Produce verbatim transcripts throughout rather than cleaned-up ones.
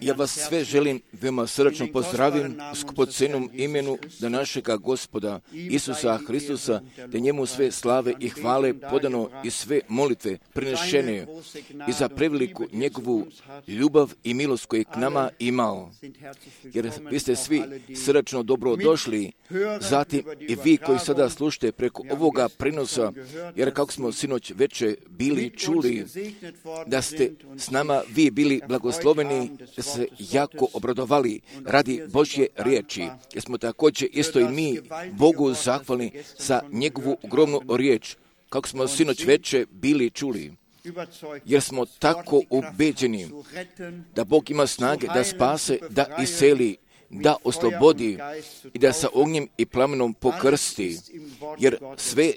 Ja vas sve želim veoma srdačno pozdravim u skupocenom imenu da našega Gospoda Isusa Hristusa, da njemu sve slave i hvale podano i sve molitve prinešene i za preveliku njegovu ljubav i milost koju je k nama imao. Jer vi ste svi srdačno dobro došli, zatim i vi koji sada slušate preko ovoga prenosa, jer kako smo sinoć veče bili čuli, da ste s nama vi bili blagosloveni, da se jako obradovali radi Božje riječi. Jer smo također isto i mi Bogu zahvalni za njegovu ogromnu riječ, kako smo sinoć veče bili čuli. Jer smo tako ubeđeni da Bog ima snage da spase, da iseli, da oslobodi i da sa ognjem i plamenom pokrsti. Jer sve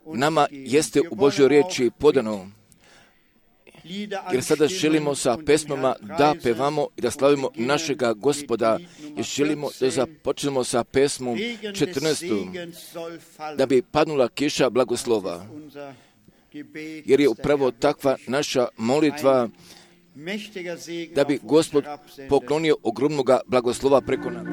nama jeste u Božjoj riječi podano. Jer sada želimo sa pesmama da pevamo i da slavimo našega Gospoda i želimo da započnemo sa pesmom četrnaestom, da bi padnula kiša blagoslova. Jer je upravo takva naša molitva da bi Gospod poklonio ogromnoga blagoslova preko nas.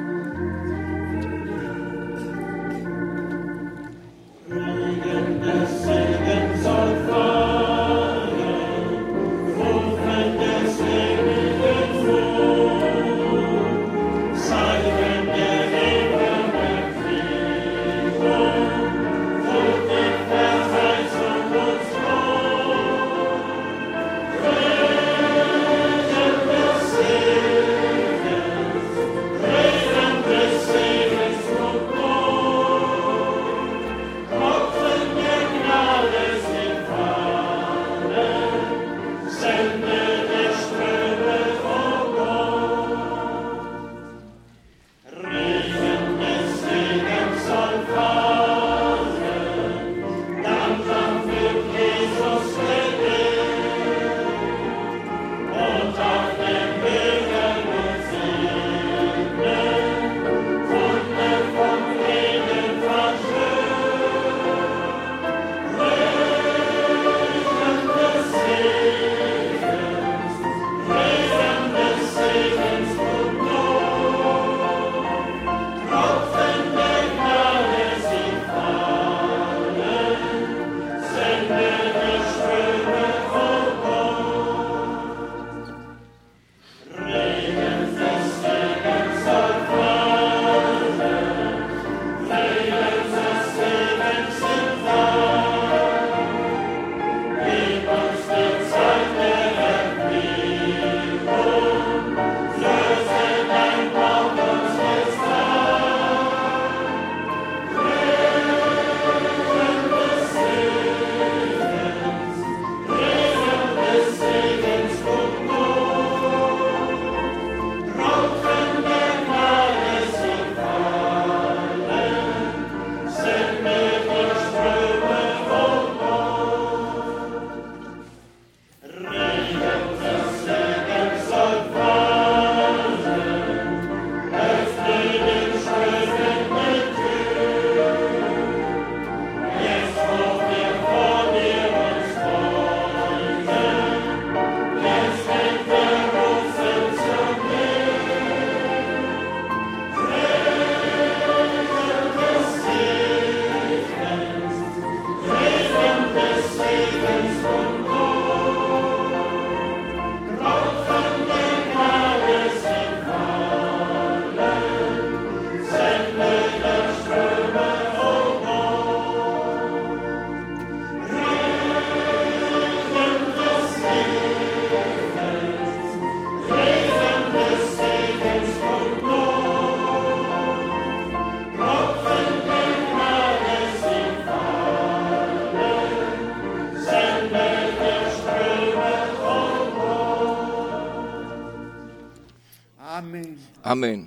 Amen.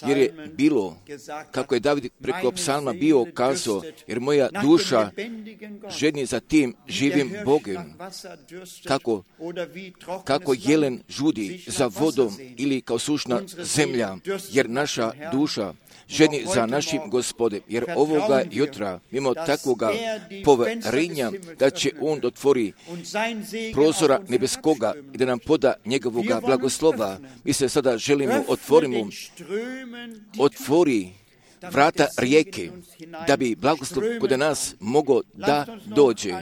jer je bilo, kako je David preko psalma bio kazao, jer moja duša žedni za tim živim Bogem, kako, kako jelen žudi za vodom ili kao sušna zemlja, jer naša duša žedni za našim Gospodem, jer ovoga jutra, mimo takvoga poverenja, da će On otvori prozora nebeskoga i da nam poda njegovoga blagoslova. Mi se sada želimo otvorimo, otvori vrata rijeke, da bi blagoslov kod nas mogao da dođe.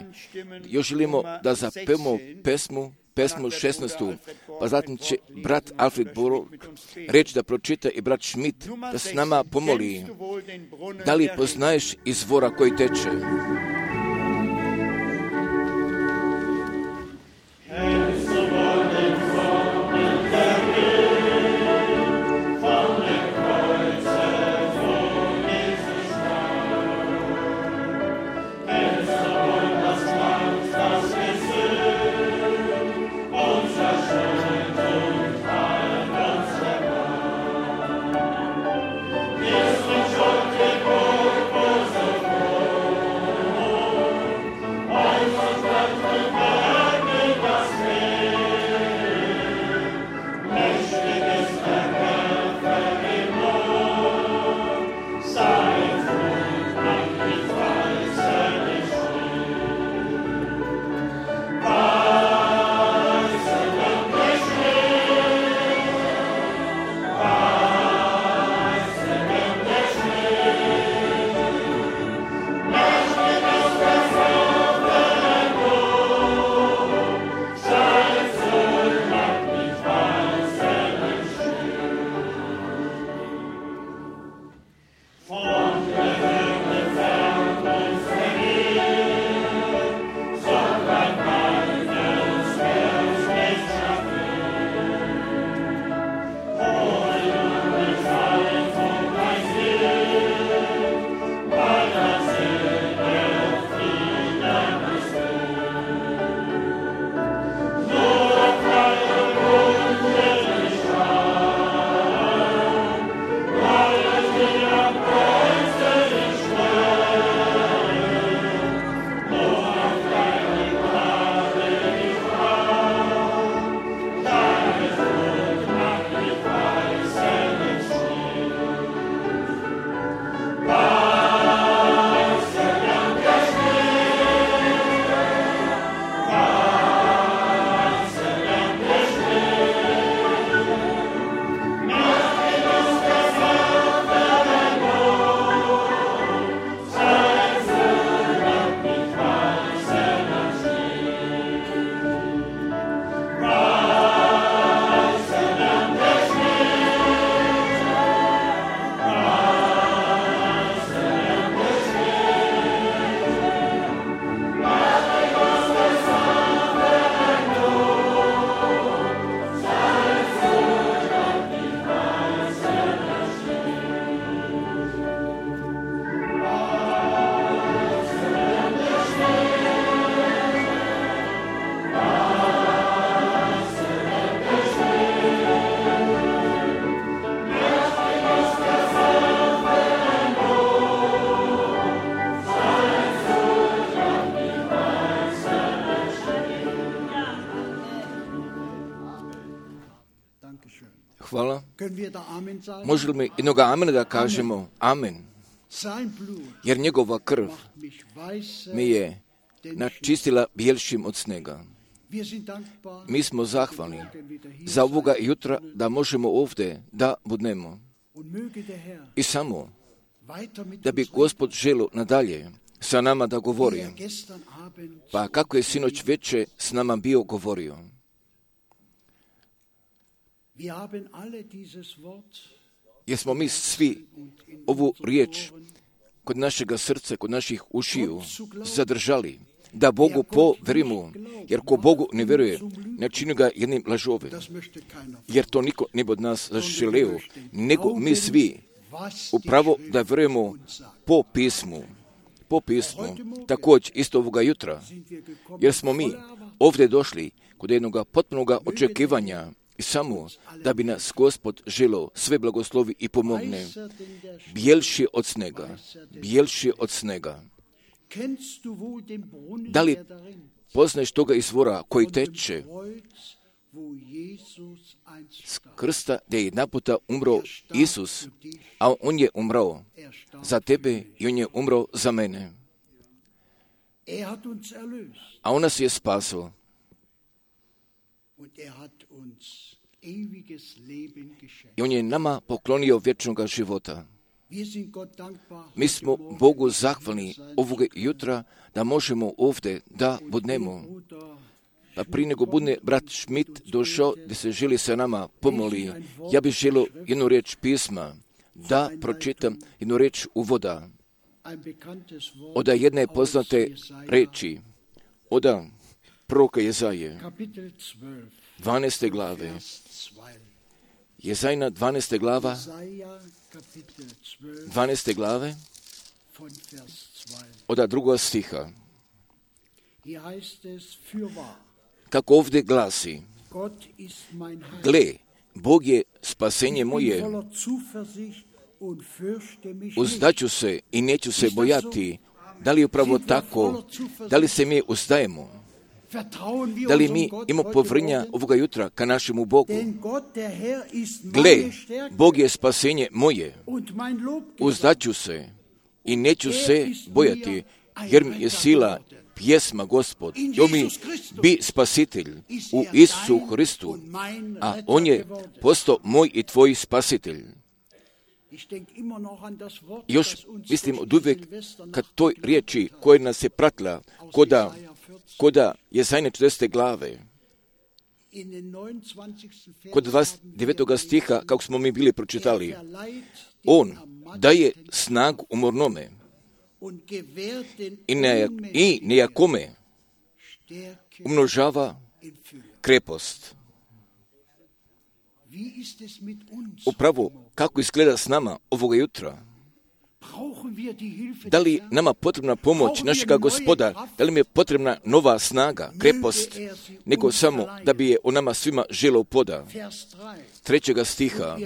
Još želimo da zapevamo pesmu, pesmu šesnaestu, pa zatim će brat Alfred Borg reći da pročita i brat Schmidt da s nama pomoli. Da li poznaješ izvora koji teče? Hvala. Može li jednoga amena da kažemo amen? Jer njegova krv mi je načistila bijelšim od snega. Mi smo zahvalni za ovoga jutra da možemo ovdje da budnemo. I samo da bi Gospod želio nadalje sa nama da govori. Pa kako je sinoć veče s nama bio govorio. Jer smo mi svi ovu riječ kod našega srca, kod naših ušiju zadržali, da Bogu povjerimo, jer ko Bogu ne vjeruje, ne čini ga jednim lažovim, jer to niko ne bi od nas zaželeo, nego mi svi upravo da vjerujemo po pismu, po pismu, također isto ovoga jutra, jer smo mi ovdje došli kod jednog potpunog očekivanja I samo da bi nas Gospod želio sve blagoslovi i pomogne, bijelši od snega, bijelši od snega. Da li poznaješ toga izvora koji teče s krsta gdje je jedna puta umro Isus, a on je umrao za tebe i on je umrao za mene. A on nas je spasao. I on je nama poklonio vječnoga života. Mi smo Bogu zahvalni ovoga jutra da možemo ovdje da budemo. Pa prije nego bude brat Schmidt došao gdje se želi sa nama pomoli, ja bih želio jednu riječ pisma da pročitam, jednu riječ uvoda. Oda jedne poznate reči, oda proroka Jezaje, dvanaeste glave. Jezajna dvanaesta glava, dvanaeste glave, oda druga stiha. Kako ovdje glasi, gle, Bog je spasenje moje, uzdaću se i neću se bojati. Da li je upravo tako? Da li se mi uzdajemo? Da li mi imamo povjerenja ovoga jutra ka našemu Bogu? Gle, Bog je spasenje moje, uzdaću se i neću se bojati, jer mi je sila pjesma Gospod. On mi bi spasitelj u Isusu Hristu, a on je postao moj i tvoj spasitelj. Još mislim od uvijek kad toj riječi koja nas je pratila koda, koda Jezajne četrdesete glave, kod dvadeset devetog stiha, kako smo mi bili pročitali, on daje snagu umornome i, ne, i nejakome umnožava krepost. Upravo kako izgleda s nama ovoga jutra? Da li nama potrebna pomoć našega Gospoda? Da li mi je potrebna nova snaga, krepost, nego samo da bi je o nama svima želio poda? Trećega stiha.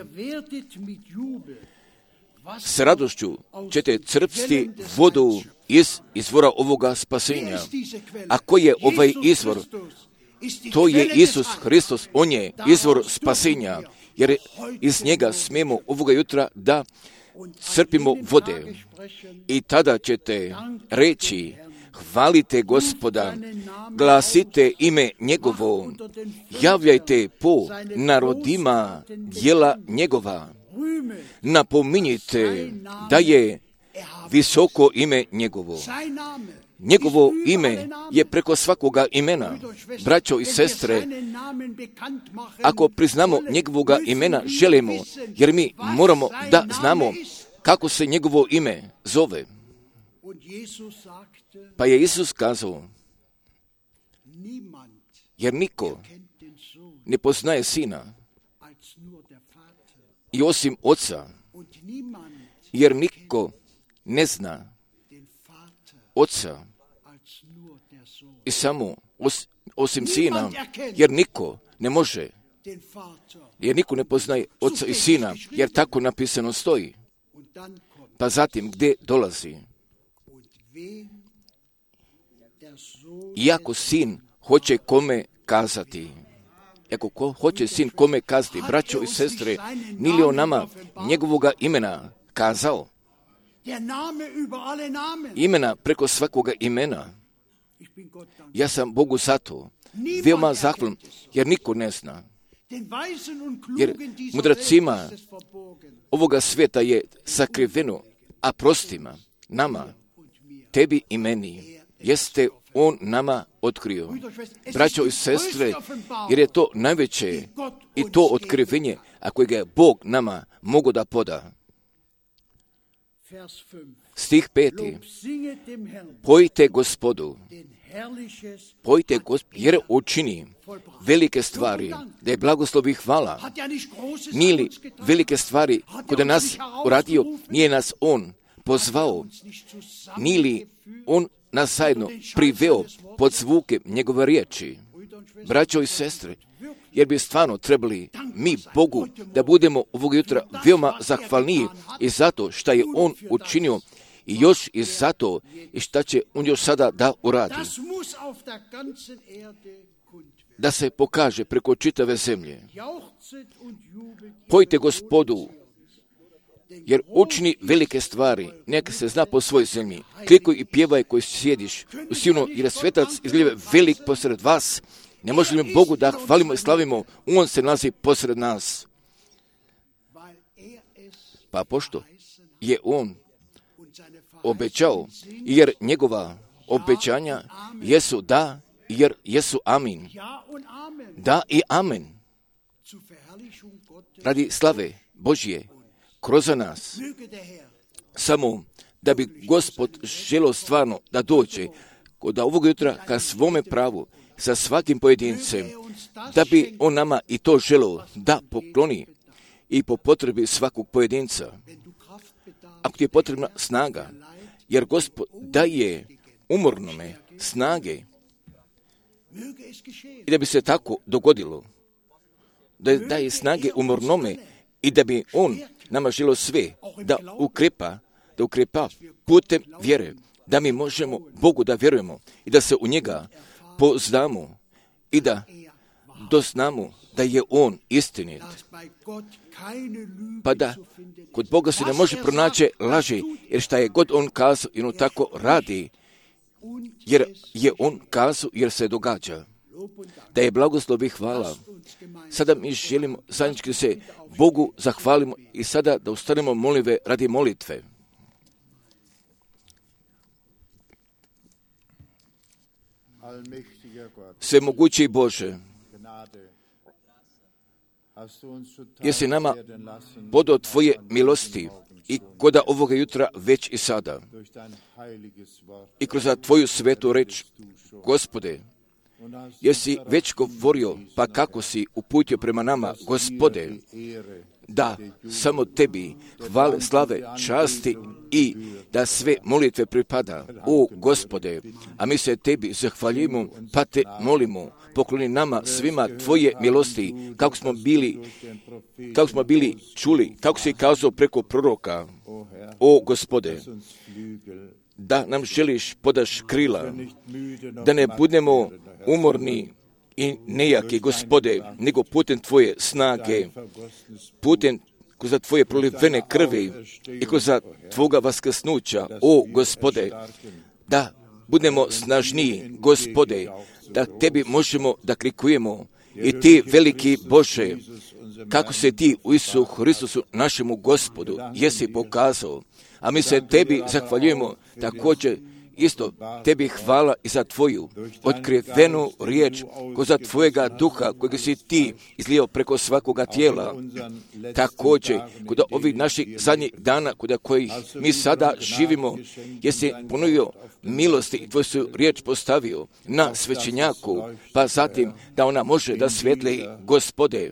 S radošću ćete crpsti vodu iz izvora ovoga spasenja. A koji je ovaj izvor? To je Isus Hristos, on je izvor spasenja, jer iz njega smijemo ovoga jutra da crpimo vode. I tada ćete reći, hvalite Gospoda, glasite ime njegovo, javljajte po narodima djela njegova, napominjite da je visoko ime njegovo. Njegovo ime je preko svakoga imena. Braćo i sestre, ako priznamo njegovoga imena, želimo, jer mi moramo da znamo kako se njegovo ime zove. Pa je Isus kazao, jer niko ne poznaje Sina i osim Oca, jer niko ne zna Oca i samo os, osim Sina, jer niko ne može, jer niko ne poznaje Oca i Sina, jer tako napisano stoji. Pa zatim gdje dolazi? Iako Sin hoće kome kazati, ako ko hoće Sin kome kazati, braćo i sestre, nije li on nama njegovoga imena kazao? Imena preko svakoga imena. Ja sam Bogu zato veoma zahvalan, jer niko ne zna. Jer mudracima ovoga svijeta je sakriveno, a prostima, nama, tebi i meni, jeste on nama otkrio. Braćo i sestre, jer je to najveće i to otkrivenje, a kojega je Bog nama mogo da poda. Stih peti. Pojte Gospodu, pojte Gospodu, jer učini velike stvari, da je blagoslovi hvala. Nije li velike stvari kod nas uradio, nije nas On pozvao, nije li On nas zajedno priveo pod zvuke njegove riječi. Braćo i sestre, jer bi stvarno trebali mi Bogu da budemo ovog jutra veoma zahvalniji i zato što je On učinio i još i zato i šta će On još sada da uradi. Da se pokaže preko čitave zemlje. Pojte Gospodu, jer učini velike stvari, neka se zna po svojoj zemlji. Klikuj i pjevaj koji sjediš u Sionu, jer je svetac izgleda velik posred vas. Ne možemo li Bogu da hvalimo i slavimo, On se nalazi posred nas. Pa pošto je On obećao, jer njegova obećanja jesu da, jer jesu amin. Da i amen. Radi slave Božje kroz nas. Samo da bi Gospod želio stvarno da dođe kod ovog jutra ka svome pravu sa svakim pojedincem, da bi On nama i to želio da pokloni i po potrebi svakog pojedinca. Ako ti je potrebna snaga, jer Gospod daje umornome snage i da bi se tako dogodilo, da daje snage umornome i da bi On nama želio sve da ukrepa, da ukrepa putem vjere, da mi možemo Bogu da vjerujemo i da se u njega poznamo i da doznamo da je On istinit. Pa da kod Boga se ne može pronaći laži, jer šta je god On kazao i On tako radi, jer je On kazao, jer se događa. Da je blagoslov i hvala. Sada mi želimo zajednički se Bogu zahvalimo i sada da ustanemo molive radi molitve. Svemogući Bože, jesi nama podao Tvoje milosti i koda ovoga jutra već i sada. I kroz Tvoju svetu reč, Gospode, jesi već govorio, pa kako si uputio prema nama, Gospode, da samo Tebi hvale, slave, časti i da sve molitve pripada. O Gospode, a mi se Tebi zahvaljujemo, pa Te molimo, pokloni nama svima Tvoje milosti, kako smo bili, kako smo bili čuli, kako si kazao preko proroka. O Gospode, da nam želiš podaš krila, da ne budemo umorni i nejaki, Gospode, nego putem Tvoje snage, putem kroz Tvoje prolivene krvi i kroz Tvoga vaskrsnuća, o Gospode, da budemo snažniji, Gospode, da Tebi možemo da klikujemo i Ti, veliki Bože, kako se Ti u Isusu Hristusu, našemu Gospodu, jesi pokazao, a mi se Tebi zahvaljujemo također isto Tebi hvala i za Tvoju otkrivenu riječ, ko za Tvojega duha kojeg si Ti izlijao preko svakoga tijela. Također, kod ovih naših zadnjih dana, kod kojih mi sada živimo, jesi ponovio milosti i Tvoju su riječ postavio na svećenjaku, pa zatim da ona može da svijetli, Gospode,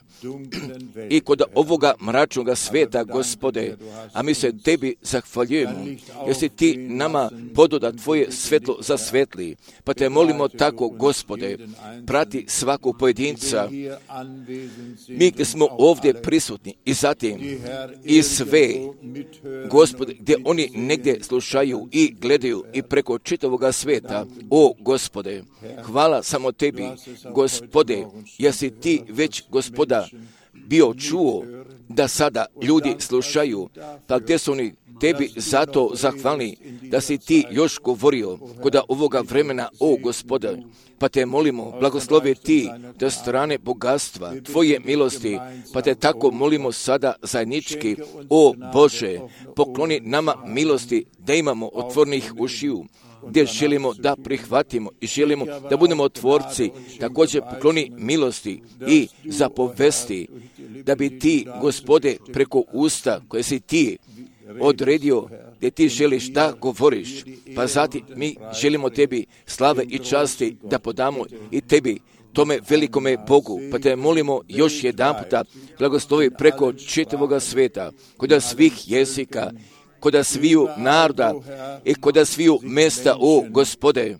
i kod ovoga mračnoga svijeta, Gospode, a mi se Tebi zahvaljujemo, jesi Ti nama podao da Tvoje svetlo zasvetli, pa Te molimo tako, Gospode, prati svakog pojedinca, mi gdje smo ovdje prisutni i zatim i sve, Gospode, gdje oni negdje slušaju i gledaju i preko čitavoga svijeta, o Gospode, hvala samo Tebi, Gospode, jesi Ti već, Gospoda, bio čuo da sada ljudi slušaju, pa gdje su oni Tebi zato zahvalni da si Ti još govorio kod ovoga vremena, o Gospode, pa Te molimo, blagoslovi Ti da strane bogatstva, Tvoje milosti, pa Te tako molimo sada zajednički, o Bože, pokloni nama milosti da imamo otvornih ušiju, gdje želimo da prihvatimo i želimo da budemo tvorci, također pokloni milosti i zapovesti, da bi Ti, Gospode, preko usta koje si Ti odredio, gdje Ti želiš da govoriš, pa zatim mi želimo Tebi slave i časti da podamo i Tebi, tome velikome Bogu, pa Te molimo još jedan puta, blagoslovi preko čitavoga svijeta, kod svih jezika, kod sviju naroda i kod sviju mjesta, o Gospode,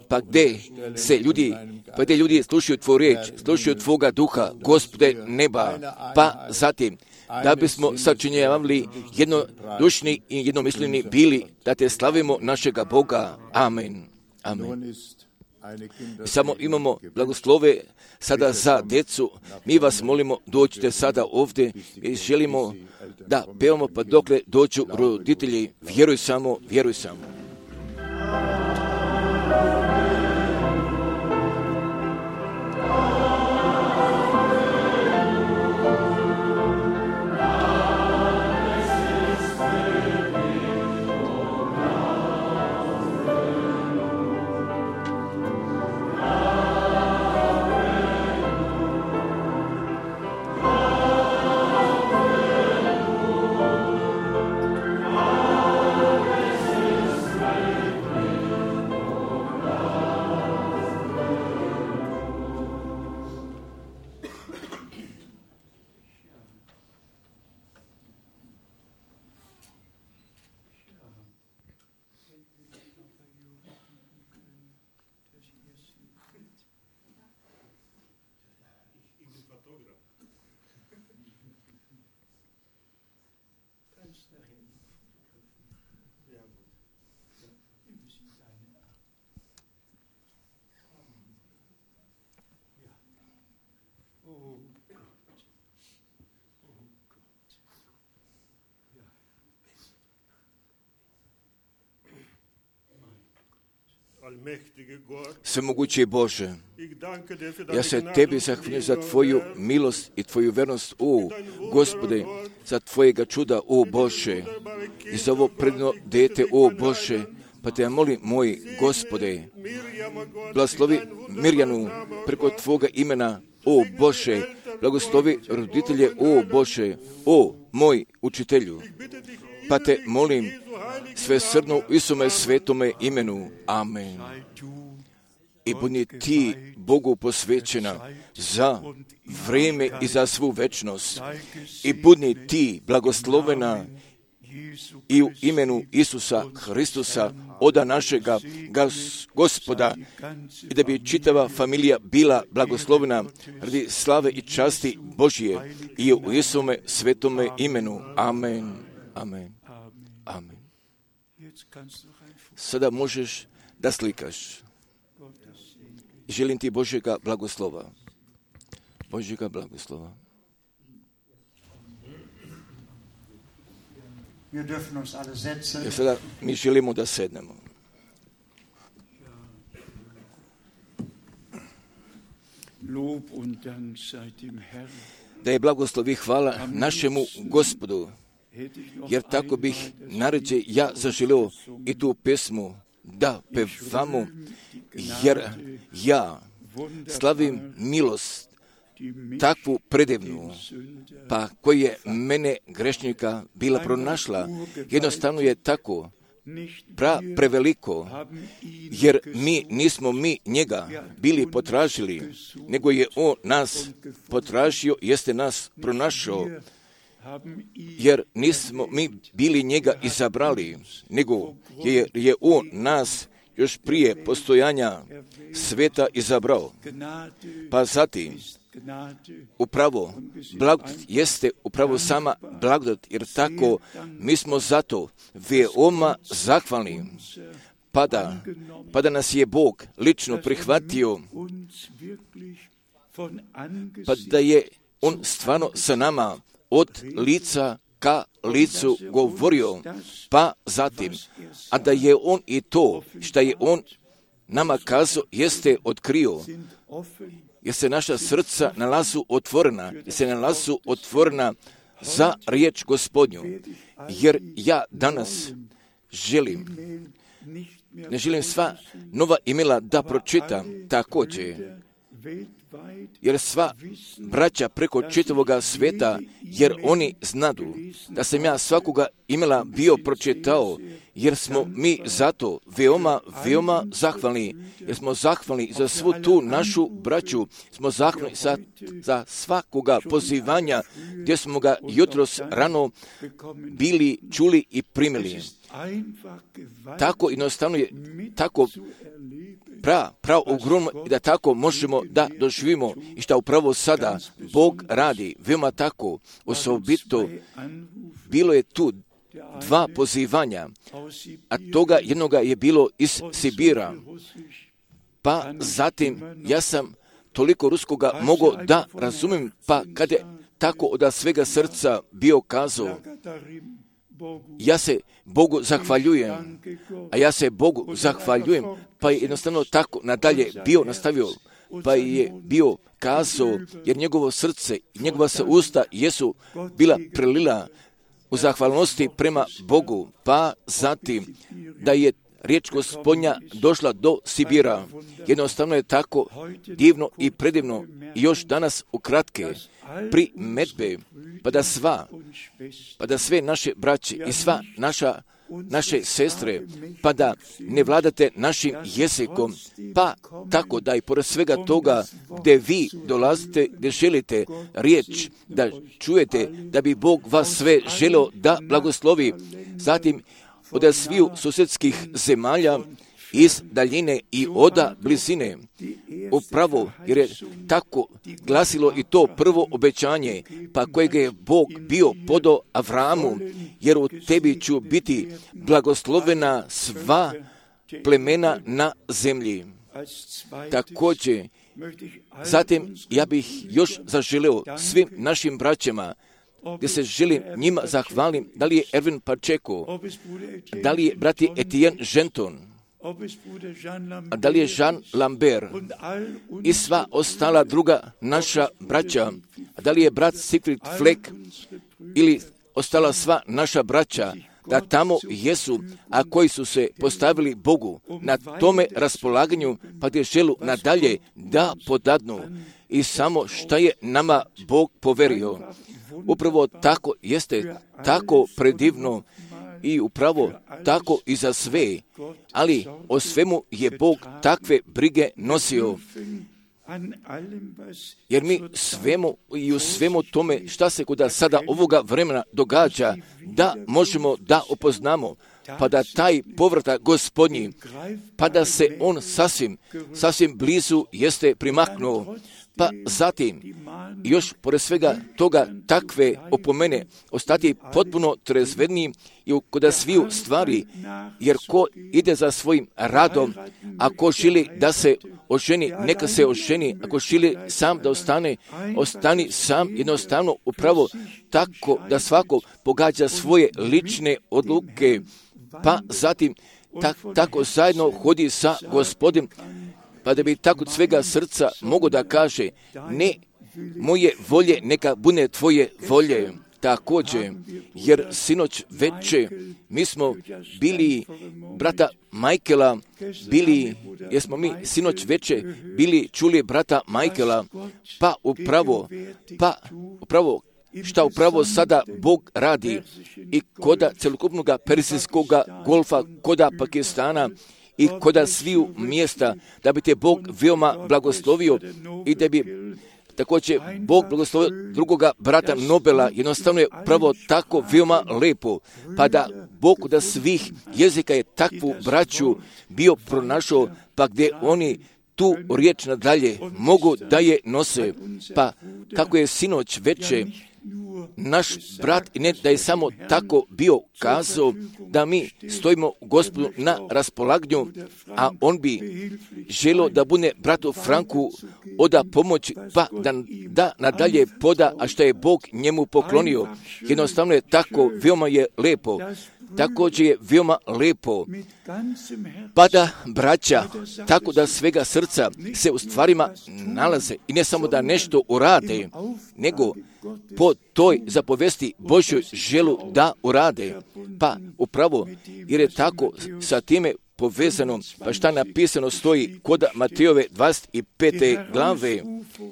Pa gdje se ljudi, pa gdje ljudi slušaju tvoju riječ, slušaju tvoga duha, Gospode neba, pa zatim, da bismo sačinjavali jednodušni i jednomisleni bili, da te slavimo našega Boga. Amen. Amen. Samo imamo blagoslove sada za djecu. Mi vas molimo, dođite sada ovdje i želimo da pevamo pa dokle dođu roditelji. Vjeruj samo, vjeruj samo. Svemogući Bože, ja se tebi zahvaljujem za tvoju milost i tvoju vernost, o Gospode, za tvojega čuda, o Bože, i za ovo predno dete, o Bože, pa te ja molim, moj Gospode, blagoslovi Mirjanu preko tvoga imena, o Bože, blagoslovi roditelje, o Bože, o moj učitelju, pa te molim, sve srdno u Isuse svetome imenu. Amen. I budni ti Bogu posvećena za vrijeme i za svu večnost. I budni ti blagoslovena i u imenu Isusa Hristusa, oda našega Gospoda, i da bi čitava familija bila blagoslovena radi slave i časti Božije i u Isuse svetome imenu. Amen. Amen. Amen. Sada možeš da slikaš. Želim ti Božjega blagoslova. Božjega blagoslova. Jer sada mi želimo da sednemo. Da je blagoslov i hvala našemu Gospodu, jer tako bih naređe ja zaželio i tu pesmu da pevamo, jer ja slavim milost takvu predivnu, pa koji je mene grešnika bila pronašla. Jednostavno je tako pra preveliko, jer mi nismo mi njega bili potražili, nego je on nas potražio, jeste nas pronašao, jer nismo mi bili njega izabrali, nego je, je on nas još prije postojanja sveta izabrao. Pa zatim, upravo, blagodat jeste upravo sama blagodat, jer tako mi smo zato veoma zahvalni, pa da, pa da nas je Bog lično prihvatio, pa da je on stvarno sa nama od lica ka licu govorio, pa zatim, a da je on i to što je on nama kazao jeste otkrio, jer se naša srca nalazu otvorena, jer se nalazu otvorena za riječ Gospodnju, jer ja danas želim, ne želim sva nova imela da pročitam također, jer sva braća preko čitavoga sveta, jer oni znadu da sam ja svakoga imela bio pročitao, jer smo mi zato veoma, veoma zahvalni, jer smo zahvalni za svu tu našu braću, smo zahvalni za, za svakoga pozivanja, gdje smo ga jutros rano bili čuli i primili. tako jednostavno je, tako prav, prav ogromno i da tako možemo da doživimo i što upravo sada Bog radi, veoma tako osobito. Bilo je tu dva pozivanja, a toga jednoga je bilo iz Sibira, pa zatim ja sam toliko ruskoga mogao da razumijem, pa kad je tako od svega srca bio kazao, ja se Bogu zahvaljujem, a ja se Bogu zahvaljujem, pa je jednostavno tako nadalje bio nastavio, pa je bio kazao, jer njegovo srce i njegova se usta jesu bila prelila u zahvalnosti prema Bogu, pa zatim da je riječ Gospodnja došla do Sibira. Jednostavno je tako divno i predivno i još danas ukratke primetbe, pa da sva, pa da sve naše braće i sva naša naše sestre, pa da ne vladate našim jezikom, pa tako da i pored svega toga gdje vi dolazite, gdje želite riječ da čujete, da bi Bog vas sve želio da blagoslovi. Zatim od sviju susjedskih zemalja, iz daljine i oda blizine. Upravo, jer je tako glasilo i to prvo obećanje, pa kojeg je Bog bio podao Avramu, jer u tebi ću biti blagoslovena sva plemena na zemlji. Također, zatim ja bih još zaželio svim našim braćama, gdje se želim njima zahvalim, da li je Erwin Pacheco, da li je brati Etienne Genton, a da li je Jean Lambert i sva ostala druga naša braća, a da li je brat Siegfried Fleck ili ostala sva naša braća, da tamo jesu, a koji su se postavili Bogu na tome raspolaganju, pa gdje želu nadalje da podadnu i samo šta je nama Bog poverio. Upravo tako jeste, tako predivno i upravo tako i za sve, ali o svemu je Bog takve brige nosio. Jer mi svemu i u svemu tome šta se kod sada ovoga vremena događa, da možemo da upoznamo, pa da taj povratak Gospodnji, pa da se on sasvim, sasvim blizu jeste primaknuo. Pa zatim, još pored svega toga takve opomene, ostati potpuno trezvedniji i kod sviju stvari, jer ko ide za svojim radom, ako želi da se oženi, neka se oženi, ako želi sam da ostane, ostani sam, jednostavno upravo tako da svako pogađa svoje lične odluke, pa zatim tak, tako zajedno hodi sa Gospodom, pa da bi tako od svega srca mogo da kaže, ne moje volje, neka bude tvoje volje. Također, jer sinoć veče mi smo bili brata Michaela, bili, jer smo mi sinoć veče bili čuli brata Michaela, pa upravo, pa upravo, šta upravo sada Bog radi i koda celokupnog persijskog golfa, koda Pakistana, i koda sviju mjesta, da bi te Bog veoma blagoslovio i da bi također Bog blagoslovio drugoga brata Nobela. Jednostavno je pravo tako veoma lepo, pa da Bog da svih jezika je takvu braću bio pronašao, pa gdje oni tu riječ nadalje mogu da je nose. Pa kako je sinoć veče naš brat, i ne da je samo tako bio kazao, da mi stojimo Gospodu na raspolaganju, a on bi želio da bude bratu Franku oda pomoć, pa da, da nadalje poda, a što je Bog njemu poklonio. Jednostavno je tako, veoma je lepo. Također je veoma lepo, pa da braća, tako da svega srca se u stvarima nalaze i ne samo da nešto urade, nego po toj zapovesti Božjoj želu da urade. Pa upravo, jer je tako sa time povezano, pa šta napisano stoji kod Matejove dvadeset pete glave,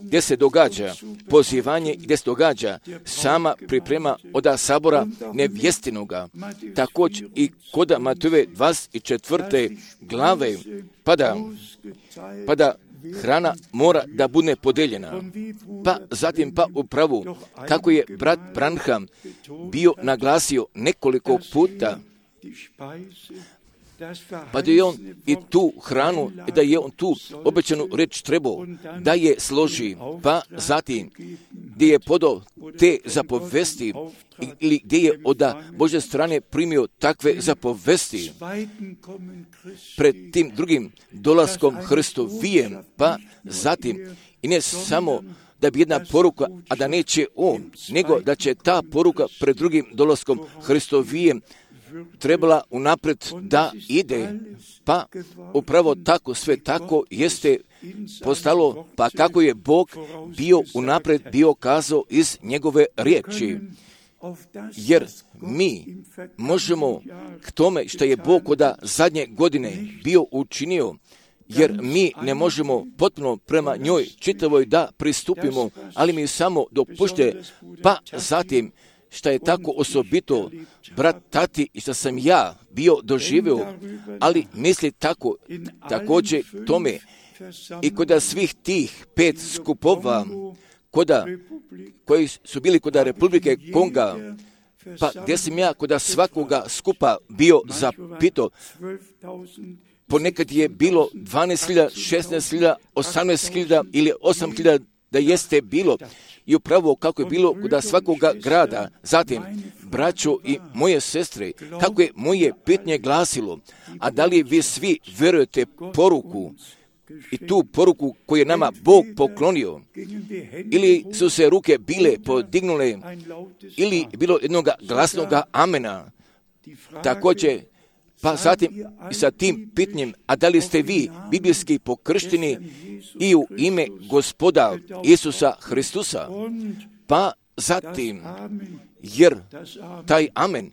gdje se događa pozivanje, gdje se događa sama priprema od sabora nevjestinoga. Također i kod Matejove dvadeset četvrte glave, pa da, pa da hrana mora da bude podeljena. Pa zatim pa upravo, kako je brat Branham bio naglasio nekoliko puta, Pa da je on i tu hranu, da je on tu obećanu reč trebao da je složi, pa zatim gdje je podao te zapovesti ili gdje je od Božje strane primio takve zapovesti pred tim drugim dolaskom Hristovijem, pa zatim i ne samo da bi jedna poruka, a da neće on, nego da će ta poruka pred drugim dolaskom Hristovijem trebala unaprijed da ide, pa upravo tako, sve tako jeste postalo, pa kako je Bog bio unaprijed bio kazao iz njegove riječi. Jer mi možemo k tome što je Bog od zadnje godine bio učinio, jer mi ne možemo potpuno prema njoj čitavoj da pristupimo, ali mi samo dopušte, pa zatim što je tako osobito, brat, tati, i što sam ja bio doživio, ali misli tako, također tome, i kod svih tih pet skupova, koda, koji su bili kod Republike Konga, pa gdje sam ja kod svakoga skupa bio zapito, ponekad je bilo dvanaest hiljada, šesnaest hiljada, osamnaest hiljada ili osam hiljada da jeste bilo, i upravo kako je bilo kod svakoga grada. Zatim, braćo i moje sestre, kako je moje pitanje glasilo, a da li vi svi vjerujete poruku i tu poruku koju je nama Bog poklonio, ili su se ruke bile podignule, ili bilo jednog glasnog amena, također. Pa zatim i sa tim pitanjem, a da li ste vi biblijski pokršteni i u ime Gospoda Isusa Hristusa? Pa zatim, jer taj amen,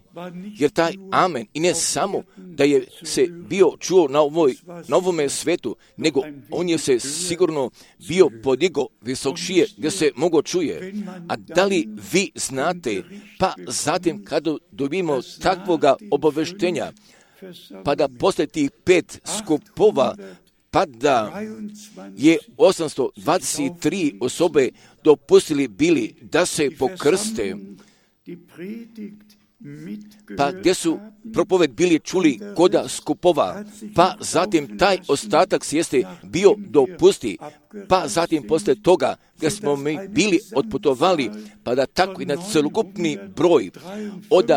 jer taj amen, i ne samo da je se bio čuo na, ovoj, na ovome svetu, nego on je se sigurno bio podigo visokšije gdje se mogo čuje. A da li vi znate, pa zatim kada dobijemo takvoga obaveštenja, pa da posle tih pet skupova, pa da je osamsto dvadeset tri osobe dopustili bili da se pokrste, pa gdje su propoved bili čuli koda skupova, pa zatim taj ostatak jeste bio dopusti, pa zatim posle toga gdje smo mi bili otputovali, pa da tako i na celokupni broj od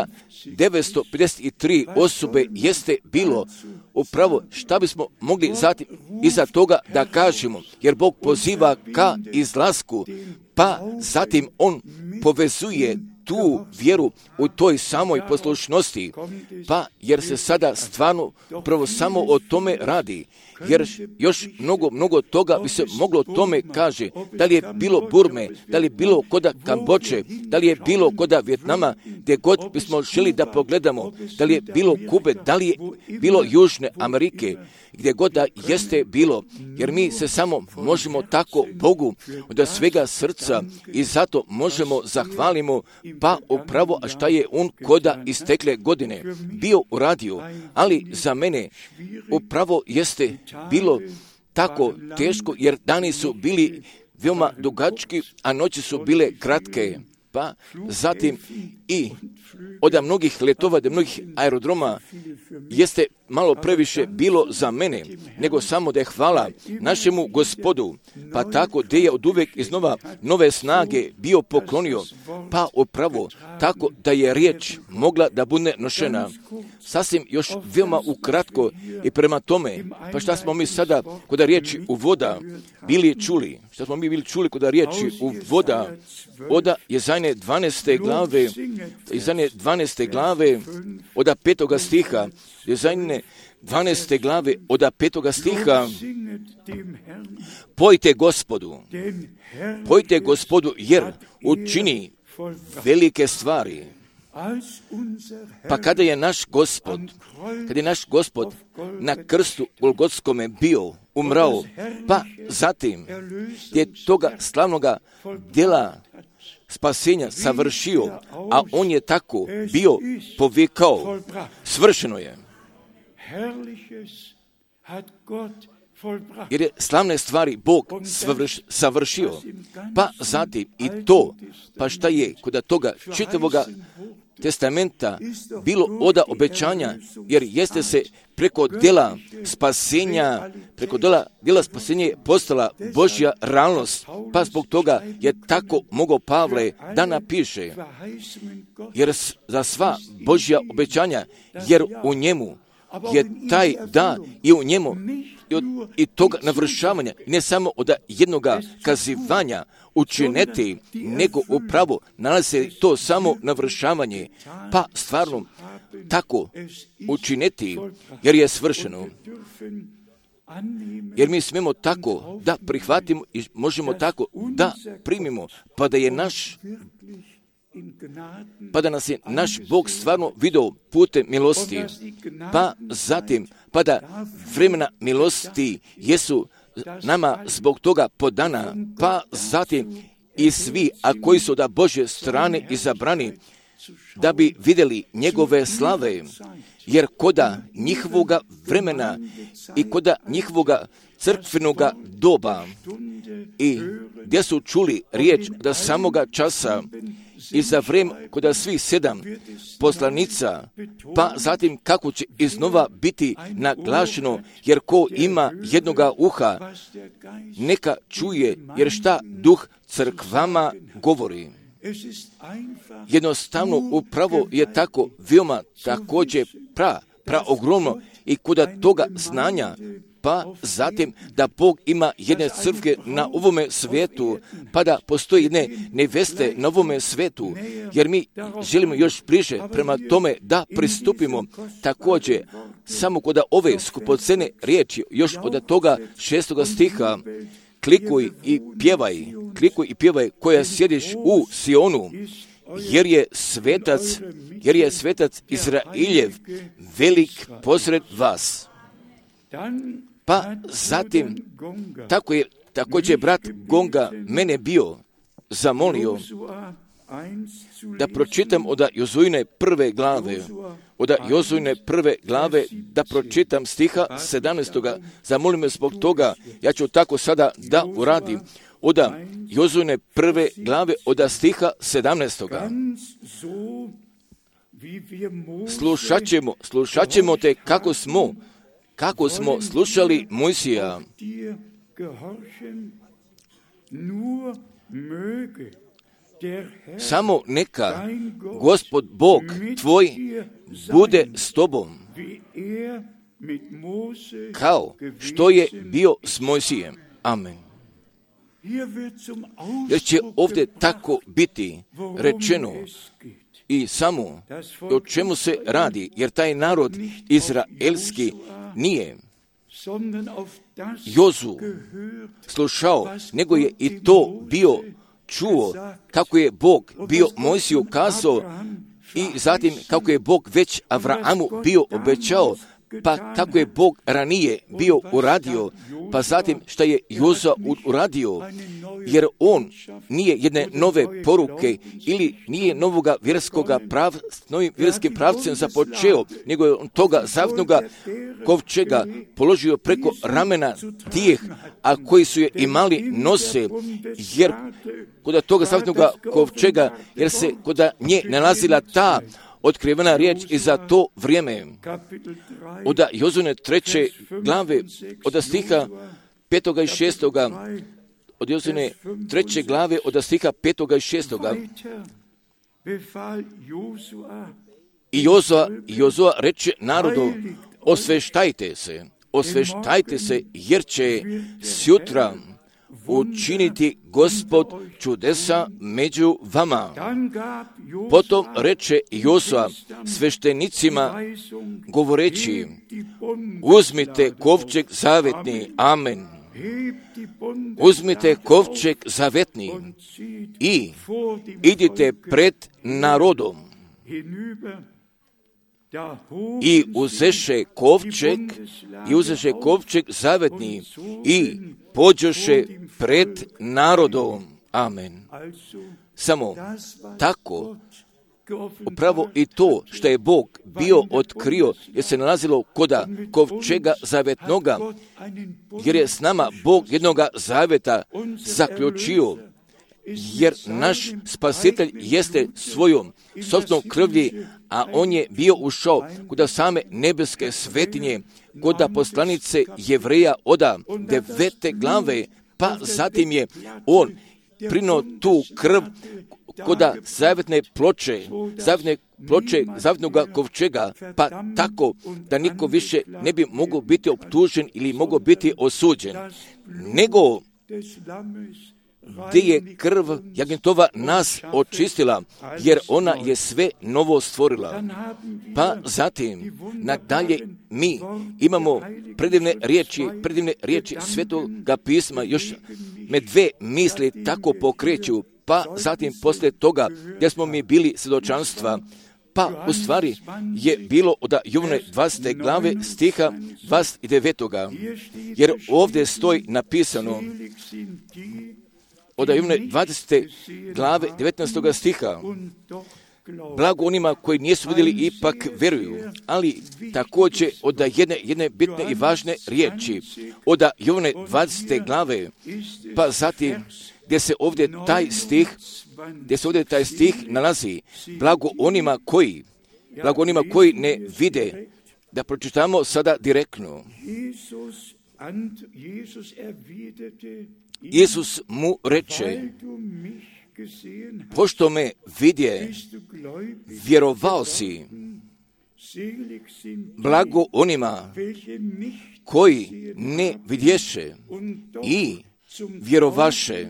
devetsto pedeset tri osobe jeste bilo upravo šta bismo mogli zatim iza toga da kažemo, jer Bog poziva ka izlasku, pa zatim on povezuje tu vjeru u toj samoj poslušnosti, pa jer se sada stvarno prvo samo o tome radi, jer još mnogo, mnogo toga bi se moglo tome kaže, da li je bilo Burme, da li je bilo koda Kamboče, da li je bilo koda Vjetnama, gdje god bismo želi da pogledamo, da li je bilo Kube, da li je bilo Južne Amerike, gdje god da jeste bilo, jer mi se samo možemo tako Bogu od svega srca i zato možemo zahvalimo, pa upravo a šta je on koda istekle godine bio uradio, ali za mene upravo jeste bilo tako teško, jer dani su bili veoma dugački, a noći su bile kratke. Pa zatim i od mnogih letova, od mnogih aerodroma jeste malo previše bilo za mene, nego samo da je hvala našemu Gospodu, pa tako da je od uvek iznova nove snage bio poklonio, pa upravo tako da je riječ mogla da bude nošena. Sasvim još veoma ukratko i prema tome, pa šta smo mi sada kod riječi u voda bili čuli, šta smo mi bili čuli kod riječi u voda, od Jezajne dvanaeste glave, Jezajne dvanaeste glave, od petoga stiha, Jezajne dvanaeste glave, od petoga stiha, pojte Gospodu, pojte Gospodu, jer učini velike stvari. Pa kada je naš Gospod, kada je naš Gospod na krstu Golgotskome bio, umrao, pa zatim je toga slavnoga djela spasenja savršio, a on je tako bio povikao, svršeno je. Jer je slavne stvari Bog savrš, savršio, pa zatim i to, pa šta je kod toga čitavoga testamenta bilo oda obećanja, jer jeste se preko djela spasenja, preko djela, djela spasenja je postala Božja realnost, pa zbog toga je tako mogao Pavle da napiše, jer za sva Božja obećanja, jer u njemu je taj da i u njemu i, od, i toga navršavanja, ne samo od jednoga kazivanja učiniti, nego upravo nalazi to samo navršavanje, pa stvarno tako učiniti, jer je svršeno. Jer mi smemo tako da prihvatimo i možemo tako da primimo, pa da je naš pa da nas je naš Bog stvarno vidio putem milosti, pa zatim, pa da vremena milosti jesu nama zbog toga podana, pa zatim i svi, a koji su da Božje strane izabrani, da bi vidjeli njegove slave, jer koda njihovoga vremena i koda njihovoga crkvenoga doba i gdje su čuli riječ da samoga časa i za vrijeme koda svih sedam poslanica, pa zatim kako će iznova biti naglašeno, jer ko ima jednoga uha, neka čuje, jer šta duh crkvama govori. Jednostavno, upravo je tako veoma također pra, pra ogromno i koda toga znanja, pa zatim da Bog ima jedne crkve na ovome svijetu, pa da postoji jedne neveste na ovome svijetu, jer mi želimo još bliže prema tome da pristupimo također samo kod ove skupocene riječi, još od toga šestoga stiha, klikuj i pjevaj, klikuj i pjevaj koja sjediš u Sionu, jer je svetac, jer je svetac Izrailjev velik posred vas. Pa zatim, tako je također brat Gonga mene bio zamolio da pročitam od Jozuine prve glave, od Jozuine prve glave da pročitam stiha sedamnaestoga. Zamolim me zbog toga, ja ću tako sada da uradim. Od Jozuine prve glave od stiha sedamnaestoga. Slušat ćemo, slušat ćemo te kako smo, kako smo slušali Mojsija. Samo neka Gospod Bog tvoj bude s tobom, kao što je bio s Mojsijem. Amen. Jer će ovdje tako biti rečeno i samo o čemu se radi, jer taj narod izraelski nije Jozu slušao, nego je i to bio čuo kako je Bog bio Mojsiju kazao i zatim kako je Bog već Avraamu bio obećao, pa kako je Bog ranije bio uradio, pa zatim što je Joza uradio, jer on nije jedne nove poruke ili nije novoga vjerskoga prav, novim vjerskim pravcem započeo, nego je on toga zavnoga kovčega položio preko ramena tih, a koji su je imali nose, jer kod toga zavnoga kovčega, jer se kod nje nalazila ta otkrivena riječ i za to vrijeme. Od Jozuine treće glave, od stiha petoga i šestoga, od Jozuine treće glave, od stiha petoga i šestoga. I Jozua, Jozua reče narodu, osveštajte se, osveštajte se, jer će sjutra učiniti Gospod čudesa među vama. Potom reče Josua sveštenicima govoreći, uzmite kovčeg zavetni, amen. Uzmite kovčeg zavetni i idite pred narodom. I uzeše kovčeg, i uzeše kovčeg zavetni i pođoše pred narodom. Amen. Samo tako, upravo i to što je Bog bio otkrio, jer se nalazilo koda kovčega zavetnoga, jer je s nama Bog jednoga zaveta zaključio, jer naš spasitelj jeste svojom sopstvenom krvlji, a on je bio ušao kod same nebeske svetinje, kod poslanice Jevreja oda devete glave, pa zatim je on prinuo tu krv koda zavetne ploče, zavetne ploče, zavetnoga kovčega, pa tako da niko više ne bi mogao biti optužen ili mogao biti osuđen, nego gdje je krv jagnjetova nas očistila, jer ona je sve novo stvorila. Pa zatim, nadalje, mi imamo predivne riječi, predivne riječi Svetoga pisma, još me dve misli tako pokreću, pa zatim poslije toga, gdje smo mi bili svjedočanstva, pa u stvari je bilo od Jovane dvadesete glave stiha dvadeset devetog jer ovdje stoji napisano od Jovane dvadesete glave devetnaestog stiha, blago onima koji nisu vidjeli ipak vjeruju, ali također od jedne, jedne bitne i važne riječi, od Jovane dvadesete glave, pa zatim gdje se ovdje taj stih, gdje se ovdje taj stih nalazi, blago onima koji, blago onima koji ne vide, da pročitamo sada direktno. Isus mu reče, pošto me vidje, vjerovao si, blago onima koji ne vidješe i vjerovaše,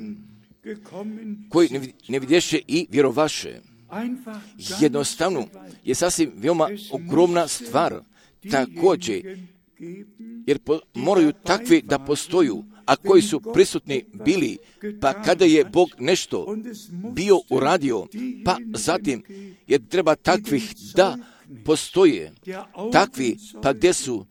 koji ne vidješe i vjerovaše. Jednostavno je sasvim veoma ogromna stvar, također, jer po, moraju takvi da postoju, a koji su prisutni bili, pa kada je Bog nešto bio uradio, pa zatim jer treba takvih da postoje, takvi pa gdje su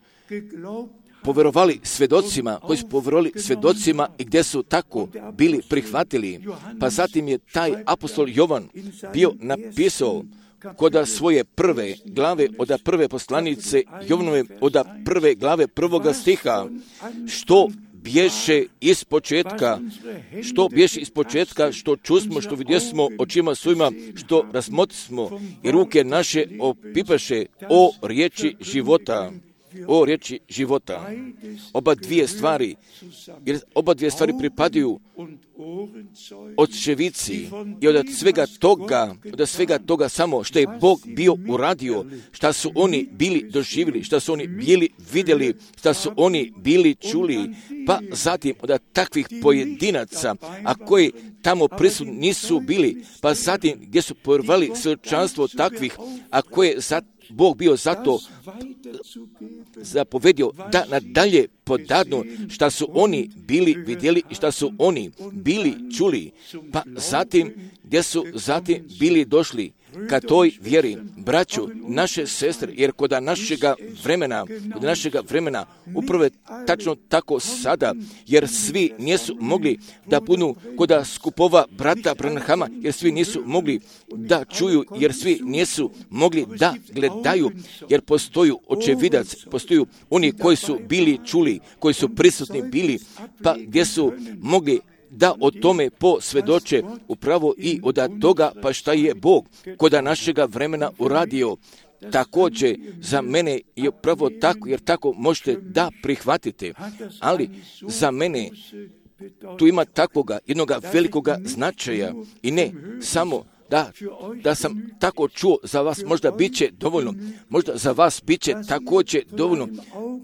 povjerovali svjedocima, koji su povjerovali svjedocima i gdje su tako bili prihvatili, pa zatim je taj apostol Jovan bio napisao kod svoje prve glave, od prve poslanice Jovanove, od prve glave prvoga stiha, što bješe iz početka, što bješe iz početka, što čusmo, što vidjesmo očima svojima, što razmotrismo i ruke naše opipaše o riječi života. O riječi života. Oba dvije stvari, jer oba dvije stvari pripadaju očevici i od svega toga, od svega toga samo što je Bog bio uradio, šta su oni bili doživjeli, šta su oni bili vidjeli, šta su oni bili čuli, pa zatim od takvih pojedinaca, a koji tamo prisutni nisu bili, pa zatim gdje su povjerovali svjedočanstvo takvih, a koje za Bog bio zato zapovedio da nadalje podadnu šta su oni bili vidjeli i šta su oni bili čuli, pa zatim gdje su zatim bili došli ka toj vjeri, braću, naše sestre, jer kod našega vremena, kod našega vremena, upravo tačno tako sada, jer svi nisu mogli da budu kod skupova brata Branhama, jer svi nisu mogli da čuju, jer svi nisu mogli da gledaju, jer postoju očevidac, postoju oni koji su bili čuli, koji su prisutni bili, pa gdje su mogli da o tome posvjedoče upravo i od toga pa šta je Bog kod našega vremena uradio. Također za mene je upravo tako, jer tako možete da prihvatite, ali za mene tu ima takvoga jednoga velikoga značaja i ne samo Da, da sam tako čuo, za vas možda bit će dovoljno, možda za vas bit će također dovoljno,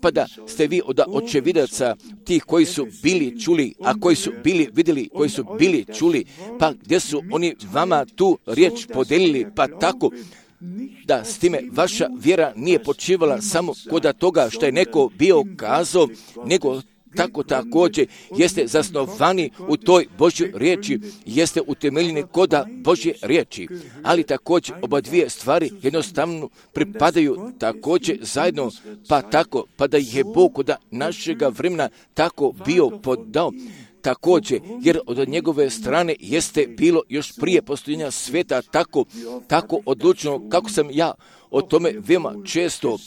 pa da ste vi od očevidaca tih koji su bili čuli, a koji su bili vidjeli, koji su bili čuli, pa gdje su oni vama tu riječ podelili, pa tako da s time vaša vjera nije počivala samo kod toga što je neko bio kazao, nego tako također jeste zasnovani u toj Božjoj riječi, jeste utemeljeni koda Božje riječi, ali također oba dvije stvari jednostavno pripadaju također zajedno, pa tako, pa da je Bog kod našega vremena tako bio podao, također, jer od njegove strane jeste bilo još prije postojanja sveta tako, tako odlučno, kako sam ja o tome veoma često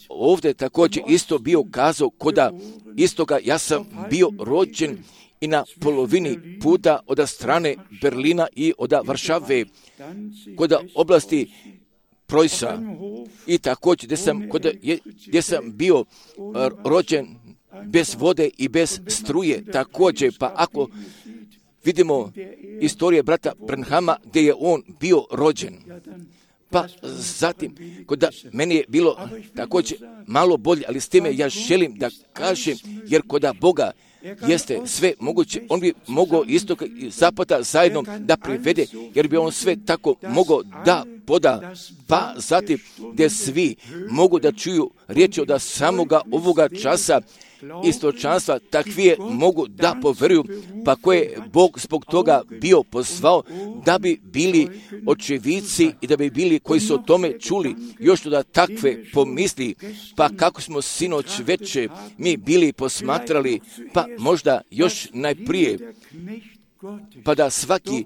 ovdje također isto bio kazao, koda istoga ja sam bio rođen i na polovini puta od strane Berlina i od Varšave, kod oblasti Preussa i također gdje sam, kod, gdje sam bio rođen bez vode i bez struje također. Pa ako vidimo istorije brata Branhama gdje je on bio rođen, pa zatim, kod meni je bilo također malo bolje, ali s time ja želim da kažem, jer kod Boga jeste sve moguće, on bi mogao istoka i zapada zajedno da privede, jer bi on sve tako mogao da poda, pa zatim gdje svi mogu da čuju riječi od samoga ovoga časa istočanstva, takvije mogu da poveruju, pa koje je Bog zbog toga bio pozvao da bi bili očevici i da bi bili koji su o tome čuli, još da takve pomisli, pa kako smo sinoć veče mi bili posmatrali, pa možda još najprije, pa da svaki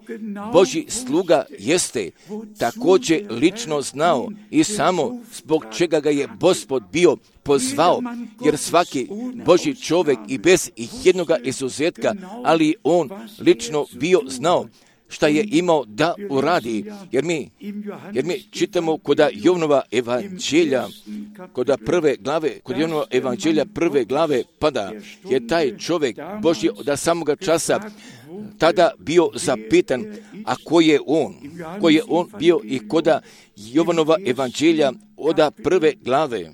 Božji sluga jeste također lično znao i samo zbog čega ga je Gospod bio pozvao, jer svaki Božji čovjek i bez jednoga izuzetka, ali on lično bio znao šta je imao da uradi, jer mi, jer mi čitamo kod Jovnova evanđelja, kod prve glave, kod Jovnova evanđelja prve glave, pada je taj čovjek Božji od samoga časa tada bio zapitan, a ko je on, ko je on bio i kod Jovanova evanđelja od prve glave,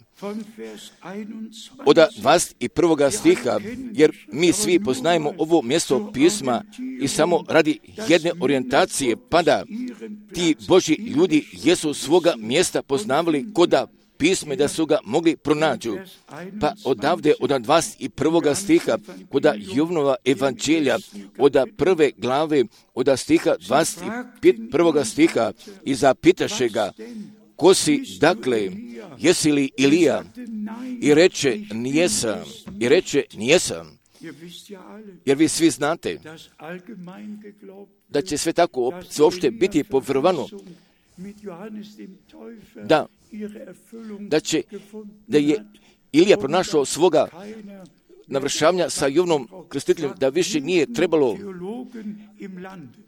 od dvadeset prvog stiha, jer mi svi poznajemo ovo mjesto pisma i samo radi jedne orijentacije, pada ti Božji ljudi jesu svoga mjesta poznavali koda pisme da su ga mogli pronađu. Pa odavde od dvadeset prvog stiha kod Jovanova evanđelja od prve glave od stiha dvadeset prvog stiha i zapitaše ga, ko si, dakle, jesi li Ilija? I reče, nijesam. I reče, nijesam. Jer vi svi znate da će sve tako uopšte biti povjerovano, da, da će, da je Ilija pronašao svoga navršavanja sa Jovanom Krstiteljem, da više nije trebalo,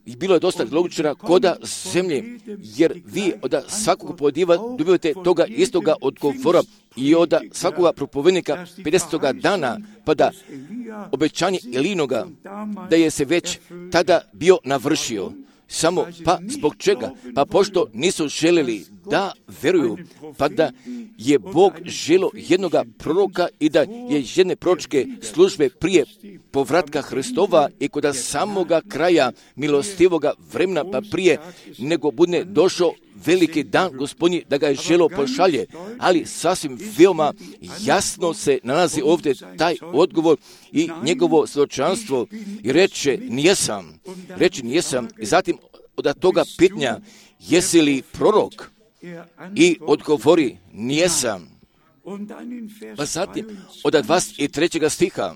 i bilo je dosta logičara koda zemlje, jer vi od svakog podiva dobivate toga istoga odgovora i od svakoga propovednika pedesetoga dana, pa da obećanje Elinoga, da je se već tada bio navršio. Samo, pa zbog čega? Pa pošto nisu željeli da veruju, pa da je Bog želio jednoga proroka i da je jedne proročke službe prije povratka Hristova i kod samoga kraja milostivoga vremena, pa prije nego bude došao veliki dan Gospodnji da ga je želio pošalje, ali sasvim veoma jasno se nalazi ovdje taj odgovor i njegovo svjedočanstvo i reče nijesam, reče nijesam i zatim od toga pitanja jesi li prorok i odgovori nijesam. Pa zatim od dvadeset trećeg stiha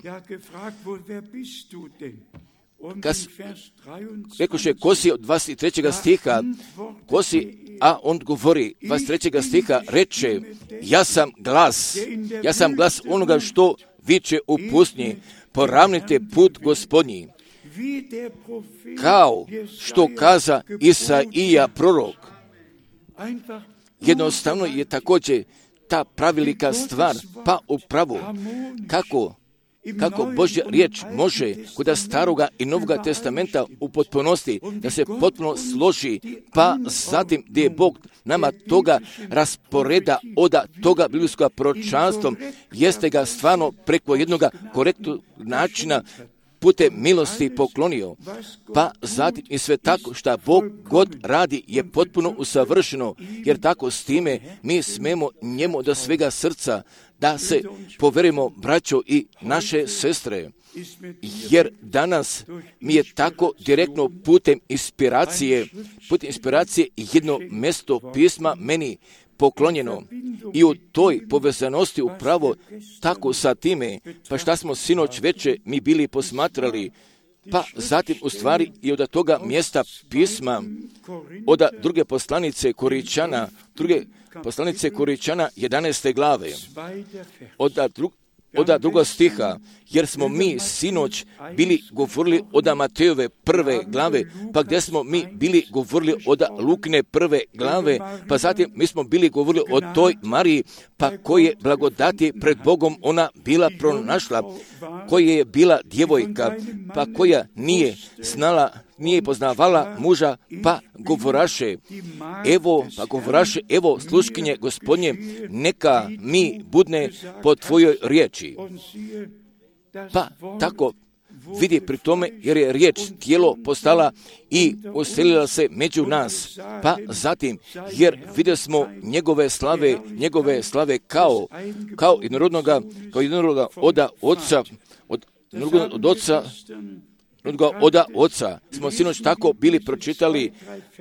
kad rekoše ko si od dvadeset trećeg stiha, ko si, a on govori dvadeset trećeg stiha, reče ja sam glas, ja sam glas onoga što viče u pustinji, poravnite put Gospodnji, kao što kaza Isaija prorok. Jednostavno je također ta pravilika stvar, pa upravo kako kako Božja riječ može kod staroga i novoga testamenta u potpunosti da se potpuno složi, pa zatim gdje je Bog nama toga rasporeda od toga biblijskog proročanstva, jeste ga stvarno preko jednog korektnog načina putem milosti poklonio, pa zatim i sve tako što Bog god radi je potpuno usavršeno, jer tako s time mi smemo njemu do svega srca da se poverimo, braćo i naše sestre, jer danas mi je tako direktno putem inspiracije, putem inspiracije jedno mjesto pisma meni poklonjeno i u toj povezanosti upravo tako sa time, pa šta smo sinoć veče mi bili posmatrali, pa zatim u stvari i od toga mjesta pisma, od druge poslanice Koričana, druge poslanice Koričana jedanaeste glave, od drug, od druga stiha, jer smo mi sinoć bili govorili od Matejove prve glave, pa gdje smo mi bili govorili od Lukine prve glave, pa zatim mi smo bili govorili o toj Mariji, pa koje blagodati pred Bogom ona bila pronašla, koja je bila djevojka, pa koja nije znala, nije poznavala muža, pa govoraše, evo, pa govoraše, evo sluškinje Gospodnje, neka mi budne po tvojoj riječi. Pa tako vidi pri tome, jer je riječ tijelo postala i uselila se među nas. Pa zatim, jer vidjeli smo njegove slave, njegove slave kao, kao jednorodnoga, kao jednorodnoga oda oca, od, od oca, oda oca, smo sinoć tako bili pročitali,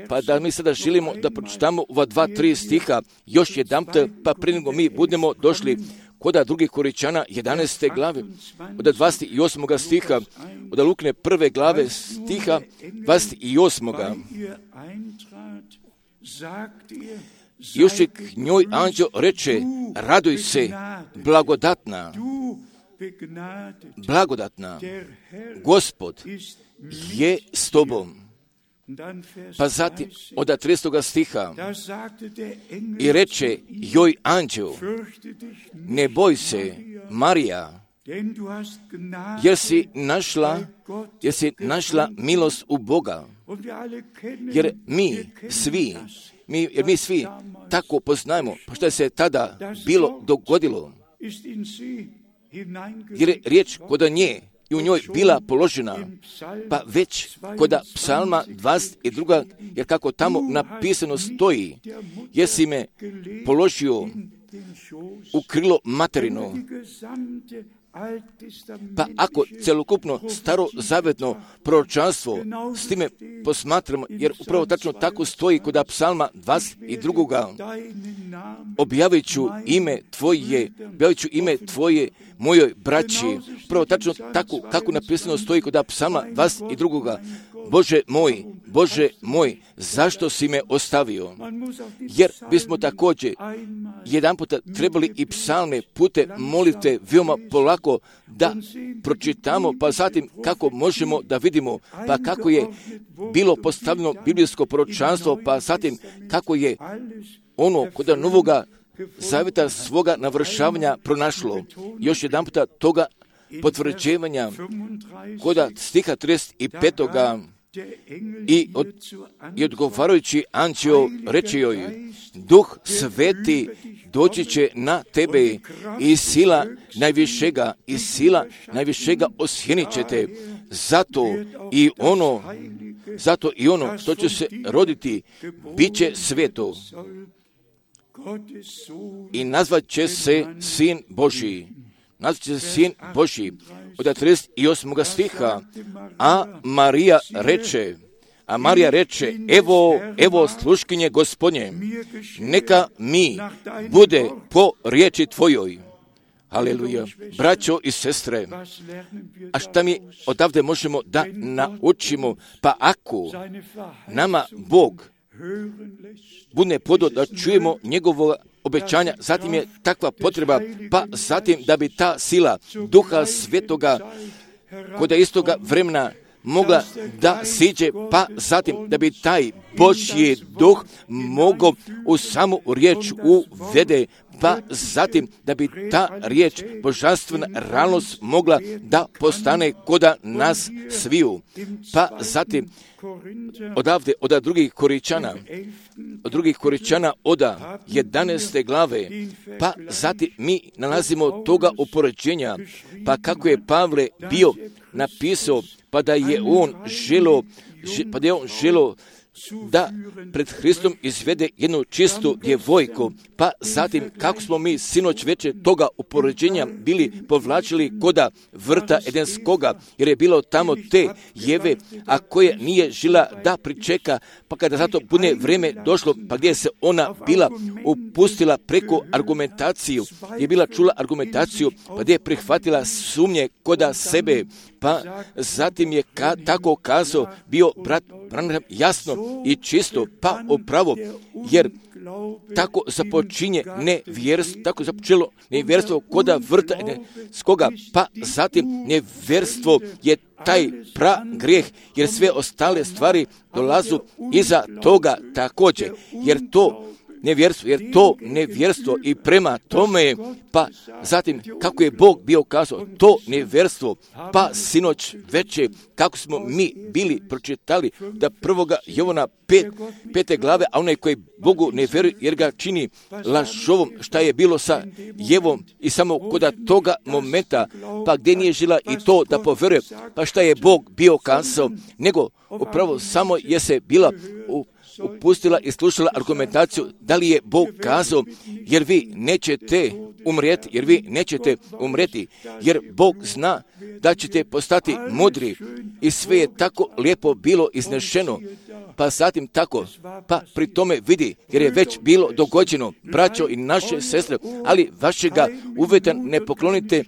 pa da mi sada želimo da pročitamo ova dva, tri stiha, još jedanput, pa prije nego mi budemo došli kod drugih Koričana jedanaeste glave, od dvadeset osmog stiha, od Lukine prve glave stiha dvadeset osmog Još je k njoj anđeo reče, raduj se, blagodatna, blagodatna, Gospod je s tobom. Pa zatim od tridesetog stiha i reče joj anđeo, ne boj se, Marija, jer si našla, jer si našla milost u Boga. Jer mi svi, mi, jer mi svi tako poznajemo, što se tada bilo dogodilo. Jer je riječ kod nje i u njoj bila položena, pa već kod psalma dvadeset dva, jer kako tamo napisano stoji, jesi me položio u krilo materino. Pa ako celokupno starozavetno proročanstvo s time posmatramo, jer upravo tačno tako stoji kod psalma dvadeset dva, objavit ću ime tvoje, objavit ću ime tvoje mojoj braći, upravo tačno tako kako napisano stoji kod psalma dvadeset dva. Bože moj, Bože moj, zašto si me ostavio? Jer bismo također jedan puta trebali i psalme pute molite veoma polako da pročitamo, pa zatim kako možemo da vidimo, pa kako je bilo postavljeno biblijsko proročanstvo, pa zatim kako je ono kod Novoga zavjeta svoga navršavanja pronašlo. Još jedan puta toga potvrđivanja kod stiha trideset pet. I, od, i odgovarajući anđeo reče joj, Duh Sveti doći će na tebe i sila najvišega, i sila najvišega osjenit će te. Zato i ono, zato i ono što će se roditi, bit će sveto. I nazvat će se Sin Božji. Nazvat će se Sin Božji. Od trideset osmog stiha, a Marija reče, a Marija reče, evo, evo sluškinje Gospodnje, neka mi bude po riječi tvojoj. Haleluja. Braćo i sestre, a šta mi odavde možemo da naučimo? Pa ako nama Bog bude podo da čujemo njegovo obećanja, zatim je takva potreba, pa zatim da bi ta sila Duha Svetoga kod istoga vremena mogla da siđe, pa zatim da bi taj Božji duh mogao u samu riječ uvede, pa zatim da bi ta riječ, božanstvena realnost mogla da postane koda nas sviju. Pa zatim odavde, od drugih Koričana, od drugih Koričana, od jedanaeste glave, pa zatim mi nalazimo toga upoređenja, pa kako je Pavle bio napisao, pa da je on želo, pa da je on želo da pred Hristom izvede jednu čistu djevojku, pa zatim kako smo mi sinoć veče toga upoređenja bili povlačili koda vrta Edenskoga, jer je bilo tamo te Jeve, a koja nije žila da pričeka, pa kada zato bude vrijeme došlo, pa gdje se ona bila upustila preko argumentaciju, je bila čula argumentaciju, pa gdje je prihvatila sumnje koda sebe, pa zatim je ka, tako kazao bio brat Branham jasno i čisto, pa upravo, jer tako započinje nevjerstvo, tako započelo nevjerstvo koda vrta skoga, pa zatim nevjerstvo je taj pra grijeh, jer sve ostale stvari dolazu iza toga također, jer to nevjerstvo, jer to nevjerstvo i prema tome, pa zatim kako je Bog bio kazao, to nevjerstvo, pa sinoć veće, kako smo mi bili pročitali da prvoga Jovana pet, pete glave, a onaj koji Bogu ne vjeruje jer ga čini lažovom, šta je bilo sa Jevom i samo kod toga momenta, pa gdje nije žila i to da povjeruje, pa šta je Bog bio kazao, nego upravo samo je se bila u upustila i slušala argumentaciju da li je Bog kazao, jer vi nećete umrijeti, jer vi nećete umrijeti, jer Bog zna da ćete postati mudri i sve je tako lijepo bilo iznešeno, pa zatim tako, pa pri tome vidi, jer je već bilo dogođeno, braćo i naše sestre, ali vašega uvjeta ne poklonite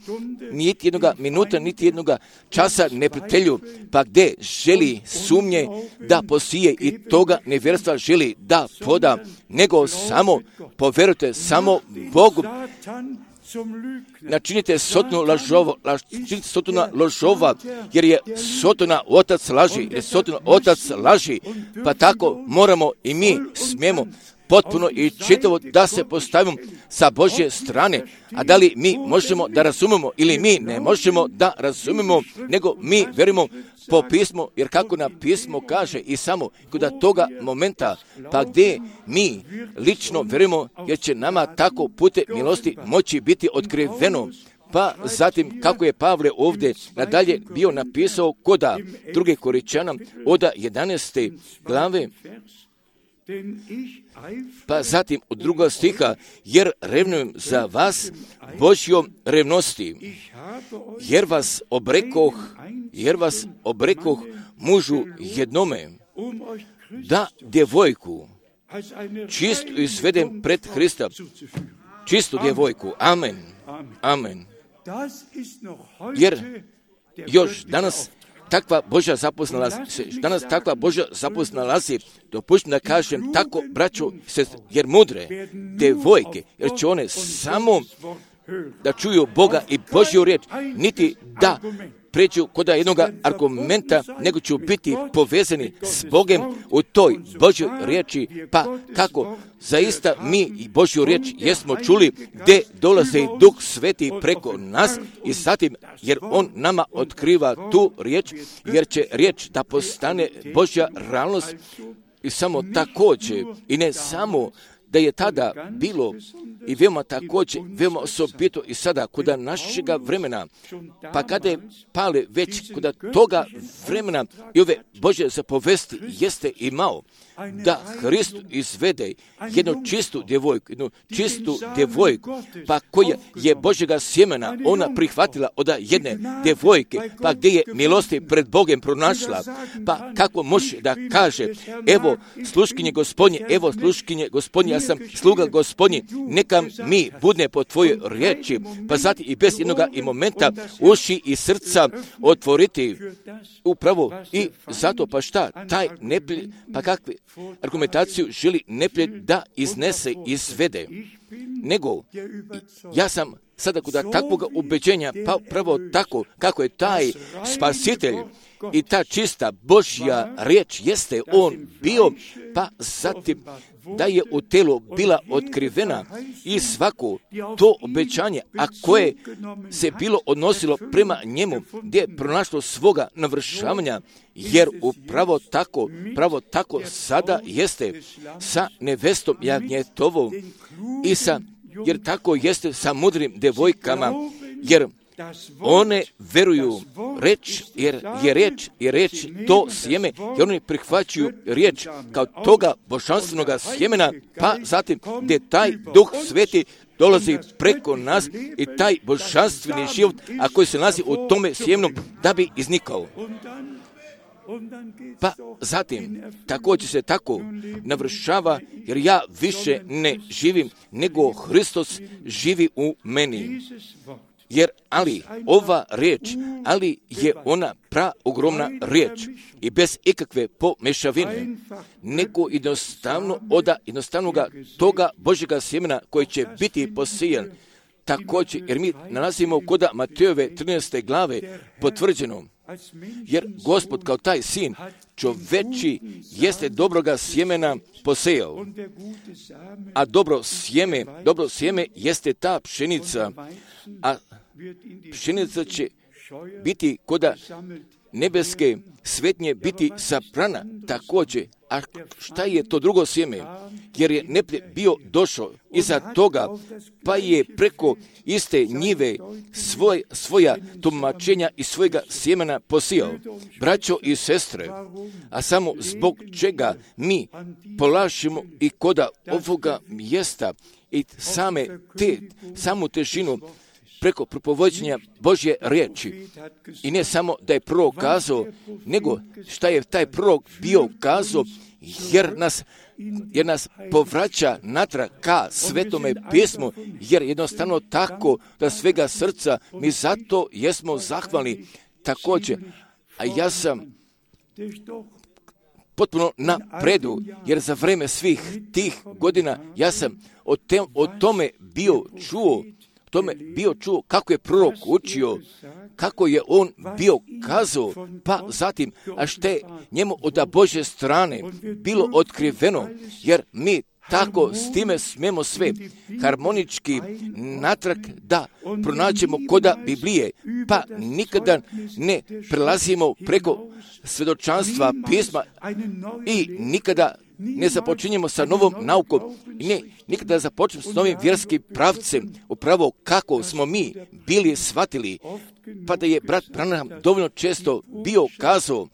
niti jednoga minuta, niti jednoga časa neprijatelju, pa gdje želi sumnje da posije i toga nevjerstva želi da poda, nego samo povjerujte samo Bogu. Načinite sotonu lažova, načinite sotona lažova, jer je sotona otac laži, jer je sotona otac laži, pa tako moramo i mi smijemo potpuno i čitavo da se postavimo sa Božje strane, a da li mi možemo da razumemo ili mi ne možemo da razumemo, nego mi verujemo po pismu, jer kako na pismo kaže i samo kod toga momenta, pa gdje mi lično verujemo, jer će nama tako pute milosti moći biti otkriveno. Pa zatim, kako je Pavle ovdje nadalje bio napisao koda druge Koričana od jedanaeste glave, pa zatim od drugog stiha, jer revnujem za vas Božjom revnosti, jer vas obrekoh, jer vas obrekoh mužu jednome, da djevojku čistu izvedem pred Hrista, čistu djevojku. Amen. Amen. Jer još danas takva Božja zapost nalazi, danas takva Božja zapost nalazi, dopuštam da kažem tako, braćo, jer mudre devojke, jer će one samo da čuju Boga i Božju riječ, niti da pređu kod jednog argumenta, nego će biti povezani s Bogem u toj Božjoj riječi, pa kako zaista mi i Božju riječ jesmo čuli, gdje dolazi Duh Sveti preko nas i zatim, jer On nama otkriva tu riječ, jer će riječ da postane Božja realnost i samo također, i ne samo da je tada bilo i veoma također, veoma osobito i sada kod našega vremena, pa kada je Pavle već kod toga vremena i ove Božje zapovesti jeste imao, da Hrist izvede jednu čistu djevojku, jednu čistu djevojku, pa koja je Božjega sjemena ona prihvatila od jedne djevojke, pa gdje je milosti pred Bogem pronašla, pa kako može da kaže, evo sluškinje Gospodnje, evo sluškinje Gospodnje, ja sam sluga Gospodnji, neka mi budne po tvojoj riječi, pa zatim i bez jednoga i momenta uši i srca otvoriti upravo i zato pa šta, taj neprijed, pa kakve argumentaciju želi neprijed da iznese, izvede, nego ja sam sada kod takvog ubeđenja, pa pravo tako kako je taj spasitelj i ta čista Božja riječ jeste on bio, pa zatim da je u telu bila otkrivena i svako to obećanje, a koje se bilo odnosilo prema njemu, gdje je pronašlo svoga navršavanja, jer upravo tako, pravo tako sada jeste sa nevestom jagnjetovom i sa, jer tako jeste sa mudrim devojkama, jer one veruju reč, jer je reč, je reč to sjeme, jer oni prihvaćaju riječ kao toga božanstvenog sjemena, pa zatim gdje taj Duh Sveti dolazi preko nas i taj božanstveni život, a koji se nalazi u tome sjemnom, da bi iznikao. Pa zatim, također se tako navršava, jer ja više ne živim, nego Hristos živi u meni. Jer, ali, ova riječ, ali je ona praogromna riječ i bez ikakve pomešavine, nego jednostavno oda jednostavnoga toga Božjega sjemena koji će biti posijan. Također, jer mi nalazimo kod Matejove trinaeste glave potvrđeno, jer Gospod kao taj sin čoveči jeste dobroga sjemena posejao, a dobro sjeme, dobro sjeme jeste ta pšenica, a pšenica će biti koda nebeske svetnje biti saprana također. A šta je to drugo sjeme? Jer je neprijatelj bio došao iza toga, pa je preko iste njive svoj, svoja tumačenja i svojega sjemena posijao. Braćo i sestre, a samo zbog čega mi polažemo i koda ovoga mjesta i same te, samu težinu preko propovođenja Božje riječi. I ne samo da je prorok kazao, nego šta je taj prorok bio kazao, jer nas, jer nas povraća natrag ka Svetome pismu, jer jednostavno tako da svega srca mi zato jesmo zahvalni također. A ja sam potpuno na predu, jer za vreme svih tih godina ja sam o, te, o tome bio čuo, tome bio čuo kako je prorok učio, kako je on bio kazao, pa zatim, a što je njemu od Božje strane bilo otkriveno, jer mi tako s time smemo sve harmonički natrag da pronađemo koda Biblije, pa nikada ne prelazimo preko svjedočanstva pisma i nikada ne započinjemo sa novom naukom, ne, nikada započnemo s novim vjerskim pravcem, upravo kako smo mi bili shvatili, pa da je brat Branham dovoljno često bio kazao,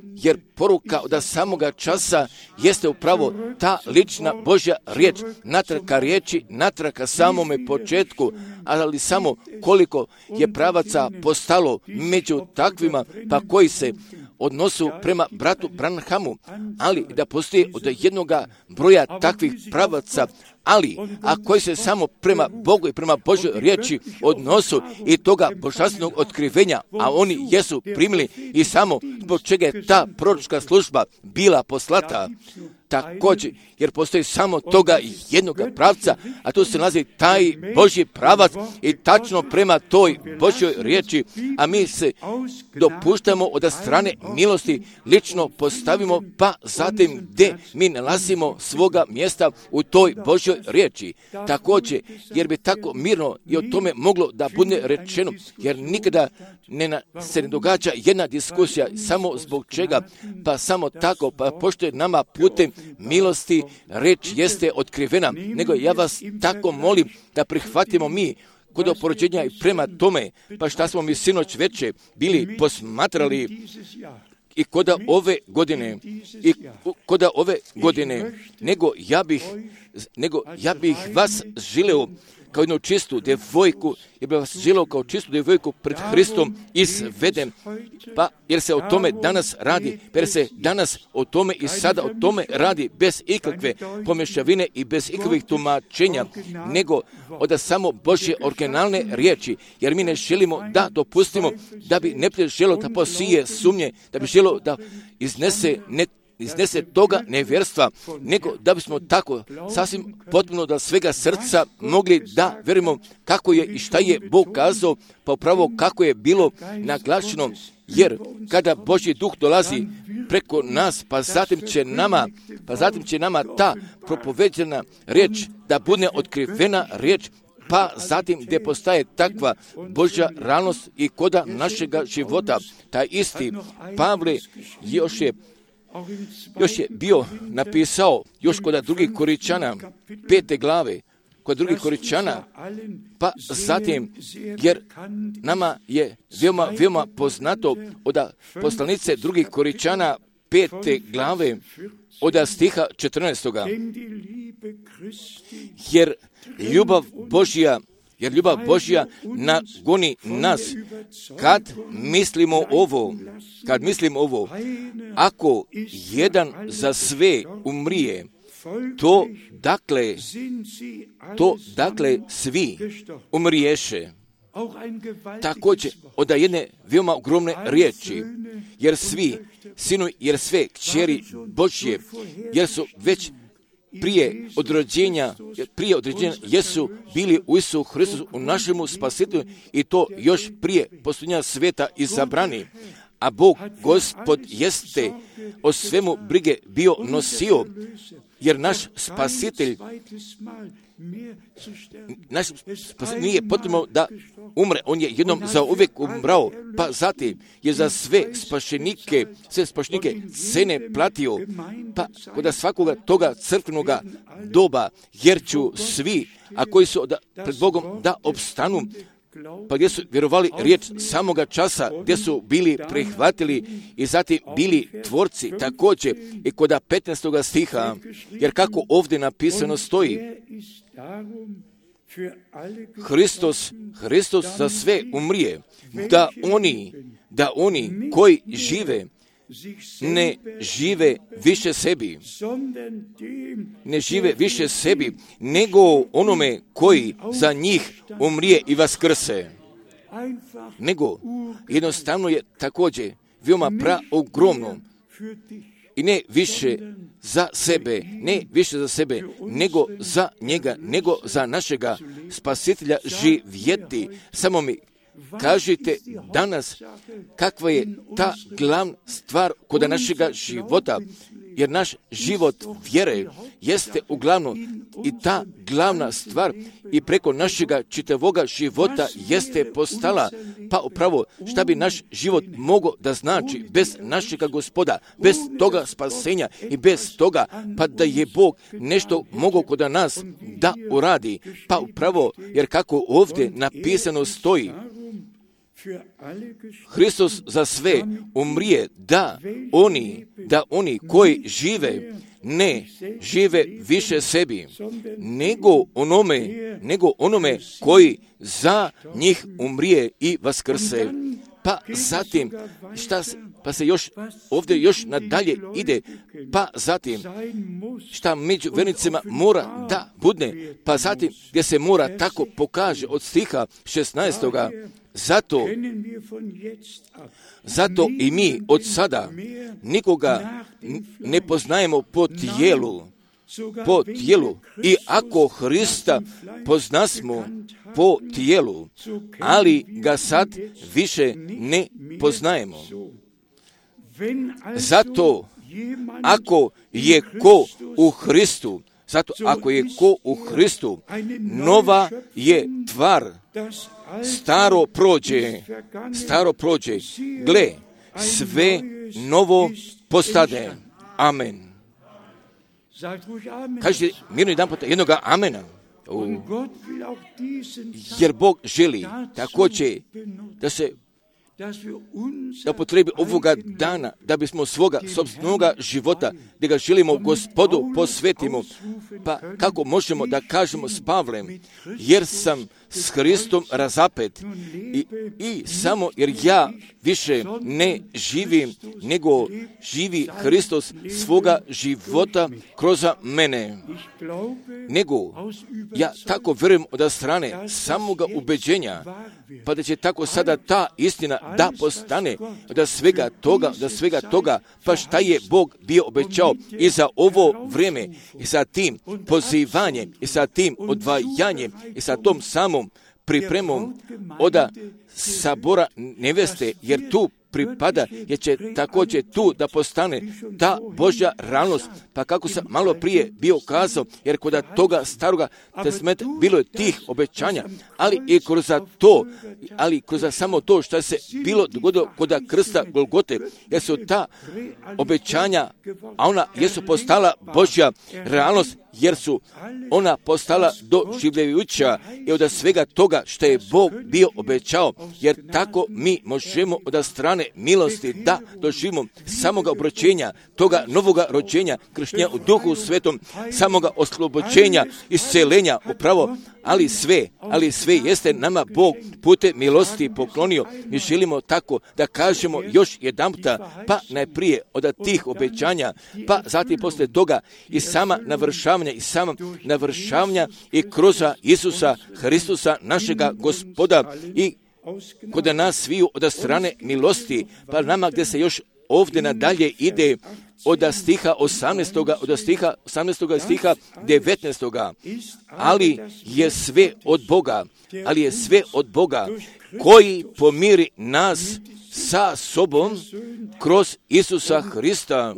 jer poruka od samoga časa jeste upravo ta lična Božja riječ, natraka riječi, natraka samome početku, ali samo koliko je pravaca postalo među takvima, pa koji se odnosu prema bratu Branhamu, ali da postoji od jednoga broja takvih pravaca, ali a koji se samo prema Bogu i prema Božoj riječi odnosu i toga božanstvenog otkrivenja, a oni jesu primili i samo zbog čega je ta proročka služba bila poslata. Također, jer postoji samo toga jednoga pravca, a tu se nalazi taj Božji pravac i tačno prema toj Božjoj riječi, a mi se dopuštamo od strane milosti lično postavimo, pa zatim gdje mi nalazimo svoga mjesta u toj Božjoj riječi. Također, jer bi tako mirno i o tome moglo da bude rečeno, jer nikada ne na, se ne događa jedna diskusija samo zbog čega, pa samo tako, pa pošto je nama putem milosti reč jeste otkrivena, nego ja vas tako molim da prihvatimo mi kod oporođenja i prema tome, pa šta smo mi sinoć veče bili posmatrali i koda ove godine, i koda ove godine, nego ja bih, nego ja bih vas želeo kao jednu čistu devojku, jer bih vas želeo kao čistu devojku pred Hristom izvedem, pa jer se o tome danas radi, jer se danas o tome i sada o tome radi bez ikakve pomješavine i bez ikakvih tumačenja, nego od samo Božje originalne riječi, jer mi ne želimo da dopustimo da bi neprijatelj želio da posije sumnje, da bi želio da iznese ne iznese toga nevjerstva, nego da bismo tako sasvim potpuno da svega srca mogli da vjerujemo kako je i šta je Bog kazao, pa upravo kako je bilo naglašeno, jer kada Božji duh dolazi preko nas, pa zatim će nama, pa zatim će nama ta propoveđena riječ da bude otkrivena riječ, pa zatim gdje postaje takva Božja realnost i koda našega života. Taj isti Pavle još je Još je bio napisao, još kod drugih Koričana, pete glave, kod drugih Koričana, pa zatim, jer nama je veoma, veoma poznato od poslanice drugih Koričana, pete glave, od stiha četrnaestoga. Jer ljubav Božja, jer ljubav Božja nagoni nas kad mislimo ovo, kad mislimo ovo, ako jedan za sve umrije, to dakle, to dakle svi umriješe. također od jedne veoma ogromne riječi, jer svi sinu, jer sve kćeri Božje, jer su već prije odrođenja, prije određenja jesu bili u Isusu Hristusu, u našemu spasitelju, i to još prije posljednja sveta izabrani. A Bog, Gospod, jeste o svemu brige bio nosio, jer naš spasitelj naš spasitelj nije potrebno da umre, on je jednom za uvijek umrao, pa zatim je za sve spašenike, sve spašenike cene platio, pa kod svakoga toga crkvenoga doba, jer ću svi, a koji su da, pred Bogom da opstanu, pa gdje su vjerovali riječ samoga časa, gdje su bili prihvatili i zatim bili tvorci također i kod petnaestog stiha, jer kako ovdje napisano stoji, Hristos, Hristos za sve umrije, da oni, da oni koji žive, ne žive više sebi, ne žive više sebi, nego onome koji za njih umrije i vaskrse. Nego jednostavno je također veoma praogromno i ne više za sebe, ne više za sebe, nego za njega, nego za našega spasitelja živjeti. Samo mi kažite danas kakva je ta glavna stvar kod našega života, jer naš život vjere jeste uglavnom i ta glavna stvar i preko našega čitavoga života jeste postala, pa upravo šta bi naš život mogao da znači bez našega Gospoda, bez toga spasenja i bez toga, pa da je Bog nešto mogao kod nas da uradi, pa upravo, jer kako ovdje napisano stoji, Hristos za sve umrije, da oni, da oni koji žive, ne žive više sebi, nego onome, nego onome koji za njih umrije i vaskrse. Pa zatim, šta, pa se još, ovdje još nadalje ide, pa zatim, šta među vernicima mora da budne, pa zatim, gdje se mora tako pokaže od stiha šesnaestoga, Zato, zato i mi od sada nikoga ne poznajemo po tijelu, po tijelu. I ako Hrista poznasmo po tijelu, ali ga sad više ne poznajemo. Zato, ako je ko u Hristu, zato ako je ko u Hristu, nova je tvar. Staro prođe, staro prođe, gle, sve novo postade. Amen. Kažete mirno jedan puta jednoga amena. U. Jer Bog želi također da se da potrebi ovoga dana, da bismo svoga sobstvenoga života, da ga želimo Gospodu posvetimo. Pa kako možemo da kažemo s Pavlem, jer sam s Hristom razapet i, i samo jer ja više ne živim, nego živi Hristos svoga života kroz mene. Nego ja tako vjerujem od strane samoga ubeđenja, pa da će tako sada ta istina da postane da svega toga, da svega toga, pa šta je Bog bio obećao i za ovo vrijeme i sa tim pozivanjem i sa tim odvajanjem i sa tom samom pripremom oda sabora neveste, jer tu pripada, jer će također tu da postane ta Božja realnost. Pa kako sam malo prije bio kazao, jer kod toga staroga testamenta bilo je tih obećanja, ali i kroz to, ali kroz samo to što se bilo dogodilo kod krsta Golgote, jer su ta obećanja, a ona jesu postala Božja realnost, jer su ona postala doživljajuća i od svega toga što je Bog bio obećao, jer tako mi možemo od strane milosti da doživimo samoga obročenja, toga novoga rođenja, krštenja u Duhu Svetom, samoga oslobođenja, isceljenja upravo, ali sve, ali sve jeste nama Bog putem milosti poklonio. Mi želimo tako da kažemo još jedanputa, pa najprije od tih obećanja, pa zatim poslije toga i sama navršavanja završavanja i samog navršavanja i kroz Isusa Hristusa, našega Gospoda, i kod nas sviju od strane milosti, pa nama gdje se još ovdje nadalje ide od stiha osamnaestog od stiha osamnaestog stiha devetnaestog Ali je sve od Boga, ali je sve od Boga koji pomiri nas sa sobom kroz Isusa Hrista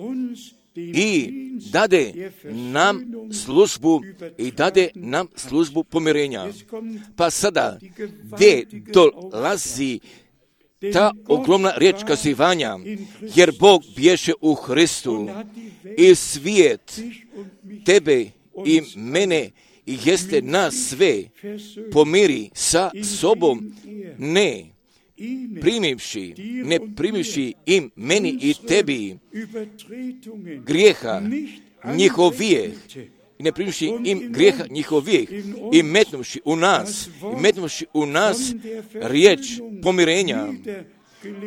i dade nam službu i dade nam službu pomirenja. Pa sada, gdje dolazi ta ogromna riječ kazivanja, jer Bog bješe u Hristu i svijet tebe i mene i jeste nas sve pomiri sa sobom, ne primivši, ne primivši im meni i tebi grijeha njihovijeh, i ne primivši im grijeha njihovijeh i metnuvši u nas, i metnuvši u nas riječ pomirenja,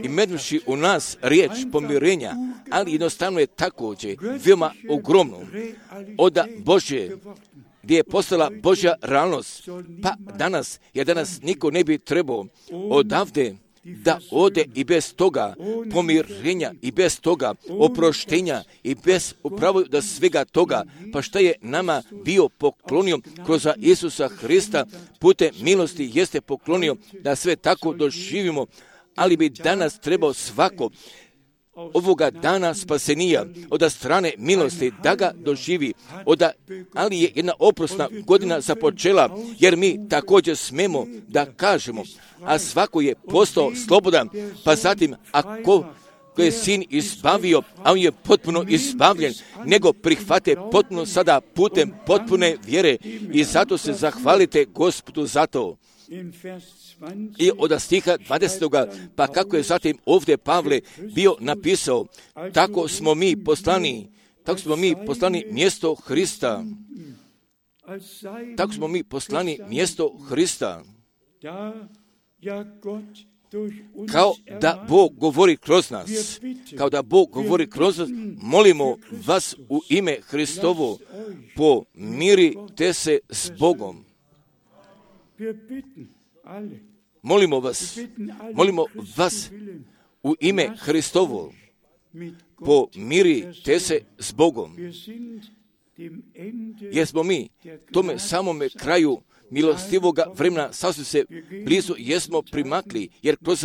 i metnuvši u nas riječ pomirenja, ali jednostavno je također veoma ogromno od Božje, gdje je postala Božja realnost. Pa danas, jer danas niko ne bi trebao odavde da ode i bez toga pomirenja, i bez toga oproštenja, i bez upravo da svega toga, pa šta je nama bio poklonio kroz Isusa Hrista putem milosti, jeste poklonio da sve tako doživimo, ali bi danas trebao svako ovoga dana spasenija od strane milosti da ga doživi, od, ali je jedna oprosna godina započela, jer mi također smemo da kažemo, a svako je postao slobodan, pa zatim ako ko je sin izbavio, a on je potpuno izbavljen, nego prihvate potpuno sada putem potpune vjere, i zato se zahvalite Gospodu za to. I od stiha dvadesetog pa kako je zatim ovdje Pavle bio napisao, tako smo mi poslani, tako smo mi poslani mjesto Hrista, tako smo mi poslani mjesto Hrista, kao da Bog govori kroz nas, kao da Bog govori kroz nas, molimo vas u ime Hristovo, pomirite se s Bogom. Molimo vas, molimo vas u ime Hristovo, pomirite se s Bogom. Jer smo mi tome samome kraju milostivoga vremena sasvim se blizu jesmo primakli, jer kroz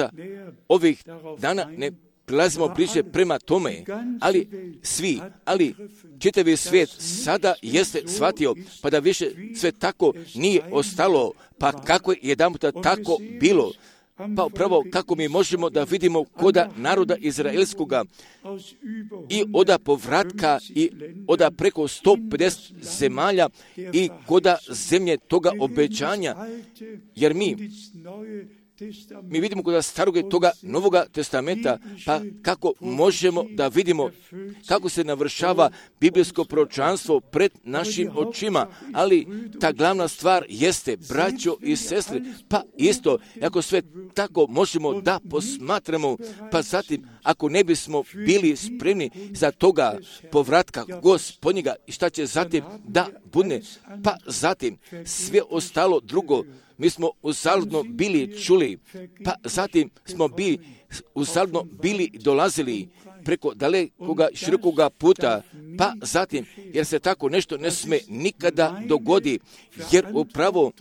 ovih dana ne prilazimo bliže prema tome, ali svi, ali čitavi svijet sada jeste shvatio, pa da više sve tako nije ostalo, pa kako je jedanputa tako bilo, pa upravo kako mi možemo da vidimo koda naroda izraelskoga i oda povratka i oda preko sto pedeset zemalja i koda zemlje toga obećanja, jer mi Mi vidimo kod starog i toga Novoga testamenta, pa kako možemo da vidimo kako se navršava biblijsko proročanstvo pred našim očima, ali ta glavna stvar jeste, braćo i sestre, pa isto, ako sve tako možemo da posmatramo, pa zatim, ako ne bismo bili spremni za toga povratka Gospodnjega i šta će zatim da bude, pa zatim sve ostalo drugo, mi smo uzaludno bili čuli, pa zatim smo bili uzaludno bili dolazili preko dalekoga širokoga puta, pa zatim, jer se tako nešto ne sme nikada dogodi, jer upravo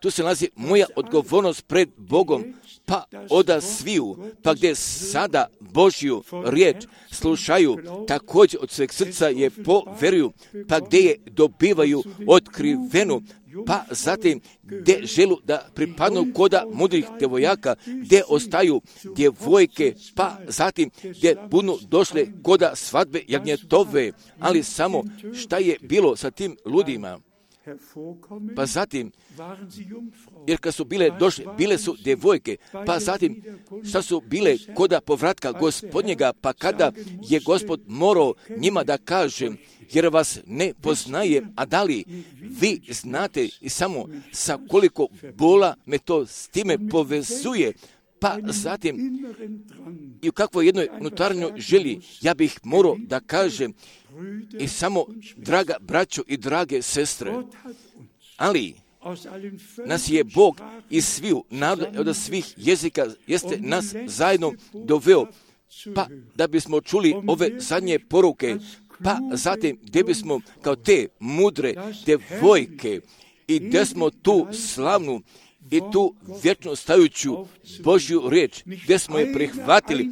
tu se nalazi moja odgovornost pred Bogom, pa oda sviju, pa gdje sada Božju riječ slušaju, također od sveg srca je poveruju, pa gdje je dobivaju otkrivenu, pa zatim gdje želu da pripadnu koda mudrih djevojaka, gdje ostaju djevojke, pa zatim gdje budu došle koda svadbe jagnjetove, ali samo šta je bilo sa tim ludima. Pa zatim, jer kad su bile došle, bile su djevojke, pa zatim šta su bile koda povratka Gospodnjega, pa kada je Gospod morao njima da kaže, jer vas ne poznaje, a da li vi znate i samo sa koliko bola me to s time povezuje, pa zatim i u kakvoj jednoj unutarnjoj želji, ja bih morao da kažem i samo, draga braćo i drage sestre, ali nas je Bog iz sviju naroda, od svih jezika, jeste nas zajedno doveo, pa da bismo čuli ove zadnje poruke, pa zatim gdje bismo kao te mudre devojke i gdje smo tu slavnu i tu vječno stajuću Božju riječ, gdje smo je prihvatili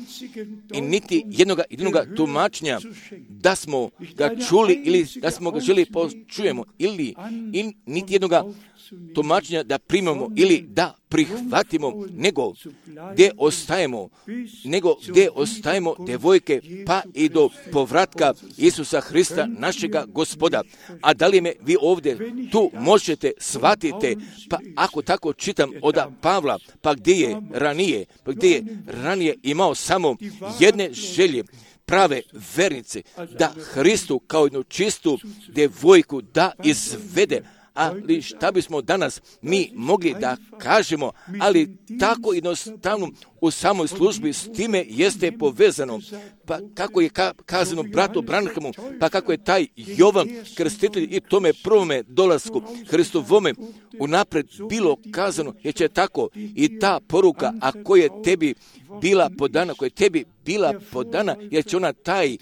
i niti jednoga jednoga tumačenja da smo ga čuli ili da smo ga želi počujemo ili, ili niti jednoga tumačenja da primamo ili da prihvatimo, nego gdje ostajemo, nego gdje ostajemo devojke pa i do povratka Isusa Hrista, našega Gospoda. A da li me vi ovdje tu možete shvatite, pa ako tako čitam od Pavla, pa gdje je ranije, pa gdje je ranije imao samo jedne želje, prave vernice, da Hristu kao jednu čistu devojku da izvede. Ali šta bismo danas mi mogli da kažemo, ali tako jednostavno u samoj službi s time jeste povezano. Pa kako je ka- kazano bratu Branhamu, pa kako je taj Jovan Krstitelj i tome prvome dolasku Hristovome unapred bilo kazano, jer će tako i ta poruka, a koja je tebi bila podana, koja je tebi bila podana, jer će ona taj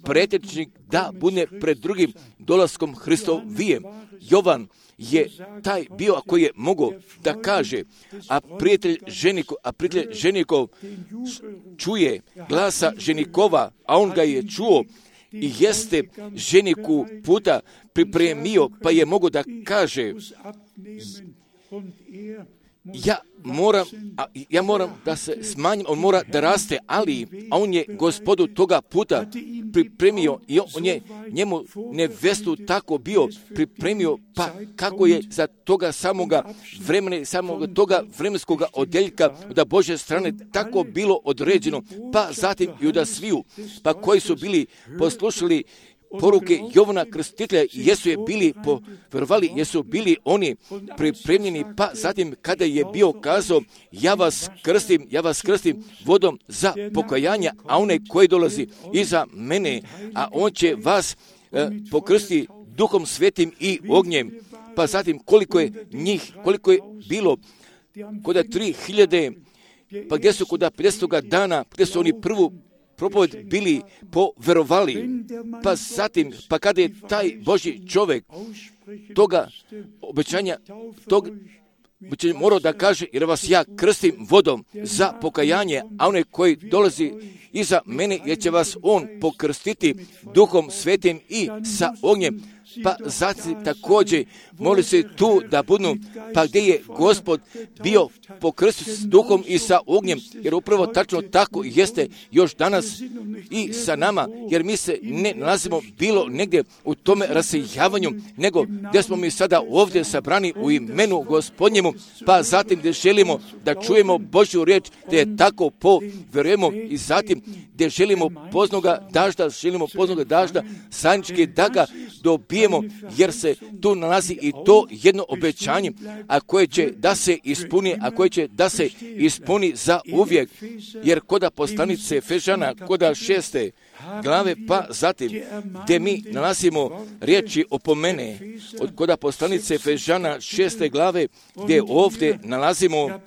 pretečnik da bude pred drugim dolaskom Hristovijem. Jovan je taj bio koji je mogao da kaže, a prijatelj ženikov, a prijatelj ženikov čuje glasa ženikova, a on ga je čuo i jeste ženiku puta pripremio, pa je mogao da kaže, ja moram, a, ja moram da se smanjim, on mora da raste, ali a on je Gospodu toga puta pripremio i on je njemu nevestu tako bio pripremio, pa kako je za toga samoga vremena, samoga toga vremenskoga odjeljka da Božje strane tako bilo određeno, pa zatim i da sviju, pa koji su bili poslušali poruke Jovana Krstitelja, jesu je bili povjerovali, jesu bili oni pripremljeni, pa zatim kada je bio kazao, ja vas krstim, ja vas krstim vodom za pokajanje, a onaj koji dolazi iza mene, a on će vas e, pokrsti Duhom Svetim i ognjem. Pa zatim koliko je njih, koliko je bilo, kod tri hiljade, pa gdje su kod pedesetoga dana, gdje su oni prvu propoved bili poverovali, pa zatim, pa kada je taj Božji čovjek toga obećanja, tog obećanja morao da kaže, jer vas ja krstim vodom za pokajanje, a onaj koji dolazi iza mene, jer će vas on pokrstiti Duhom Svetim i sa ognjem. Pa zatim također moli se tu da budu, pa gdje je Gospod bio pokrstio s duhom i sa ognjem, jer upravo tačno tako jeste još danas i sa nama, jer mi se ne nalazimo bilo negdje u tome rasejavanju, nego gdje smo mi sada ovdje sabrani u imenu Gospodnjemu, pa zatim gdje želimo da čujemo Božju riječ, gdje je tako povjerujemo i zatim gdje želimo poznoga dažda, želimo poznoga dažda, zajednički da ga dobijemo, jer se tu nalazi i to jedno obećanje, a koje će da se ispuni, a koje će da se ispuni za uvijek, jer koda poslanice Efežana, koda šeste glave, pa zatim gdje mi nalazimo riječi opomene, od koda poslanice Efežana šeste glave, gdje ovdje nalazimo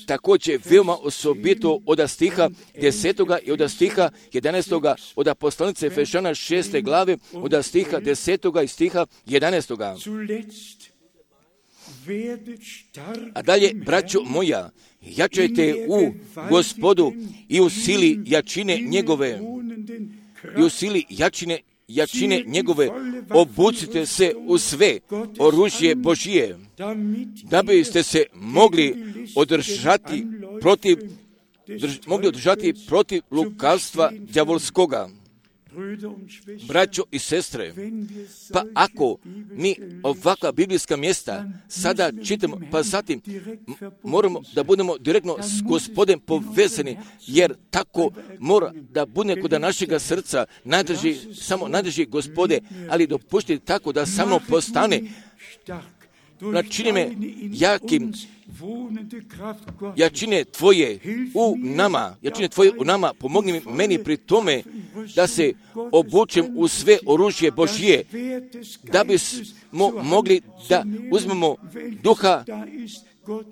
također veoma osobito od stiha desetoga i od stiha jedanaestoga, od poslanice Efežana šeste glave, od stiha desetoga i stiha jedanaestoga. A dalje, braćo moja, jačajte u Gospodu i u sili jačine njegove, i u sili jačine, jačine njegove, obucite se u sve oružje Božije, da biste se mogli održati protiv, drž, mogli održati protiv lukavstva đavolskoga. Braćo i sestre, pa ako mi ovakva biblijska mjesta sada čitamo, pa zatim moramo da budemo direktno s Gospodem povezani, jer tako mora da bude kod našega srca, nadrži, samo nadrži Gospode, ali dopuštite tako da samo postane načini me jakim, jačine Tvoje u nama, jačine Tvoje u nama, pomogni mi meni pri tome da se obučem u sve oružje Božje, da bismo mogli da uzmemo duha,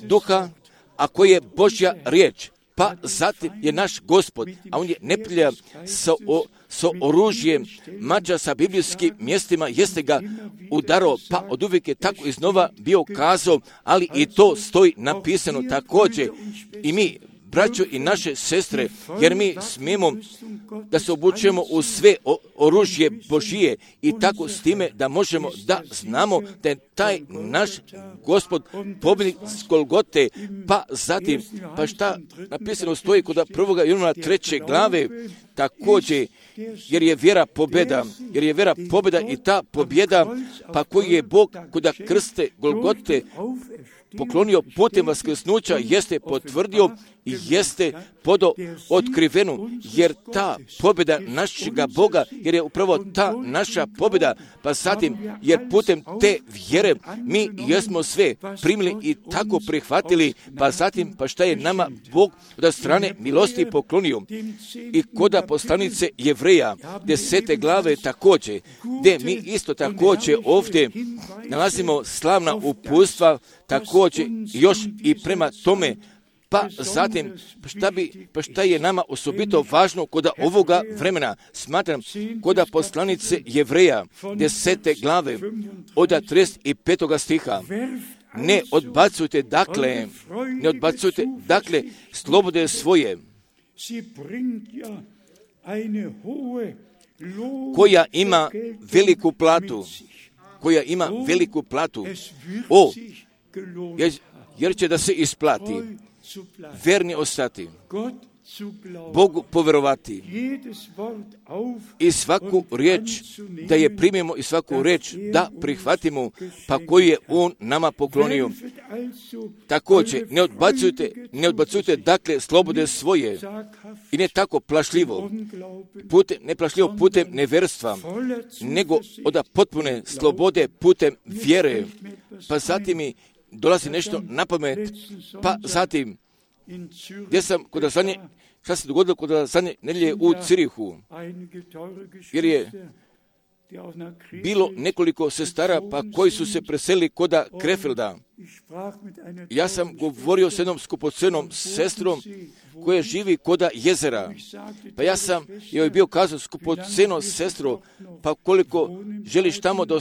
duha, a koji je Božja riječ. Pa zatim je naš Gospod, a on je neprijatelj sa, o, sa oružjem, mađa sa biblijskim mjestima, jeste ga udarao, pa od uvijek je tako iznova bio kazao, ali i to stoji napisano također. I mi, braćo i naše sestre, jer mi smijemo da se obučemo u sve oružje Božije i tako s time da možemo da znamo da je taj naš Gospod pobjednik s Golgote, pa zatim, pa šta napisano stoji kod prvoga Jovana treće glave, također, jer je vjera pobjeda, jer je vjera pobjeda i ta pobjeda, pa koji je Bog kod krste Golgote poklonio putem vaskrsnuća, jeste potvrdio i jeste podo otkrivenu, jer ta pobjeda našega Boga, jer je upravo ta naša pobjeda, pa zatim, jer putem te vjere mi jesmo sve primili i tako prihvatili, pa zatim, pa šta je nama Bog od strane milosti poklonio. I koda poslanice Jevreja, desete glave također, gdje mi isto također ovdje nalazimo slavna uputstva, također još i prema tome, pa zatim, šta, bi, pa šta je nama osobito važno kod ovoga vremena, smatram, kod poslanice Jevreja, desete glave, od trideset petog stiha, ne odbacujte dakle, ne odbacujte dakle slobode svoje, koja ima veliku platu, koja ima veliku platu, o, jer, jer će da se isplati, verni ostati, Bogu povjerovati i svaku riječ da je primimo i svaku riječ da prihvatimo, pa koju je On nama poklonio. Također, ne odbacujte, ne odbacujte dakle slobode svoje i ne tako plašljivo, putem, ne plašljivo putem neverstva, nego od potpune slobode putem vjere. Pa zatim mi dolazi nešto na pamet, pa zatim gdje sam kod zadnje, šta se dogodilo kod zadnje nedjelje u Cirihu, jer je bilo nekoliko sestara pa koji su se preselili kod Krefelda. Ja sam govorio s jednom skupocenom sestrom koja živi kod jezera. Pa ja sam joj bio kazao, skupoceno sestro, pa koliko želiš tamo da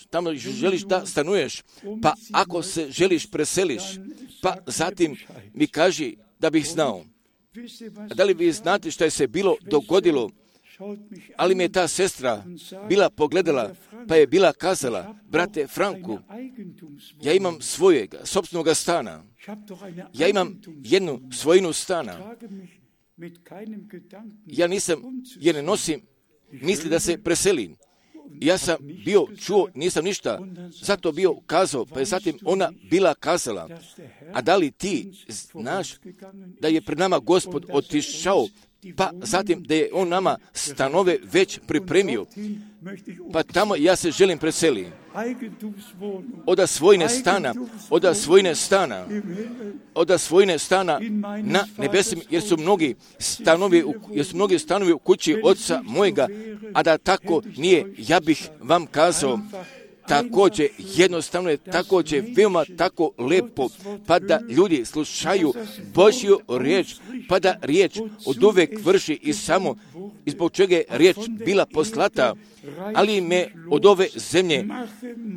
tamo želiš da stanuješ, pa ako se želiš preseliš, pa zatim mi kaži da bih znao. A da li vi znate što je se bilo dogodilo? Ali mi je ta sestra bila pogledala, pa je bila kazala, brate Franku, ja imam svojega, sopstvenoga stana. Ja imam jednu svojinu stana. Ja nisam, jer ne nosim misli da se preselim. Ja sam bio čuo, nisam ništa, zato bio kazao, pa je zatim ona bila kazala, a da li ti znaš da je pred nama Gospod otišao, pa zatim da je On nama stanove već pripremio, pa tamo ja se želim preseliti. Oda svojine stana, oda svojine stana, oda svojine stana na nebesima, jer su mnogi stanovi, jer su mnogi stanovi u kući Oca mojega, a da tako nije, ja bih vam kazao, također jednostavno je također veoma tako lepo, pa da ljudi slušaju Božju riječ, pa da riječ od uvek vrši i samo i zbog čega je riječ bila poslata, ali me od ove zemlje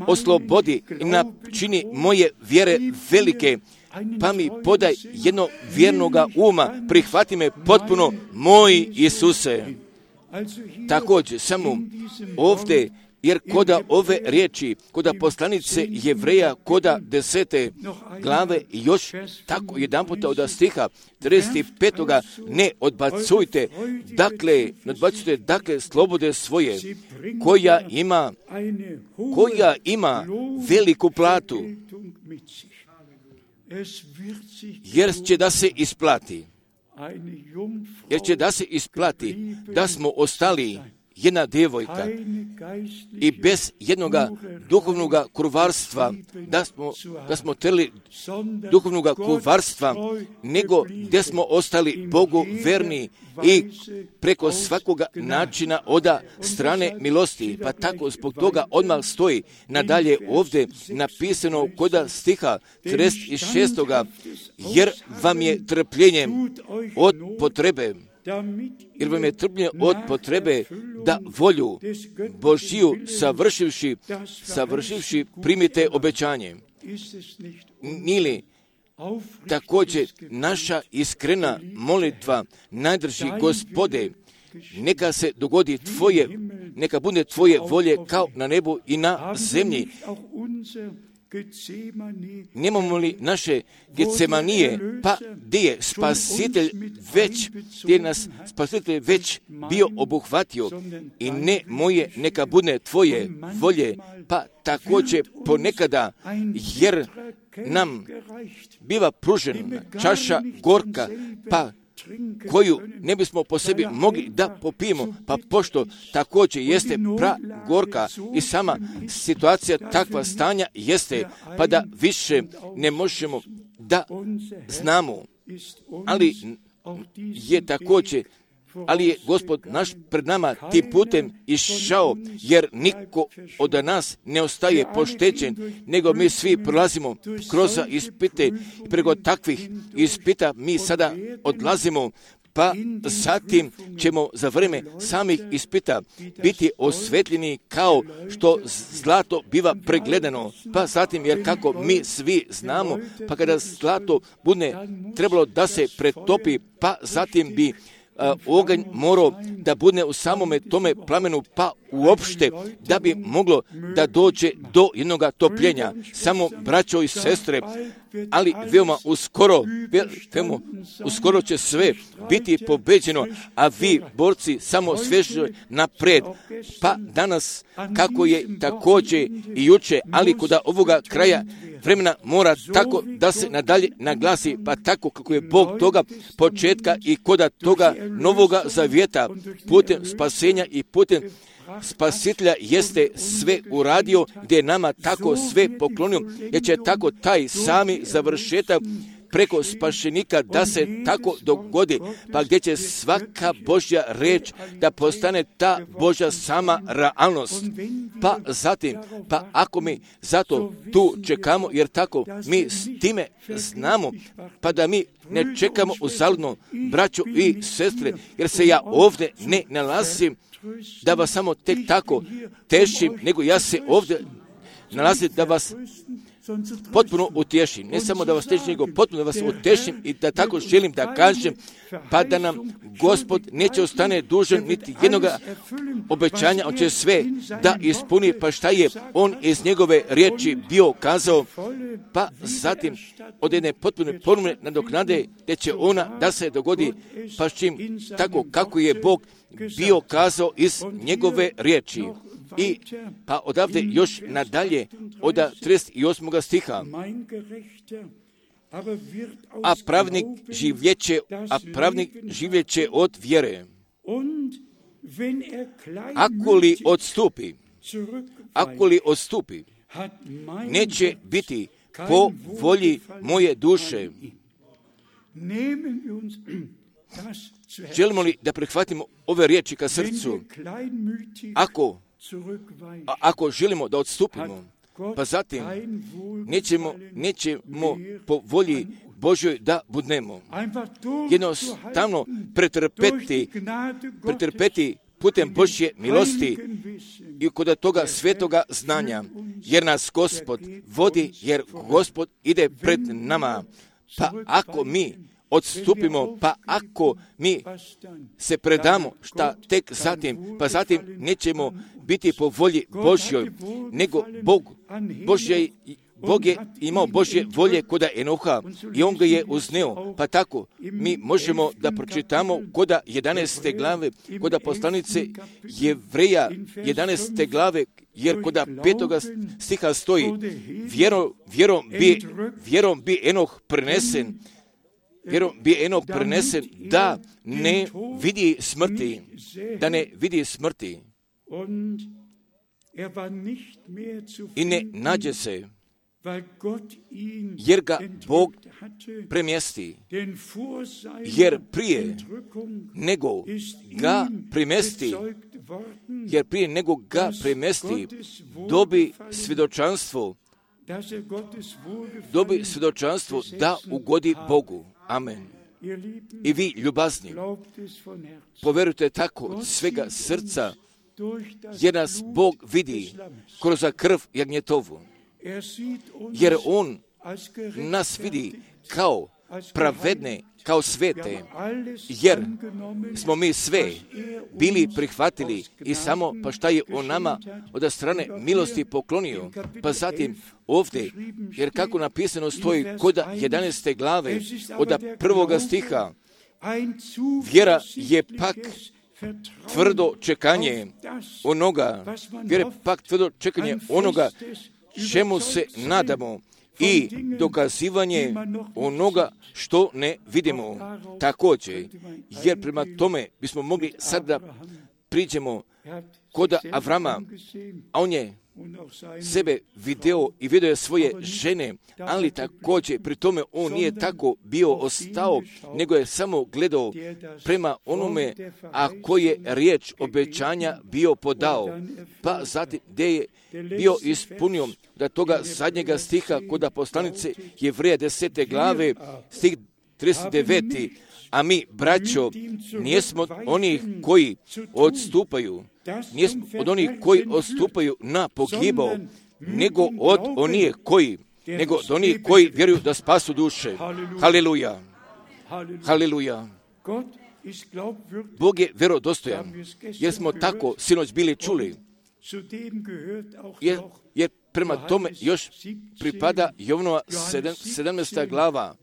oslobodi i načini moje vjere velike, pa mi podaj jedno vjernoga uma, prihvati me potpuno, moj Isuse. Također, samo ovdje, jer koda ove riječi, koda poslanice Jevreja, koda desete glave, još tako jedan puta od stiha trideset petoga ne odbacujte, dakle, ne odbacujte, dakle, slobode svoje, koja ima, koja ima veliku platu, jer će da se isplati, jer će da se isplati, da smo ostali jedna djevojka i bez jednog duhovnog kurvarstva, da smo, da smo trli duhovnog kurvarstva, nego gdje smo ostali Bogu verni i preko svakoga načina oda strane milosti. Pa tako zbog toga odmah stoji nadalje ovdje napisano koda stiha trideset šestog jer vam je trpljenjem od potrebe, jer vam je trpljenje od potrebe da volju Božiju savršivši, savršivši primite obećanje. Nili također naša iskrena molitva najdrži Gospode, neka se dogodi tvoje, neka bude tvoje volje kao na nebu i na zemlji. Nemamo li naše Getsemanije, pa gdje je Spasitelj već, gdje je nas Spasitelj već bio obuhvatio i ne moje, neka bude tvoje volje, pa također ponekada, jer nam biva pružena čaša gorka, pa koju ne bismo po sebi mogli da popijemo, pa pošto također jeste pra gorka i sama situacija takva stanja jeste, pa da više ne možemo da znamo, ali je također ali je Gospod naš pred nama tim putem išao, jer niko od nas ne ostaje poštećen, nego mi svi prolazimo kroz ispite i preko takvih ispita mi sada odlazimo, pa zatim ćemo za vrijeme samih ispita biti osvetljeni kao što zlato biva pregledano, pa zatim jer kako mi svi znamo, pa kada zlato bude trebalo da se pretopi, pa zatim bi oganj morao da bude u samome tome plamenu, pa uopšte da bi moglo da dođe do jednog topljenja. Samo braćo i sestre, ali veoma uskoro, veoma uskoro će sve biti pobeđeno, a vi, borci, samo sveže napred. Pa danas, kako je također i juče, ali kod ovoga kraja vremena mora tako da se nadalje naglasi, pa tako kako je Bog toga početka i koda toga novoga zavjeta putem spasenja i putem Spasitelja jeste sve uradio, gdje je nama tako sve poklonio, jer će tako taj sami završetak preko spašenika da se tako dogodi, pa gdje će svaka Božja reč da postane ta Božja sama realnost. Pa zatim, pa ako mi zato tu čekamo, jer tako mi s time znamo, pa da mi ne čekamo uzaludno, braćo i sestre, jer se ja ovdje ne nalazim da vas samo tek tako tešim, nego ja se ovdje nalazim da vas potpuno utješim. Ne samo da vas tešim, nego potpuno da vas utješim i da tako želim da kažem, pa da nam Gospod neće ostane dužan niti jednog obećanja, on će sve da ispuni, pa šta je on iz njegove riječi bio kazao, pa zatim od jedne potpune ponovne nadoknade, gdje će ona da se dogodi, pa s čim tako kako je Bog bio kazao iz njegove riječi. I pa odavde još nadalje od trideset osmog stiha. A pravnik življeće, a pravnik življeće od vjere. Ako li odstupi, ako li odstupi, neće biti po volji moje duše. Želimo li da prihvatimo ove riječi ka srcu? Ako A ako želimo da odstupimo, pa zatim nećemo, nećemo po volji Božjoj da budnemo. Jednostavno pretrpeti, pretrpeti putem Božje milosti i kod toga svetoga znanja, jer nas Gospod vodi, jer Gospod ide pred nama. Pa ako mi odstupimo, pa ako mi se predamo, šta tek zatim, pa zatim nećemo biti po volji Božjoj, nego Bog, Božje, Bog je imao Božje volje kod Enoha i on ga je uzneo, pa tako mi možemo da pročitamo kod jedanaeste glave, kod poslanice Jevreja jedanaeste glave, jer kod petoga stiha stoji, vjerom, vjerom, bi, vjerom bi Enoh prenesen, vjerom bi Enoh prenesen da ne vidi smrti, da ne vidi smrti. i ne nađe se, jer ga Bog premjesti, jer prije nego ga premjesti, jer prije nego ga premjesti, dobi svjedočanstvo, dobi svjedočanstvo da ugodi Bogu. Amen. I vi, ljubazni, poverujte tako od svega srca, jer nas Bog vidi kroz krv jagnjetovu, jer On nas vidi kao pravedne, kao svete, jer smo mi sve bili prihvatili i samo pa šta je On nama od strane milosti poklonio. Pa zatim ovdje, jer kako napisano stoji kod jedanaeste glave od prvoga stiha, vjera je pak tvrdo čekanje onoga, vjera je pak tvrdo čekanje onoga čemu se nadamo i dokazivanje onoga što ne vidimo. Također, jer prema tome bismo mogli sad da priđemo kod Avrama, a on je sebe video i vidio je svoje žene, ali također pri tome on nije tako bio ostao, nego je samo gledao prema onome, a koji je riječ obećanja bio podao. Pa zatim gdje je bio ispunio da toga zadnjega stiha kod poslanice Jevreja desete glave, stih trideset deveti, a mi, braćo, nijesmo onih koji odstupaju, nijesmo od onih koji odstupaju na pogibao, nego od onih koji, nego od onih koji vjeruju da spasu duše. Haleluja. Haleluja. Bog je vjerodostojan, jer smo tako sinoć bili čuli, jer, jer prema tome još pripada Jovnova sedamnaesta glava,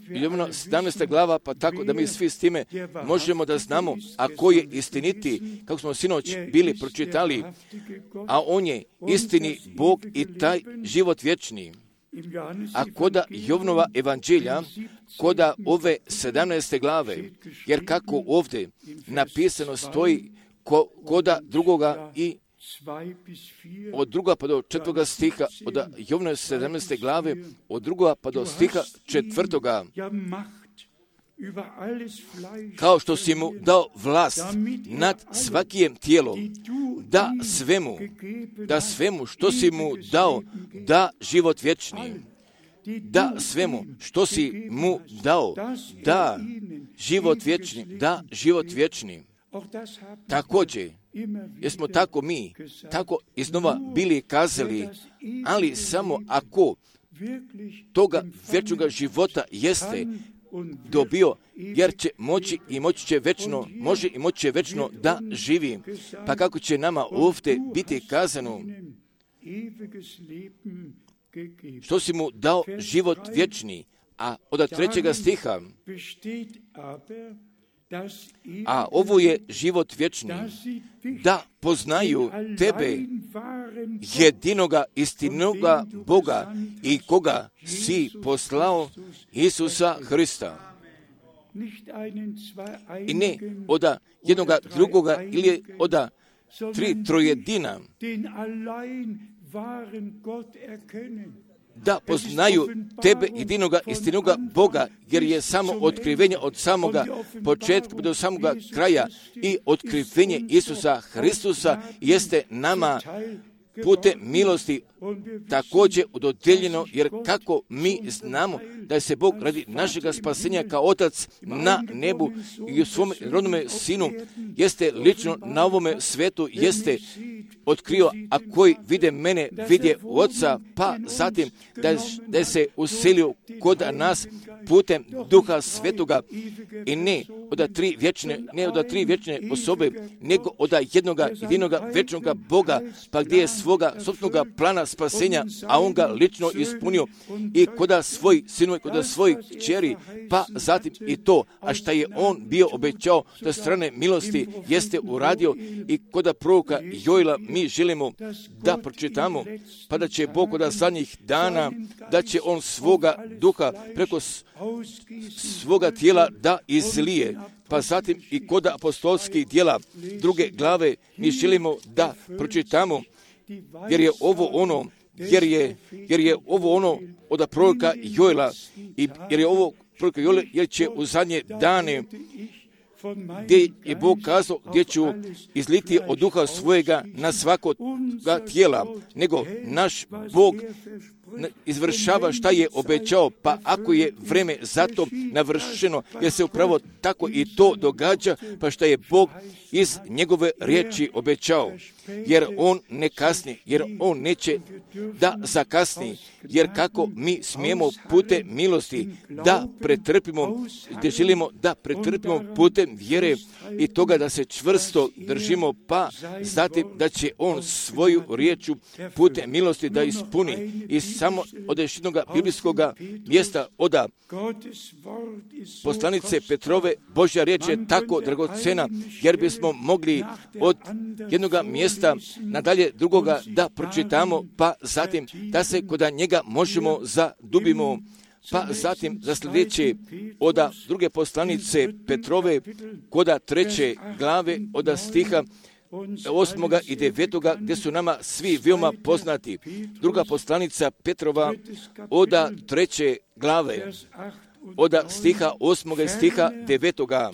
Jovnova sedamnaesta glava, pa tako da mi svi s time možemo da znamo, a koji je istiniti, kako smo sinoć bili pročitali, a on je istini Bog i taj život vječni. A koda Jovnova evanđelja, koda ove sedamnaeste glave, jer kako ovdje napisano stoji ko, koda drugoga i od druga pa do četvrtoga stiha, od Jovnove sedamnaeste glave, od druga pa do stiha četvrtoga, kao što si mu dao vlast nad svakijem tijelo, da svemu, da svemu što si mu dao, da život vječni, da svemu što si mu dao, da život vječni, da život vječni. Također, jer smo tako mi, tako iznova bili kazali, ali samo ako toga vječnoga života jeste dobio, jer će moći i moći će večno, može i moći će večno da živi. Pa kako će nama ovdje biti kazano, što si mu dao život vječni, a od trećega stiha, a ovo je život vječni, da poznaju tebe, jedinoga istinoga Boga i koga si poslao, Isusa Hrista. I ne od jednoga drugoga ili od tri trojedina, da poznaju tebe, jedinoga istinoga Boga, jer je samo otkrivenje od samoga početka do samoga kraja i otkrivenje Isusa Hristusa jeste nama putem milosti također dodijeljeno, jer kako mi znamo da je se Bog radi našega spasenja kao Otac na nebu i u svom rodnome Sinu jeste lično na ovome svetu jeste otkrio, a koji vide mene, vidje Oca, pa zatim da je, da je se uselio kod nas putem Duha Svetoga i ne od tri vječne, ne od tri vječne osobe, nego od jednoga jedinoga vječnoga Boga, pa gdje je svoga sopstvenog plana spasenja, a on ga lično ispunio i koda svoj sinu i koda svojih kćeri, pa zatim i to, a šta je on bio obećao da strane milosti jeste uradio i koda proroka Joela mi želimo da pročitamo, pa da će Bog od zadnjih dana, da će on svoga duha preko svoga tijela da izlije, pa zatim i kod apostolskih djela druge glave mi želimo da pročitamo, jer je ovo ono, jer je, jer je ovo ono od proroka Joela, i jer je ovo proroka Joela, jer će u zadnje dane, gdje je Bog kazao, gdje ću izliti od duha svojega na svakoga tijela, nego naš Bog izvršava šta je obećao, pa ako je vreme za to navršeno, jer se upravo tako i to događa, pa šta je Bog iz njegove riječi obećao, jer on ne kasni, jer on neće da zakasni, jer kako mi smijemo putem milosti da pretrpimo, gdje želimo da pretrpimo putem vjere i toga da se čvrsto držimo, pa zatim da će on svoju riječu putem milosti da ispuni. I samo od još jednog biblijskog mjesta od poslanice Petrove, Božja riječ je tako dragocena, jer bismo mogli od jednog mjesta nadalje drugoga da pročitamo, pa zatim da se kod njega možemo zadubimo, pa zatim za sljedeće od druge poslanice Petrove, kod treće glave od stiha osmoga i devetoga, gdje su nama svi veoma poznati. Druga poslanica Petrova od treće glave, od stiha osmoga i stiha devetoga.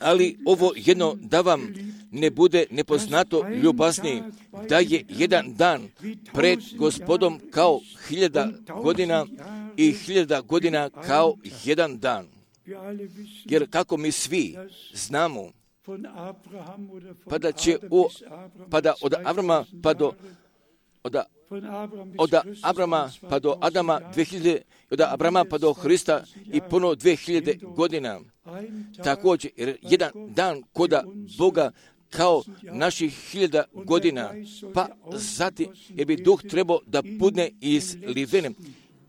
Ali ovo jedno da vam ne bude nepoznato, ljubazni, da je jedan dan pred Gospodom kao hiljada godina i hiljada godina kao jedan dan. Jer kako mi svi znamo, pa da će u, pa da od Avrama pa do od, od Abrama pa do Adama dvije hiljade, od Abrama pa do Hrista i ponovo dvije hiljade godina. Također, jer jedan dan koda Boga kao naših hiljada godina, pa zatim jer bi duh trebao da budne izliven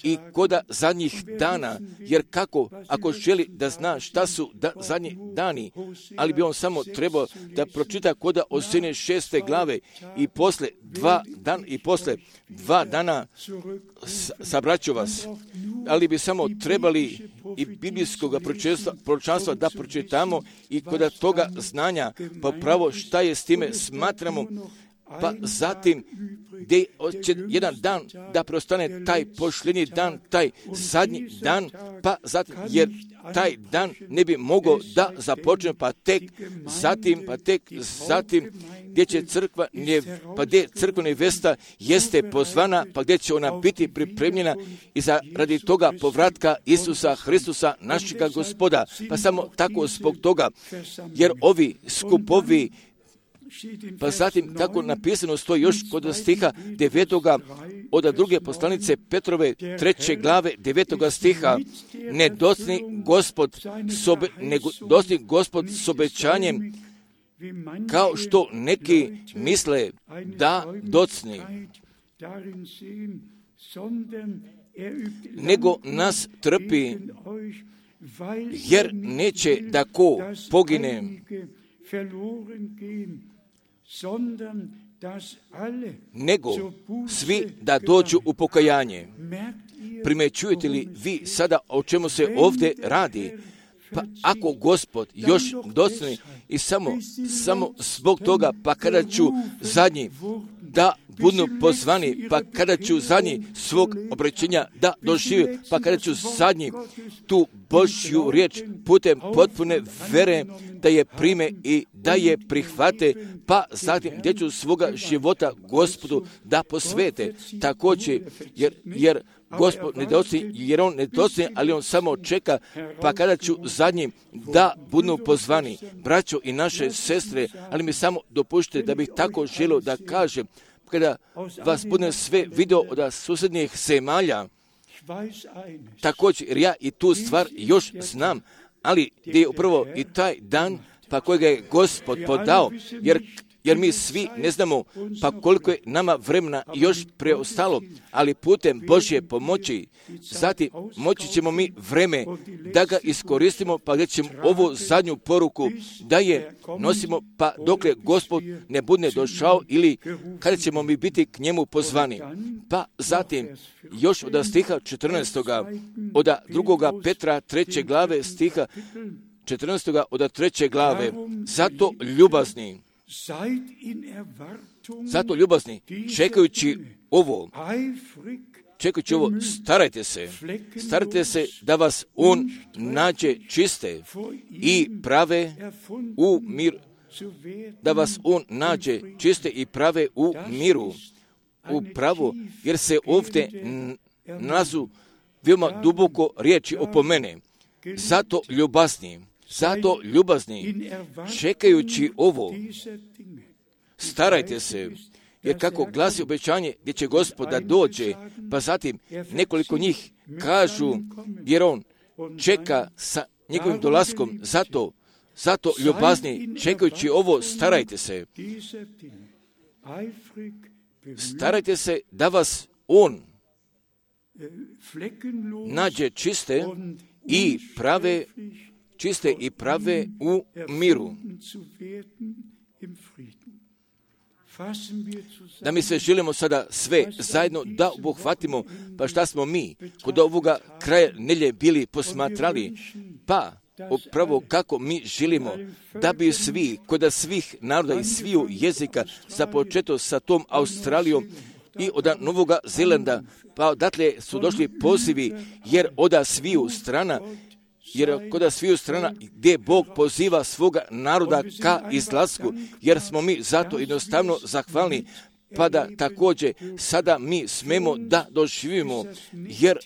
i koda zadnjih dana, jer kako, ako želi da zna šta su da, zadnji dani, ali bi on samo trebao da pročita koda Osejine šeste glave i posle dva dan i posle dva dana sabraću vas, ali bi samo trebali i biblijskog proročanstva da pročitamo i koda toga znanja, pa pravo šta je s time smatramo, pa zatim gdje će jedan dan da prostane taj pošljenji dan, taj zadnji dan, pa zatim, jer taj dan ne bi mogao da započne, pa tek zatim, pa tek zatim, gdje će crkva, pa gdje crkva nevesta jeste pozvana, pa gdje će ona biti pripremljena i za radi toga povratka Isusa Hristusa, našega Gospoda. Pa samo tako zbog toga, jer ovi skupovi, pa zatim, kako napisano stoji još kod stiha devetoga od druge poslanice Petrove treće glave devetoga stiha, ne docni Gospod sobe, nego docni Gospod s obećanjem, kao što neki misle da docni, nego nas trpi, jer neće da ko pogine, nego svi da dođu u pokajanje. Primećujete li vi sada o čemu se ovdje radi? Pa ako Gospod još docni i samo, samo zbog toga, pa kada ću zadnji da budu pozvani, pa kada ću zadnji svog obraćenja da dožive, pa kada ću zadnji tu Božju riječ putem potpune vere da je prime i da je prihvate, pa zatim gdje ću svoga života Gospodu da posvete. Također, jer, jer Gospod ne dosti, jer on ne dosti, ali on samo čeka, pa kada ću zadnji da budu pozvani, braćo i naše sestre, ali mi samo dopušte da bih tako želio da kažem, kada vas budem sve video od susjednih zemalja, također, jer ja i tu stvar još znam, ali gdje je upravo i taj dan, pa kojega je Gospod podao, jer jer mi svi ne znamo pa koliko je nama vremena još preostalo, ali putem Božje pomoći, zatim moći ćemo mi vreme da ga iskoristimo, pa da ćemo ovu zadnju poruku da je nosimo, pa dokle Gospod ne bude došao ili kada ćemo mi biti k njemu pozvani. Pa zatim još od stiha četrnaestoga, od drugoga Petra treće glave stiha četrnaestoga od treće glave, zato ljubazni, zato ljubazni, čekajući ovo, čekajući ovo, starajte se, starajte se da vas on nađe čiste i prave u mir, da vas on nađe čiste i prave u miru, u pravu, jer se ovdje nalazu veoma duboko riječi opomene. Zato ljubazni, zato ljubazni, čekajući ovo, starajte se, jer kako glasi obećanje gdje će Gospod da dođe, pa zatim nekoliko njih kažu, jer on čeka sa njegovim dolaskom, zato, zato ljubazni, čekajući ovo, starajte se. Starajte se da vas on nađe čiste i prave, čiste i prave u miru. Da mi sve želimo sada sve zajedno da obuhvatimo, pa šta smo mi kod ovoga kraja nelje bili posmatrali, pa upravo kako mi želimo da bi svi, kod svih naroda i sviju jezika, započeto sa tom Australijom i od Novoga Zelanda, pa odatle su došli pozivi, jer od sviju strana, jer kod sviju strana gdje Bog poziva svoga naroda ka izlasku, jer smo mi zato jednostavno zahvalni, pa da također sada mi smemo da doživimo, jer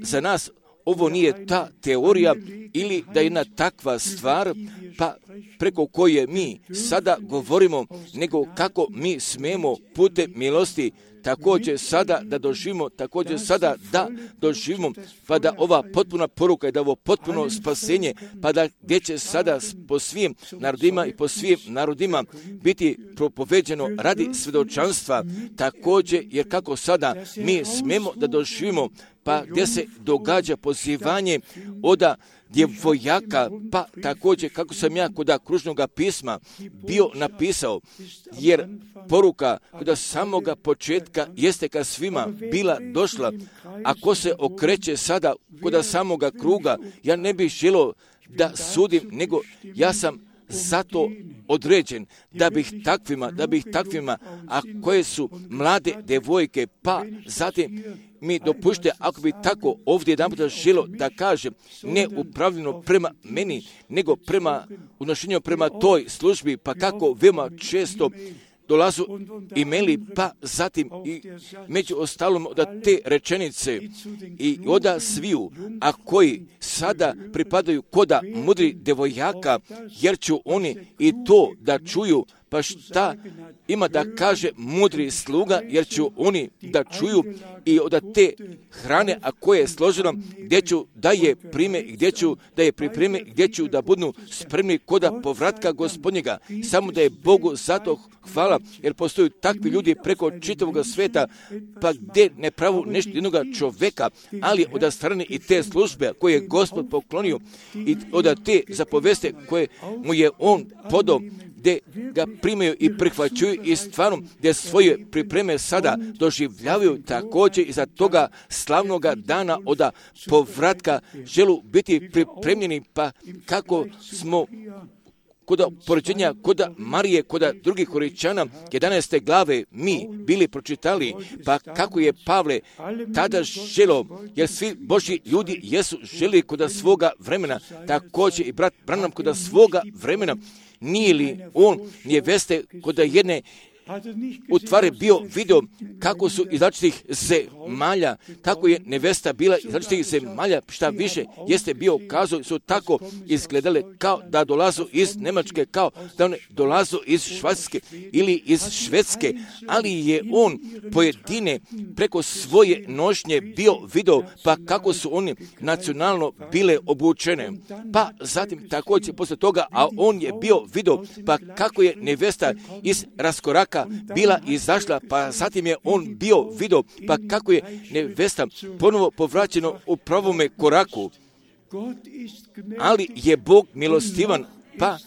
za nas ovo nije ta teorija ili da je jedna takva stvar, pa preko koje mi sada govorimo, nego kako mi smemo putem milosti također sada da doživimo, također sada da doživimo, pa da ova potpuna poruka i da ovo potpuno spasenje, pa da gdje će sada po svim narodima i po svim narodima biti propoveđeno radi svjedočanstva, također jer kako sada mi smemo da doživimo, pa gdje se događa pozivanje oda djevojaka, pa također kako sam ja kod kružnog pisma bio napisao, jer poruka kod samoga početka jeste ka svima bila došla, ako se okreće sada kod samoga kruga, ja ne bih želio da sudim, nego ja sam zato određen da bih takvima, da bih takvima, a koje su mlade devojke, pa zatim mi dopušte, ako bi tako ovdje jedan puta želo da kažem, ne upravljeno prema meni, nego prema unošenju prema toj službi, pa kako veoma često dolazu imeli, pa zatim i među ostalom od te rečenice i oda sviju, a koji sada pripadaju koda mudri devojaka, jer ću oni i to da čuju, pa šta ima da kaže mudri sluga, jer ću oni da čuju i od te hrane, a koje je složeno, gdje ću da je prime, gdje ću da je pripreme, gdje ću da budu spremni koda povratka Gospodnjega. Samo da je Bogu zato hvala, jer postoju takvi ljudi preko čitavog sveta, pa gdje ne pravu nešto jednoga čoveka, ali od strane i te službe koje je Gospod poklonio i od te zapoveste koje mu je on podao, gdje ga primaju i prihvaćuju i stvarno gdje svoje pripreme sada doživljavaju također i za toga slavnoga dana od povratka želu biti pripremljeni, pa kako smo kod poređenja kod Marije, kod drugih Koričana, jedanaeste glave mi bili pročitali, pa kako je Pavle tada želo, jer svi Božji ljudi jesu želi kod svoga vremena, također i brat Branham kod svoga vremena, nije li on neveste kod jedne u tvari bio video kako su iz različitih zemalja, tako je nevesta bila iz različitih zemalja, šta više jeste bio kazao, su tako izgledale kao da dolazu iz Njemačke, kao da one dolazu iz Švajcarske ili iz Švedske, ali je on pojedine preko svoje nošnje bio video, pa kako su oni nacionalno bile obučene. Pa zatim također posle toga, a on je bio video, pa kako je nevesta iz raskoraka bila izašla, pa zatim je on bio video, pa kako je nevesta ponovo povraćeno u pravome koraku. Ali je Bog milostivan, pa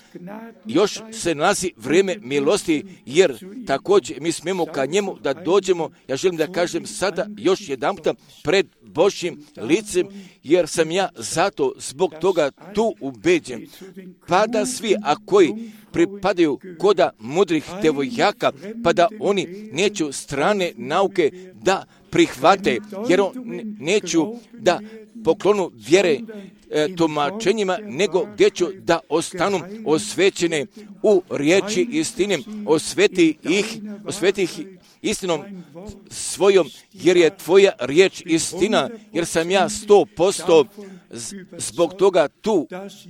još se nalazi vrijeme milosti, jer također mi smemo ka njemu da dođemo, ja želim da kažem sada još jedanputa pred Božjim licem, jer sam ja zato zbog toga tu ubeđen. Pa da svi, a koji pripadaju koda mudrih devojaka, pa da oni neću strane nauke da prihvate, jer on neću da poklonu vjere e, tumačenjima, nego gdje ću da ostanu osvećene u riječi istine, osveti ih, osveti ih istinom svojom, jer je tvoja riječ istina, jer sam ja sto posto zbog toga tu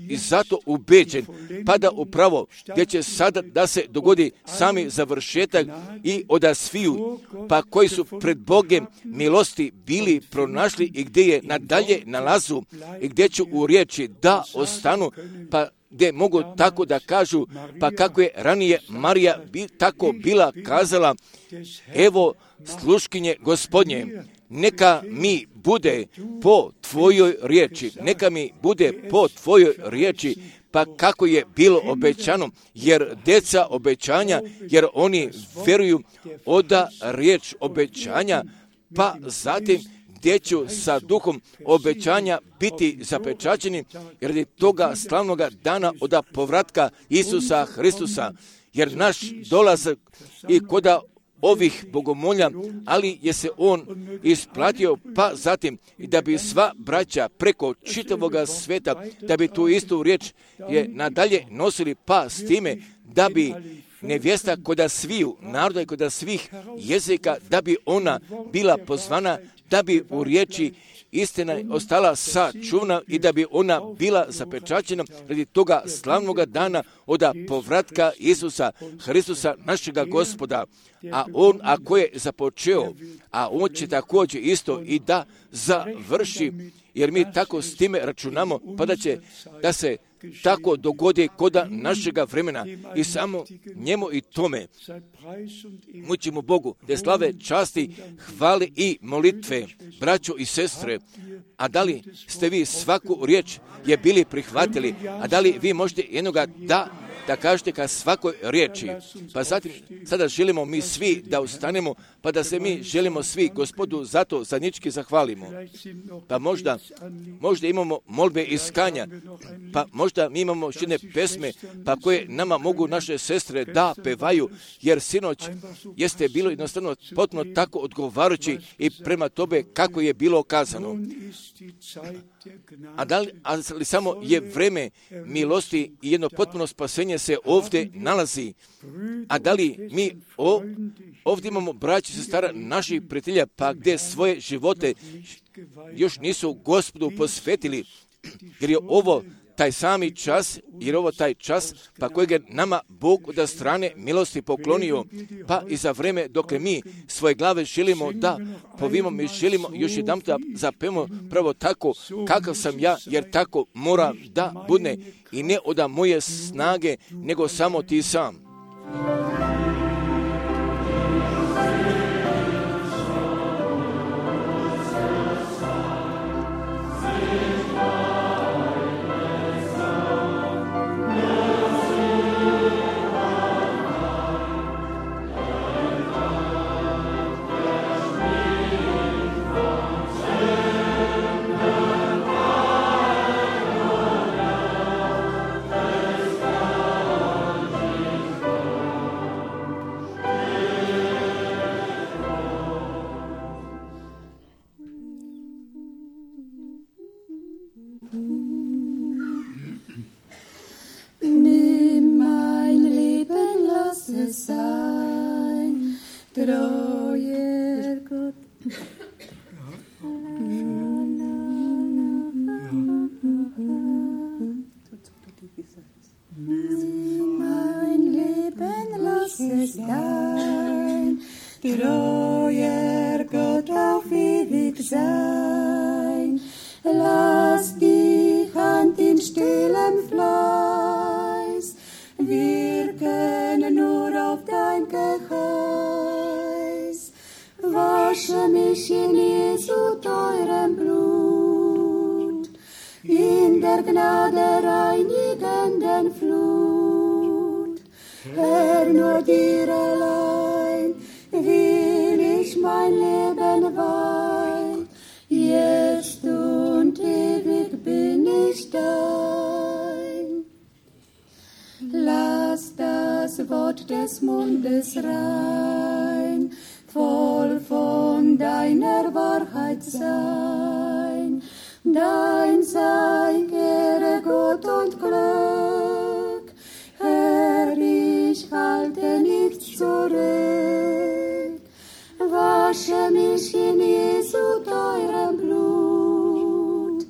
i zato ubeđen, pa da upravo gdje će sada da se dogodi sami završetak i oda sviju, pa koji su pred Bogem milosti bili pronašli i gdje je nadalje nalazu i gdje ću u riječi da ostanu, pa gdje mogu tako da kažu, pa kako je ranije Marija bi, tako bila kazala, evo sluškinje Gospodnje, neka mi bude po tvojoj riječi, neka mi bude po tvojoj riječi, pa kako je bilo obećano, jer deca obećanja, jer oni vjeruju oda riječ obećanja, pa zatim gdje ću sa duhom obećanja biti zapečaćeni radi toga slavnoga dana od povratka Isusa Hristusa, jer naš dolazak i koda ovih bogomolja, ali je se on isplatio, pa zatim i da bi sva braća preko čitavoga sveta, da bi tu istu riječ je nadalje nosili, pa s time da bi nevjesta koda sviju naroda i koda svih jezika, da bi ona bila pozvana, da bi u riječi istina ostala sačuvana i da bi ona bila zapečaćena radi toga slavnoga dana od povratka Isusa Hristusa našega Gospoda. A on ako je započeo, a on će također isto i da završi, jer mi tako s time računamo, pa da će da se tako dogodi koda našega vremena i samo njemu i tome mučimo Bogu, da slave, časti, hvale i molitve, braćo i sestre. A da li ste vi svaku riječ je bili prihvatili, a da li vi možete jednoga da da kažete ka svakoj riječi. Pa zatim, sada želimo mi svi da ustanemo, pa da se mi želimo svi Gospodu zato zadnjički zahvalimo. Pa možda, možda imamo molbe iskanja, pa možda mi imamo jedne pesme, pa koje nama mogu naše sestre da pevaju, jer sinoć jeste bilo jednostavno potpuno tako odgovarajući i prema tobe kako je bilo kazano. A da li, ali samo je vreme milosti i jedno potpuno spasenje se ovdje nalazi. A da li mi o, ovdje imamo braći i sestara naših prijatelja, pa gdje svoje živote još nisu Gospodu posvetili, jer je ovo taj sami čas, jer ovo taj čas, pa kojeg je nama Bog od strane milosti poklonio, pa i za vreme dok mi svoje glave želimo da povimo, mi želimo još jedan da zapemo pravo tako kakav sam ja, jer tako mora da bude i ne od moje snage, nego samo ti sam. Nimm mein Leben, lass es sein. treuer Gott. Mein Leben lass es dein treuer Gott auf ewig sein. Lass die Hand in stillem Fleiß wirken nur auf dein Geheiß. Wasche mich in Jesu teurem Blut, in der Gnade reinigenden Flut. Herr, nur dir allein will ich mein Leben weihen, jetzt und ewig bin ich dein. Lass das Wort des Mundes rein, voll von deiner Wahrheit sein. Dein sei Ehre, Gott und Glück, Herr, ich halte nichts zurück. Wasche mich in Jesu teurem Blut,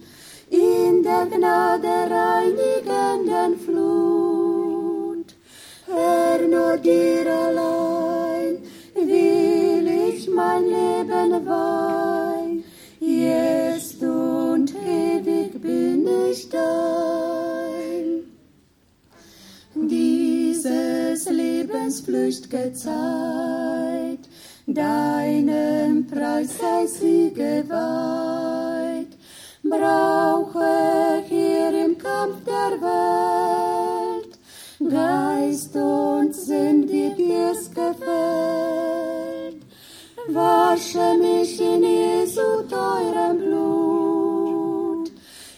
in der Gnade reinigenden Flut. Herr, nur dir allein will ich mein Leben weihen, jetzt und ewig bin ich dein. Dieses Lebens flücht'ge Zeit, deinem Preis sei sie geweiht. Brauche hier im Kampf der Welt Geist und Sinn, die dir's gefällt. Wasche mich in Jesu teurem Blut,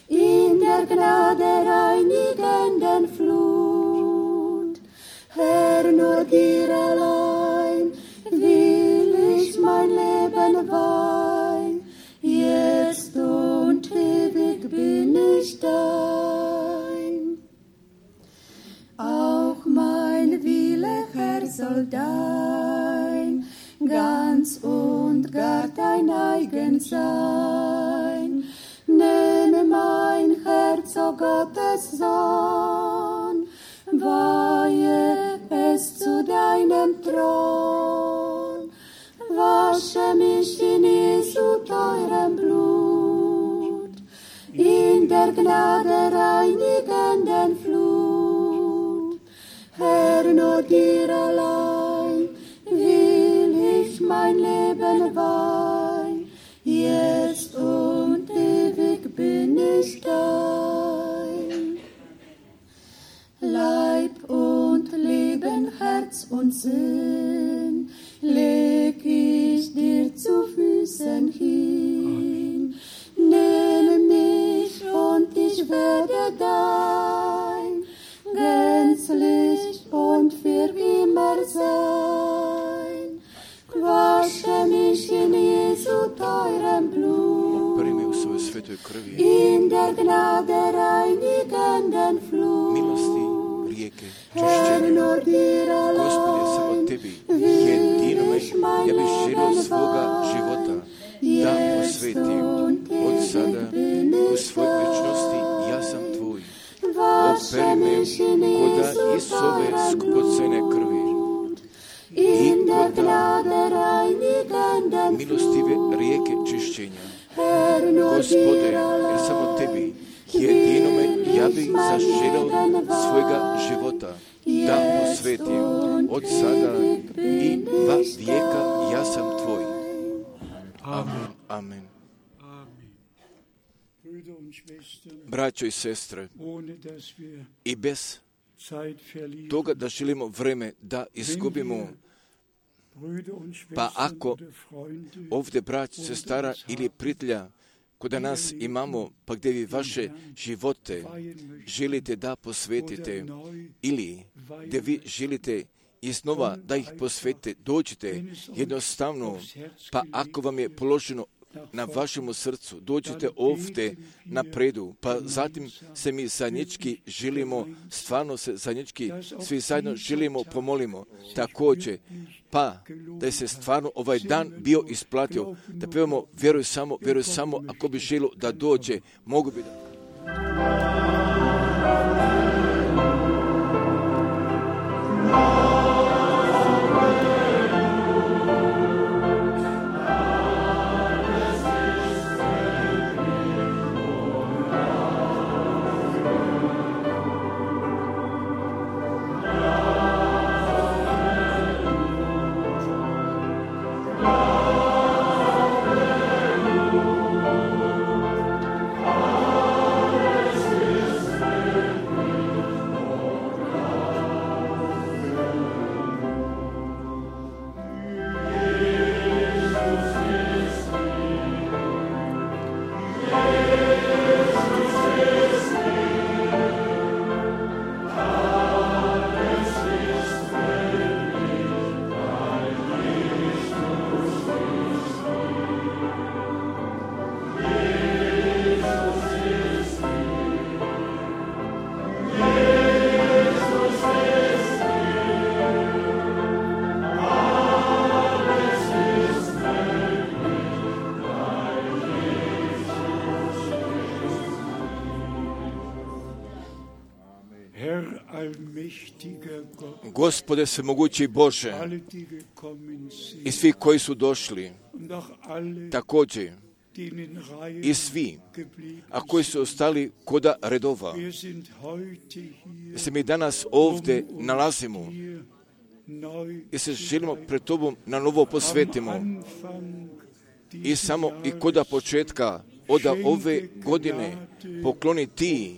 in der Gnade reinigenden Flut. Herr, nur dir allein will ich mein Leben weihen, jetzt und ewig bin ich dein. Auch mein Wille, Herr, soll dein, ganz und gar dein eigen sein. Nehme mein Herz, o Gottes Sohn, weihe es zu deinem Thron. Wasche mich in Jesu teurem Blut, in der Gnade reinigenden Flut. Herr, nur dir allein will ich mein Leben weihen, jetzt und ewig bin ich dein. Leib und Leben, Herz und Sinn leg ich dir zu Füßen hin. Nehme mich und ich werde dein, gänzlich und für immer sein. Wasche mich in Jesu teurem Blut, in der Gnade reinigenden Flut. Herr, nur dir allein will ich mein Leben weihen, jetzt und ewig bin ich dein. Wasche mich in Jesu teurem Blut, in der Gnade reinigenden Flut. Herr, nur dir allein jedinome ja bih zaželio svojega života da posvetim od sada i va vijeka ja sam tvoj. Amen. Amen. Braćo i sestre, i bez toga da želimo vreme da izgubimo, pa ako ovdje brat, sestara ili prijatelja kod nas imamo, pa gdje vi vaše živote želite da posvetite ili gdje vi želite iznova da ih posvetite, dođite jednostavno, pa ako vam je položeno na vašemu srcu, dođite ovdje na predu, pa zatim se mi zajednički želimo, stvarno se zajednički svi zajedno želimo, pomolimo također, pa da se stvarno ovaj dan bio isplatio, da pevamo vjeruj samo, vjeruj samo, ako bi želio da dođe, mogu bi da... Gospode svemogući Bože, i svi koji su došli, također i svi, a koji su ostali koda redova, se mi danas ovdje nalazimo i se želimo pred Tobom na novo posvetimo i samo i koda početka od ove godine pokloni Ti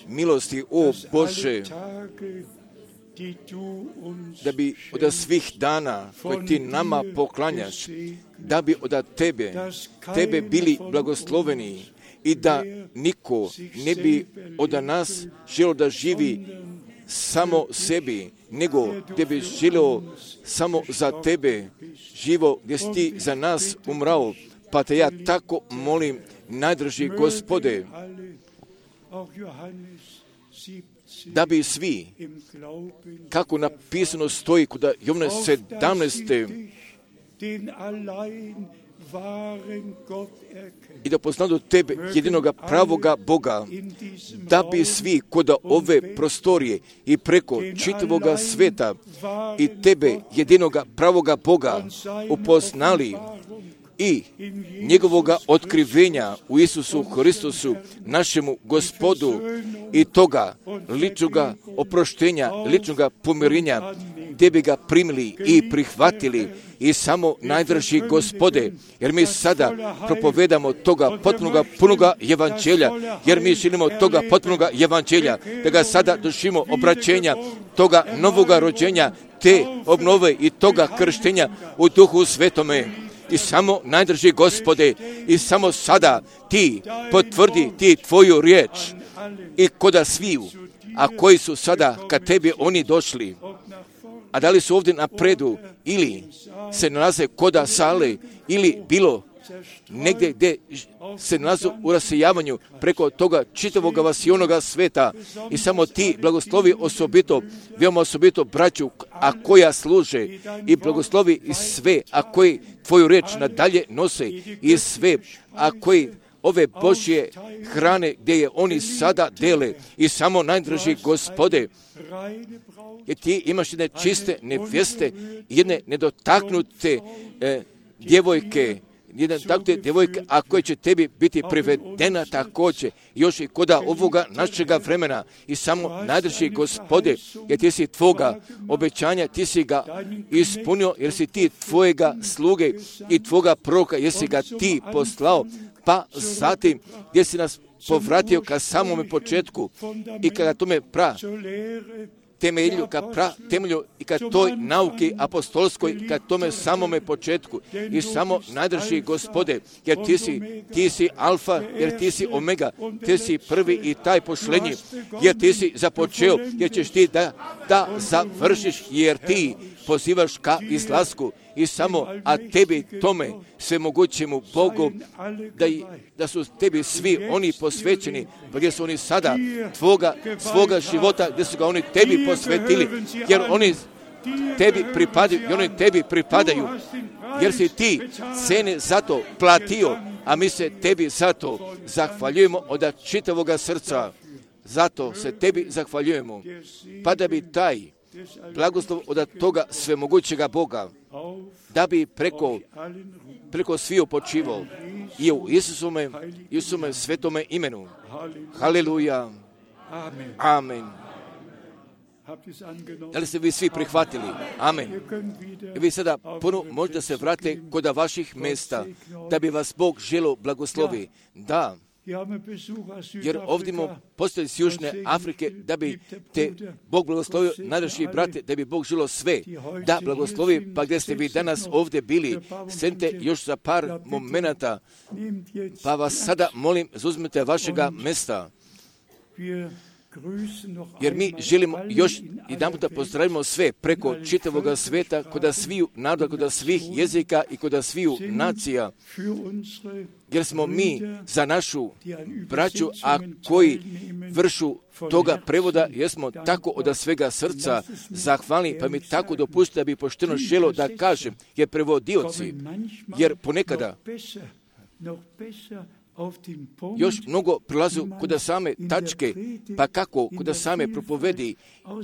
milosti, o Bože, da bi od svih dana koje Ti nama poklanjaš, da bi od Tebe, Tebe bili blagosloveni i da niko ne bi od nas želio da živi samo sebi, nego da bi želio samo za Tebe živo, gdje si Ti za nas umrao. Pa te ja tako molim, najdraži Gospode, da bi svi, kako napisano stoji kod Jovana sedamnaeste. i da poznaju Tebe, jedinoga pravoga Boga, da bi svi kod ove prostorije i preko čitavoga sveta i Tebe, jedinoga pravoga Boga, upoznali i njegovoga otkrivenja u Isusu Hristusu, našemu Gospodu, i toga ličnoga oproštenja, ličnoga pomirenja, gdje bi ga primili i prihvatili. I samo najdraži Gospode, jer mi sada propovedamo toga potpunoga punoga evanđelja, jer mi želimo toga potpunoga evanđelja, da ga sada doživimo obraćenja, toga novoga rođenja, te obnove i toga krštenja u Duhu Svetome. I samo najdraži Gospode, i samo sada Ti potvrdi Ti Tvoju riječ i koda sviju, a koji su sada kad Tebi oni došli, a da li su ovdje napredu ili se nalaze koda sale ili bilo negdje gdje se nalaze u rasejavanju preko toga čitavoga vasionoga sveta, i samo Ti blagoslovi osobito, veoma osobito braću, a koja služe, i blagoslovi i sve, a koji Tvoju riječ nadalje nose, i sve, a koji ove Božje hrane gdje je oni sada dele. I samo najdraži Gospode, jer Ti imaš jedne čiste nevjeste, jedne nedotaknute e, djevojke, jedan takve djevojke, a koje će Tebi biti privedena također, još i koda ovoga našega vremena. I samo najdraži Gospode, jer Ti si Tvoga obećanja, Ti si ga ispunio, jer si Ti Tvojega sluge i Tvoga proroka, jer si ga Ti poslao, pa zatim gdje si nas povratio ka samome početku i kada tome pra temelju, ka pra, temelju i ka toj nauki apostolskoj, ka tome samome početku i samo nadrži, Gospode, jer ti si, ti si alfa, jer ti si omega, ti si prvi i taj pošlenji, jer ti si započeo, jer ćeš ti da, da završiš, jer ti pozivaš ka izlasku i samo, a tebi tome svemogućemu Bogu, da, da su tebi svi oni posvećeni, gdje su oni sada tvoga, svoga života, gdje su ga oni tebi posvetili, jer oni tebi pripadaju, i oni tebi pripadaju, jer si ti cene za to platio, a mi se tebi za to zahvaljujemo od čitavoga srca. Zato se tebi zahvaljujemo, pa da bi taj blagoslov od toga svemogućega Boga, da bi preko, preko sviju počivao i u Isusome, Isusome svetome imenu. Haleluja. Amen. Da li ste vi svi prihvatili? Amen. I vi sada ponovno možete se vratiti kod vaših mjesta, da bi vas Bog želio blagoslovi. Da. Jer ovdje imamo postoji iz Južne Afrike, da bi te Bog blagoslovio, najdraži brate, da bi Bog želio sve, da blagoslovi, pa gdje ste vi danas ovdje bili, sjedite još za par momenata, pa vas sada molim, zauzmite vašega mjesta. Jer mi želimo još jedan puta pozdravimo sve preko čitavoga sveta, kod sviju naroda, kod svih jezika i kod sviju nacija. Jer smo mi za našu braću, a koji vršu toga prevoda, jer smo tako od svega srca zahvalni, pa mi tako dopustite da bi pošteno želo da kažem, jer prevodioci, jer ponekada još mnogo prilazu kod same tačke, pa kako kod same propovedi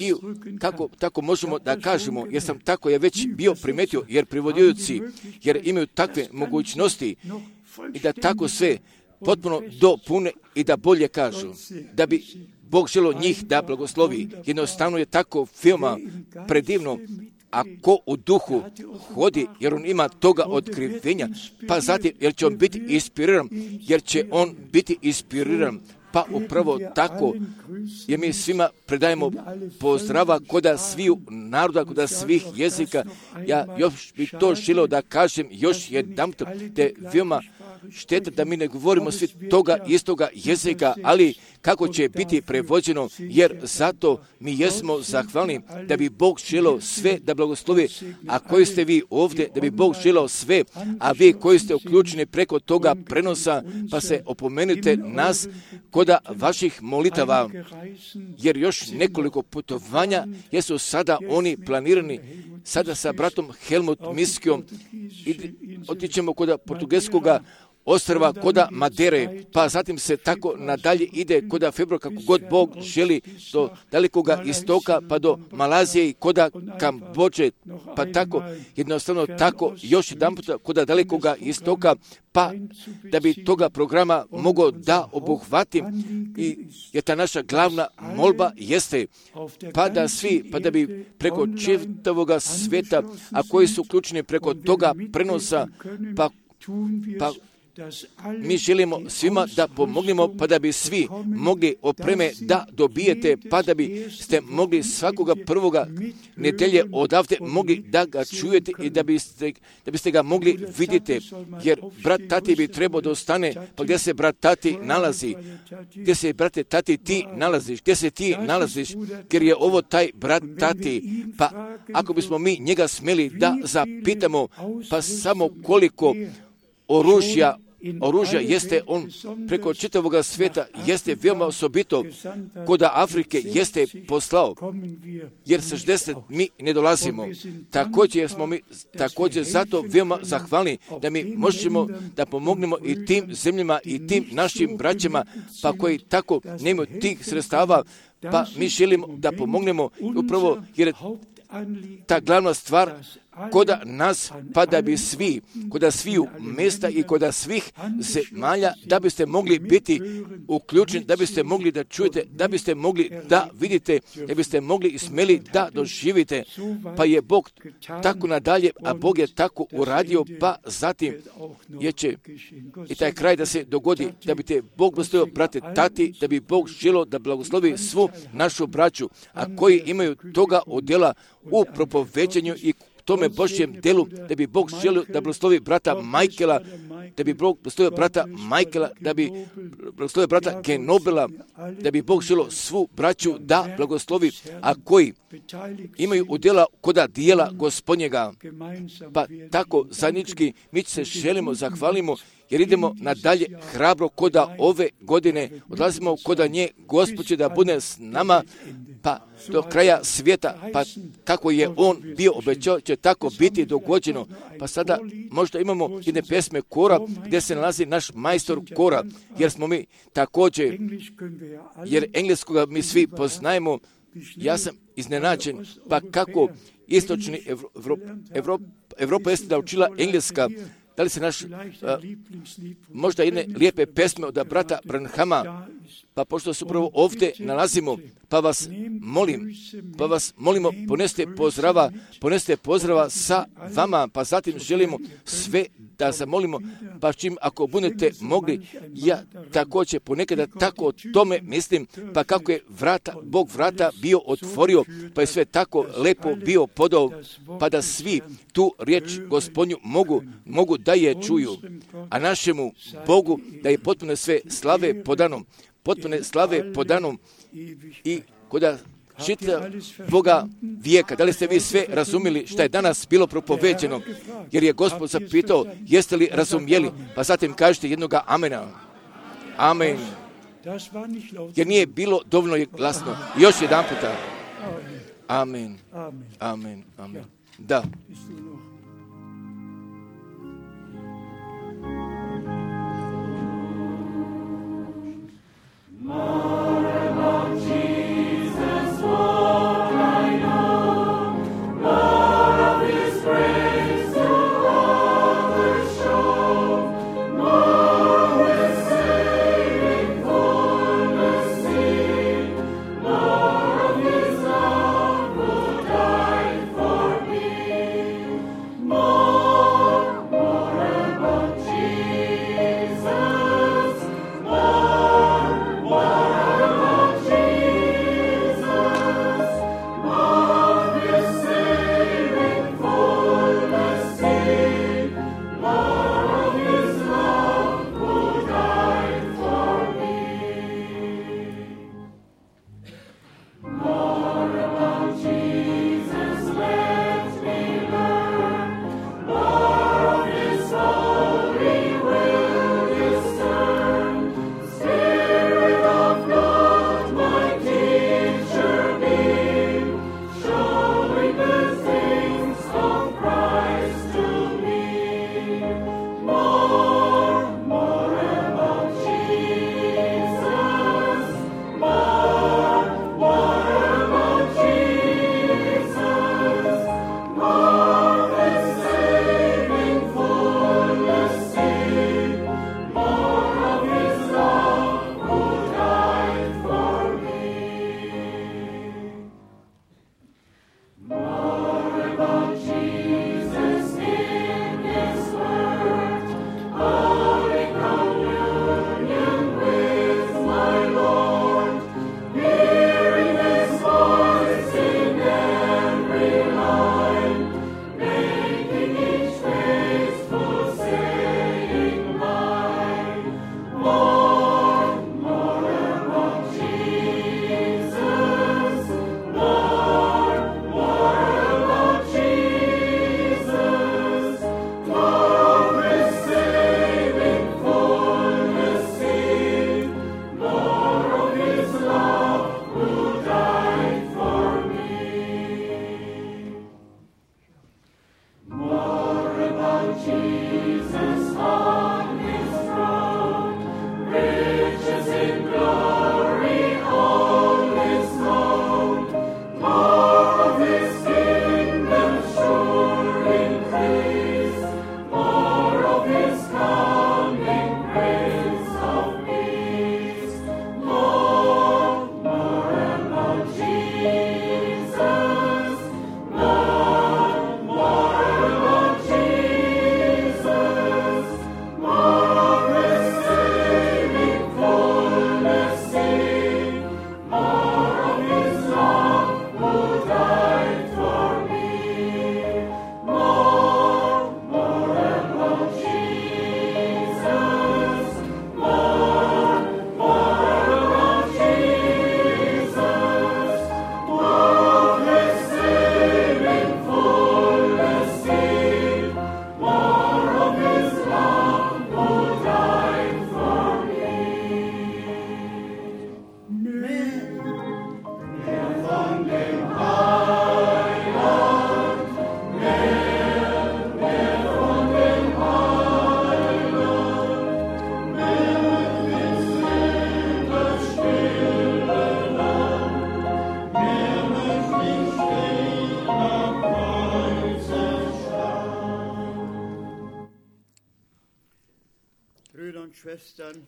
i kako tako možemo da kažemo, jer sam tako je već bio primetio, jer privodioci, jer imaju takve mogućnosti i da tako sve potpuno dopune i da bolje kažu, da bi Bog želio njih da blagoslovi. Jednostavno je tako filma predivno, a ko u duhu hodi, jer on ima toga otkrivenja, pa zatim, jer će on biti inspiriran, jer će on biti inspiriran, pa upravo tako, jer mi svima predajemo pozdrava koda sviju naroda, koda svih jezika. Ja još bih to želio da kažem još jedan put, te veoma šteta da mi ne govorimo svi toga istoga jezika, ali kako će biti prevođeno, jer zato mi jesmo zahvalni da bi Bog želio sve da blagoslovi, a koji ste vi ovdje, da bi Bog želio sve, a vi koji ste uključeni preko toga prenosa, pa se opomenite nas koda vaših molitava, jer još nekoliko putovanja jesu sada oni planirani, sada sa bratom Helmut Miskijom otićemo kod portugalskoga ostrva koda Madere, pa zatim se tako nadalje ide koda februara, kako god Bog želi, do dalekoga istoka, pa do Malazije i koda Kambođe, pa tako, jednostavno tako, još jedan puta koda dalekoga istoka, pa da bi toga programa mogao da obuhvatim, i jer ta naša glavna molba jeste, pa da svi, pa da bi preko čitavoga sveta, a koji su uključeni preko toga prenosa, pa, pa mi želimo svima da pomognemo, pa da bi svi mogli opreme da dobijete, pa da bi ste mogli svakoga prvoga nedelje odavde mogli da ga čujete i da biste, da biste ga mogli vidjeti, jer brat Tati bi trebao da ostane, pa gdje se brat Tati nalazi, gdje se brate Tati ti nalaziš, gdje se ti nalaziš, jer je ovo taj brat Tati, pa ako bismo mi njega smjeli da zapitamo, pa samo koliko oružja Oružja jeste on preko čitavoga svijeta, jeste veoma osobito kod Afrike jeste poslao, jer sa šezdeset mi ne dolazimo. Također smo mi također zato veoma zahvalni da mi možemo da pomognemo i tim zemljama i tim našim braćama, pa koji tako nemaju tih sredstava, pa mi želimo da pomognemo upravo jer ta glavna stvar, koda nas, pa da bi svi, koda sviju mjesta i koda svih zemalja, da biste mogli biti uključeni, da biste mogli da čujete, da biste mogli da vidite, da biste mogli i smjeli da doživite. Pa je Bog tako nadalje, a Bog je tako uradio, pa zatim je će i taj kraj da se dogodi, da bi te Bog blagoslovio, brate, tati, da bi Bog želio da blagoslovi svu našu braću, a koji imaju toga odjela u propoveđenju i tome Božjem delu, da bi Bog želio da blagoslovi brata Majkela, da bi Bog blagoslovio brata Majkela, da bi blagoslovio brata Genobela, da bi Bog želio svu braću da blagoslovi, a koji imaju udjela koda dijela Gospodnjega. Pa tako zajednički mi se želimo, zahvalimo, jer idemo nadalje hrabro koda ove godine, odlazimo koda nje, Gospod će da bude s nama, pa do kraja svijeta, pa kako je On bio obećao, će tako biti dogođeno. Pa sada možda imamo jedne pesme kora, gdje se nalazi naš majstor kora, jer smo mi također, jer engleskoga mi svi poznajemo. Ja sam iznenađen, pa kako istočni Evropa, Evropa, Evropa jeste da učila engleska. Da li se naš, uh, možda jedne lijepe pesme od brata Branhama, pa pošto se upravo ovdje nalazimo, pa vas molim, pa vas molimo, poneste pozdrava, poneste pozdrava sa vama, pa zatim želimo sve da zamolimo, pa čim ako budete mogli, ja također ponekada tako o tome mislim, pa kako je vrata, Bog vrata bio otvorio, pa je sve tako lepo bio podao, pa da svi tu riječ Gospodnju mogu, mogu da je čuju, a našemu Bogu da je potpuno sve slave podanom, potpune slave podanom i koda čita Boga vijeka. Da li ste vi sve razumjeli što je danas bilo propoveđeno? Jer je Gospod zapitao, jeste li razumjeli? Pa zatim kažete jednoga amena. Amen. Jer nije bilo dovoljno glasno. Još jedan puta. Amen. Amen. Amen. Da.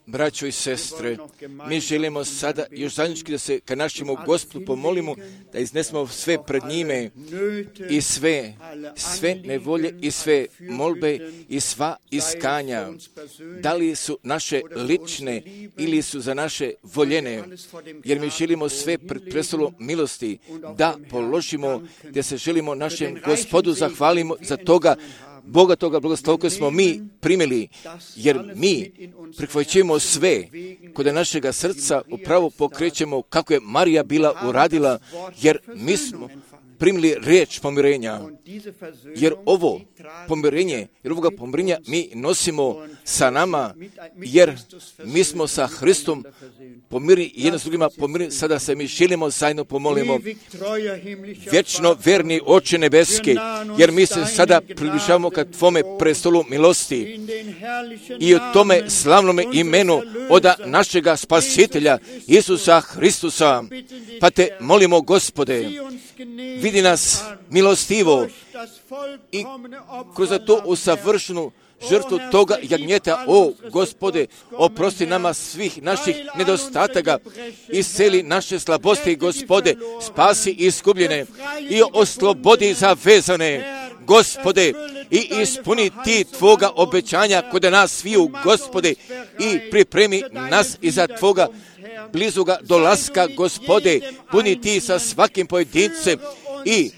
Braćo i sestre, mi želimo sada još zajednički da se ka našemu Gospodu pomolimo, da iznesemo sve pred njime i sve, sve nevolje i sve molbe i sva iskanja. Da li su naše lične ili su za naše voljene, jer mi želimo sve pred prestolom milosti da položimo, da se želimo našem Gospodu zahvalimo za toga Boga toga blagoslova koje smo mi primili, jer mi prihvaćamo sve kod našega srca upravo pokrećemo kako je Marija bila uradila, jer mi smo primili riječ pomirenja, jer ovo pomirenje, jer ovoga pomirenja mi nosimo sa nama, jer mi smo sa Hristom pomirni jedno s drugima pomirni, sada se mi želimo zajedno pomolimo. Vječno verni Oče nebeski, jer mi se sada približavamo ka Tvome prestolu milosti i u tome slavnome imenu od našega Spasitelja Isusa Hristusa, pa te molimo, Gospode, vidi nas milostivo i kroz to usavršenu žrtvu toga jagnjeta, o Gospode, oprosti nama svih naših nedostataka, isceli naše slabosti, Gospode, spasi iskupljene i oslobodi zavezane, Gospode, i ispuni ti Tvoga obećanja kod nas sviju, Gospode, i pripremi nas iza Tvoga blizuga dolaska, Gospode, puni ti sa svakim pojedincem i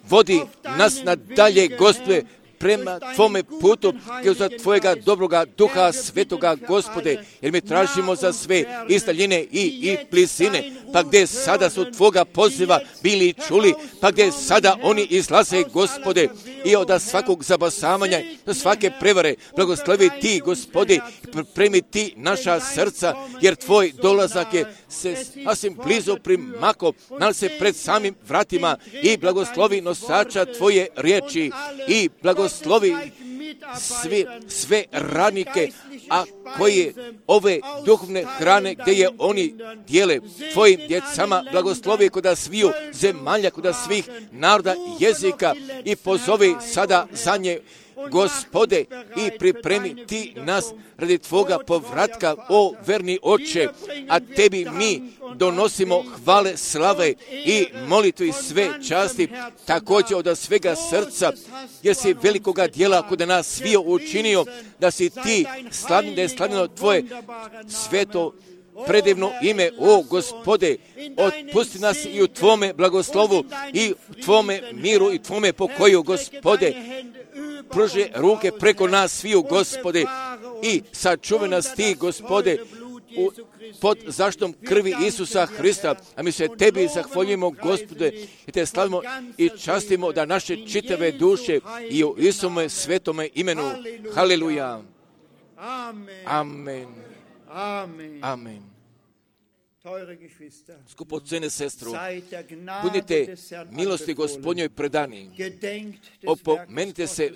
vodi nas nadalje, Gospode, prema Tvome putu, za Tvojega dobroga duha svetoga, Gospode, jer mi tražimo za sve iz daljine i, i blizine, pa gdje sada su Tvoga poziva bili čuli, pa gdje sada oni izlaze, Gospode, i od svakog zabasavanja, do svake prevare, blagoslovi Ti, Gospode, pripremi Ti naša srca, jer Tvoj dolazak je se sasvim blizu primako, nalazi se pred samim vratima i blagoslovi nosača Tvoje riječi i blagoslovi sve, sve radnike, a koje ove duhovne hrane gdje je oni dijele Tvojim djecama, blagoslovi kod sviju zemalja, kod svih naroda, jezika i pozovi sada za nje, Gospode, i pripremi Ti nas radi Tvoga povratka, o verni Oče, a Tebi mi donosimo hvale, slave i molitvu i sve časti, također od svega srca, jer si velikoga djela kod nas svio učinio, da si Ti slavni, da je slavljeno Tvoje sveto predivno ime, o Gospode, otpusti nas i u Tvome blagoslovu i u Tvome miru i Tvome pokoju, Gospode, pruži ruke preko nas sviju, Gospode, i sačuvaj nas Ti, Gospode, u, pod zaštom krvi Isusa Hrista, a mi se Tebi zahvaljujemo, Gospode, i Te slavimo i častimo da naše čitave duše i u Isome svetome imenu. Haleluja. Amen. Amen. Skupocene sestro, budite milosti Gospodnjoj predani, opomenite se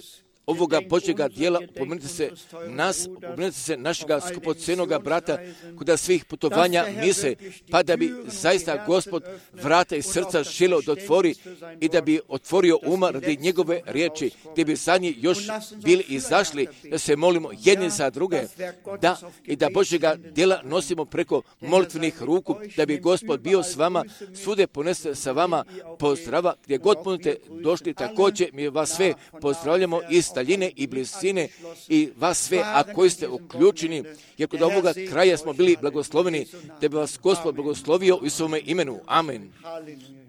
ovoga Božjega dijela, opomenite se nas, opomenite se našega skupocenoga brata kod svih putovanja mise, pa da bi zaista Gospod vrata i srca želio da otvori i da bi otvorio uma radi njegove riječi, gdje bi zadnji još bili izašli, da se molimo jedni za druge, da i da Božjega dijela nosimo preko molitvenih ruku, da bi Gospod bio s vama, svude ponese sa vama pozdrava, gdje god budete došli, također mi vas sve pozdravljamo iz daljine i blizine i vas sve, a koji ste uključeni, jer kod ovoga kraja smo bili blagosloveni, da bi vas Gospod blagoslovio u svome imenu. Amen. Halleluja.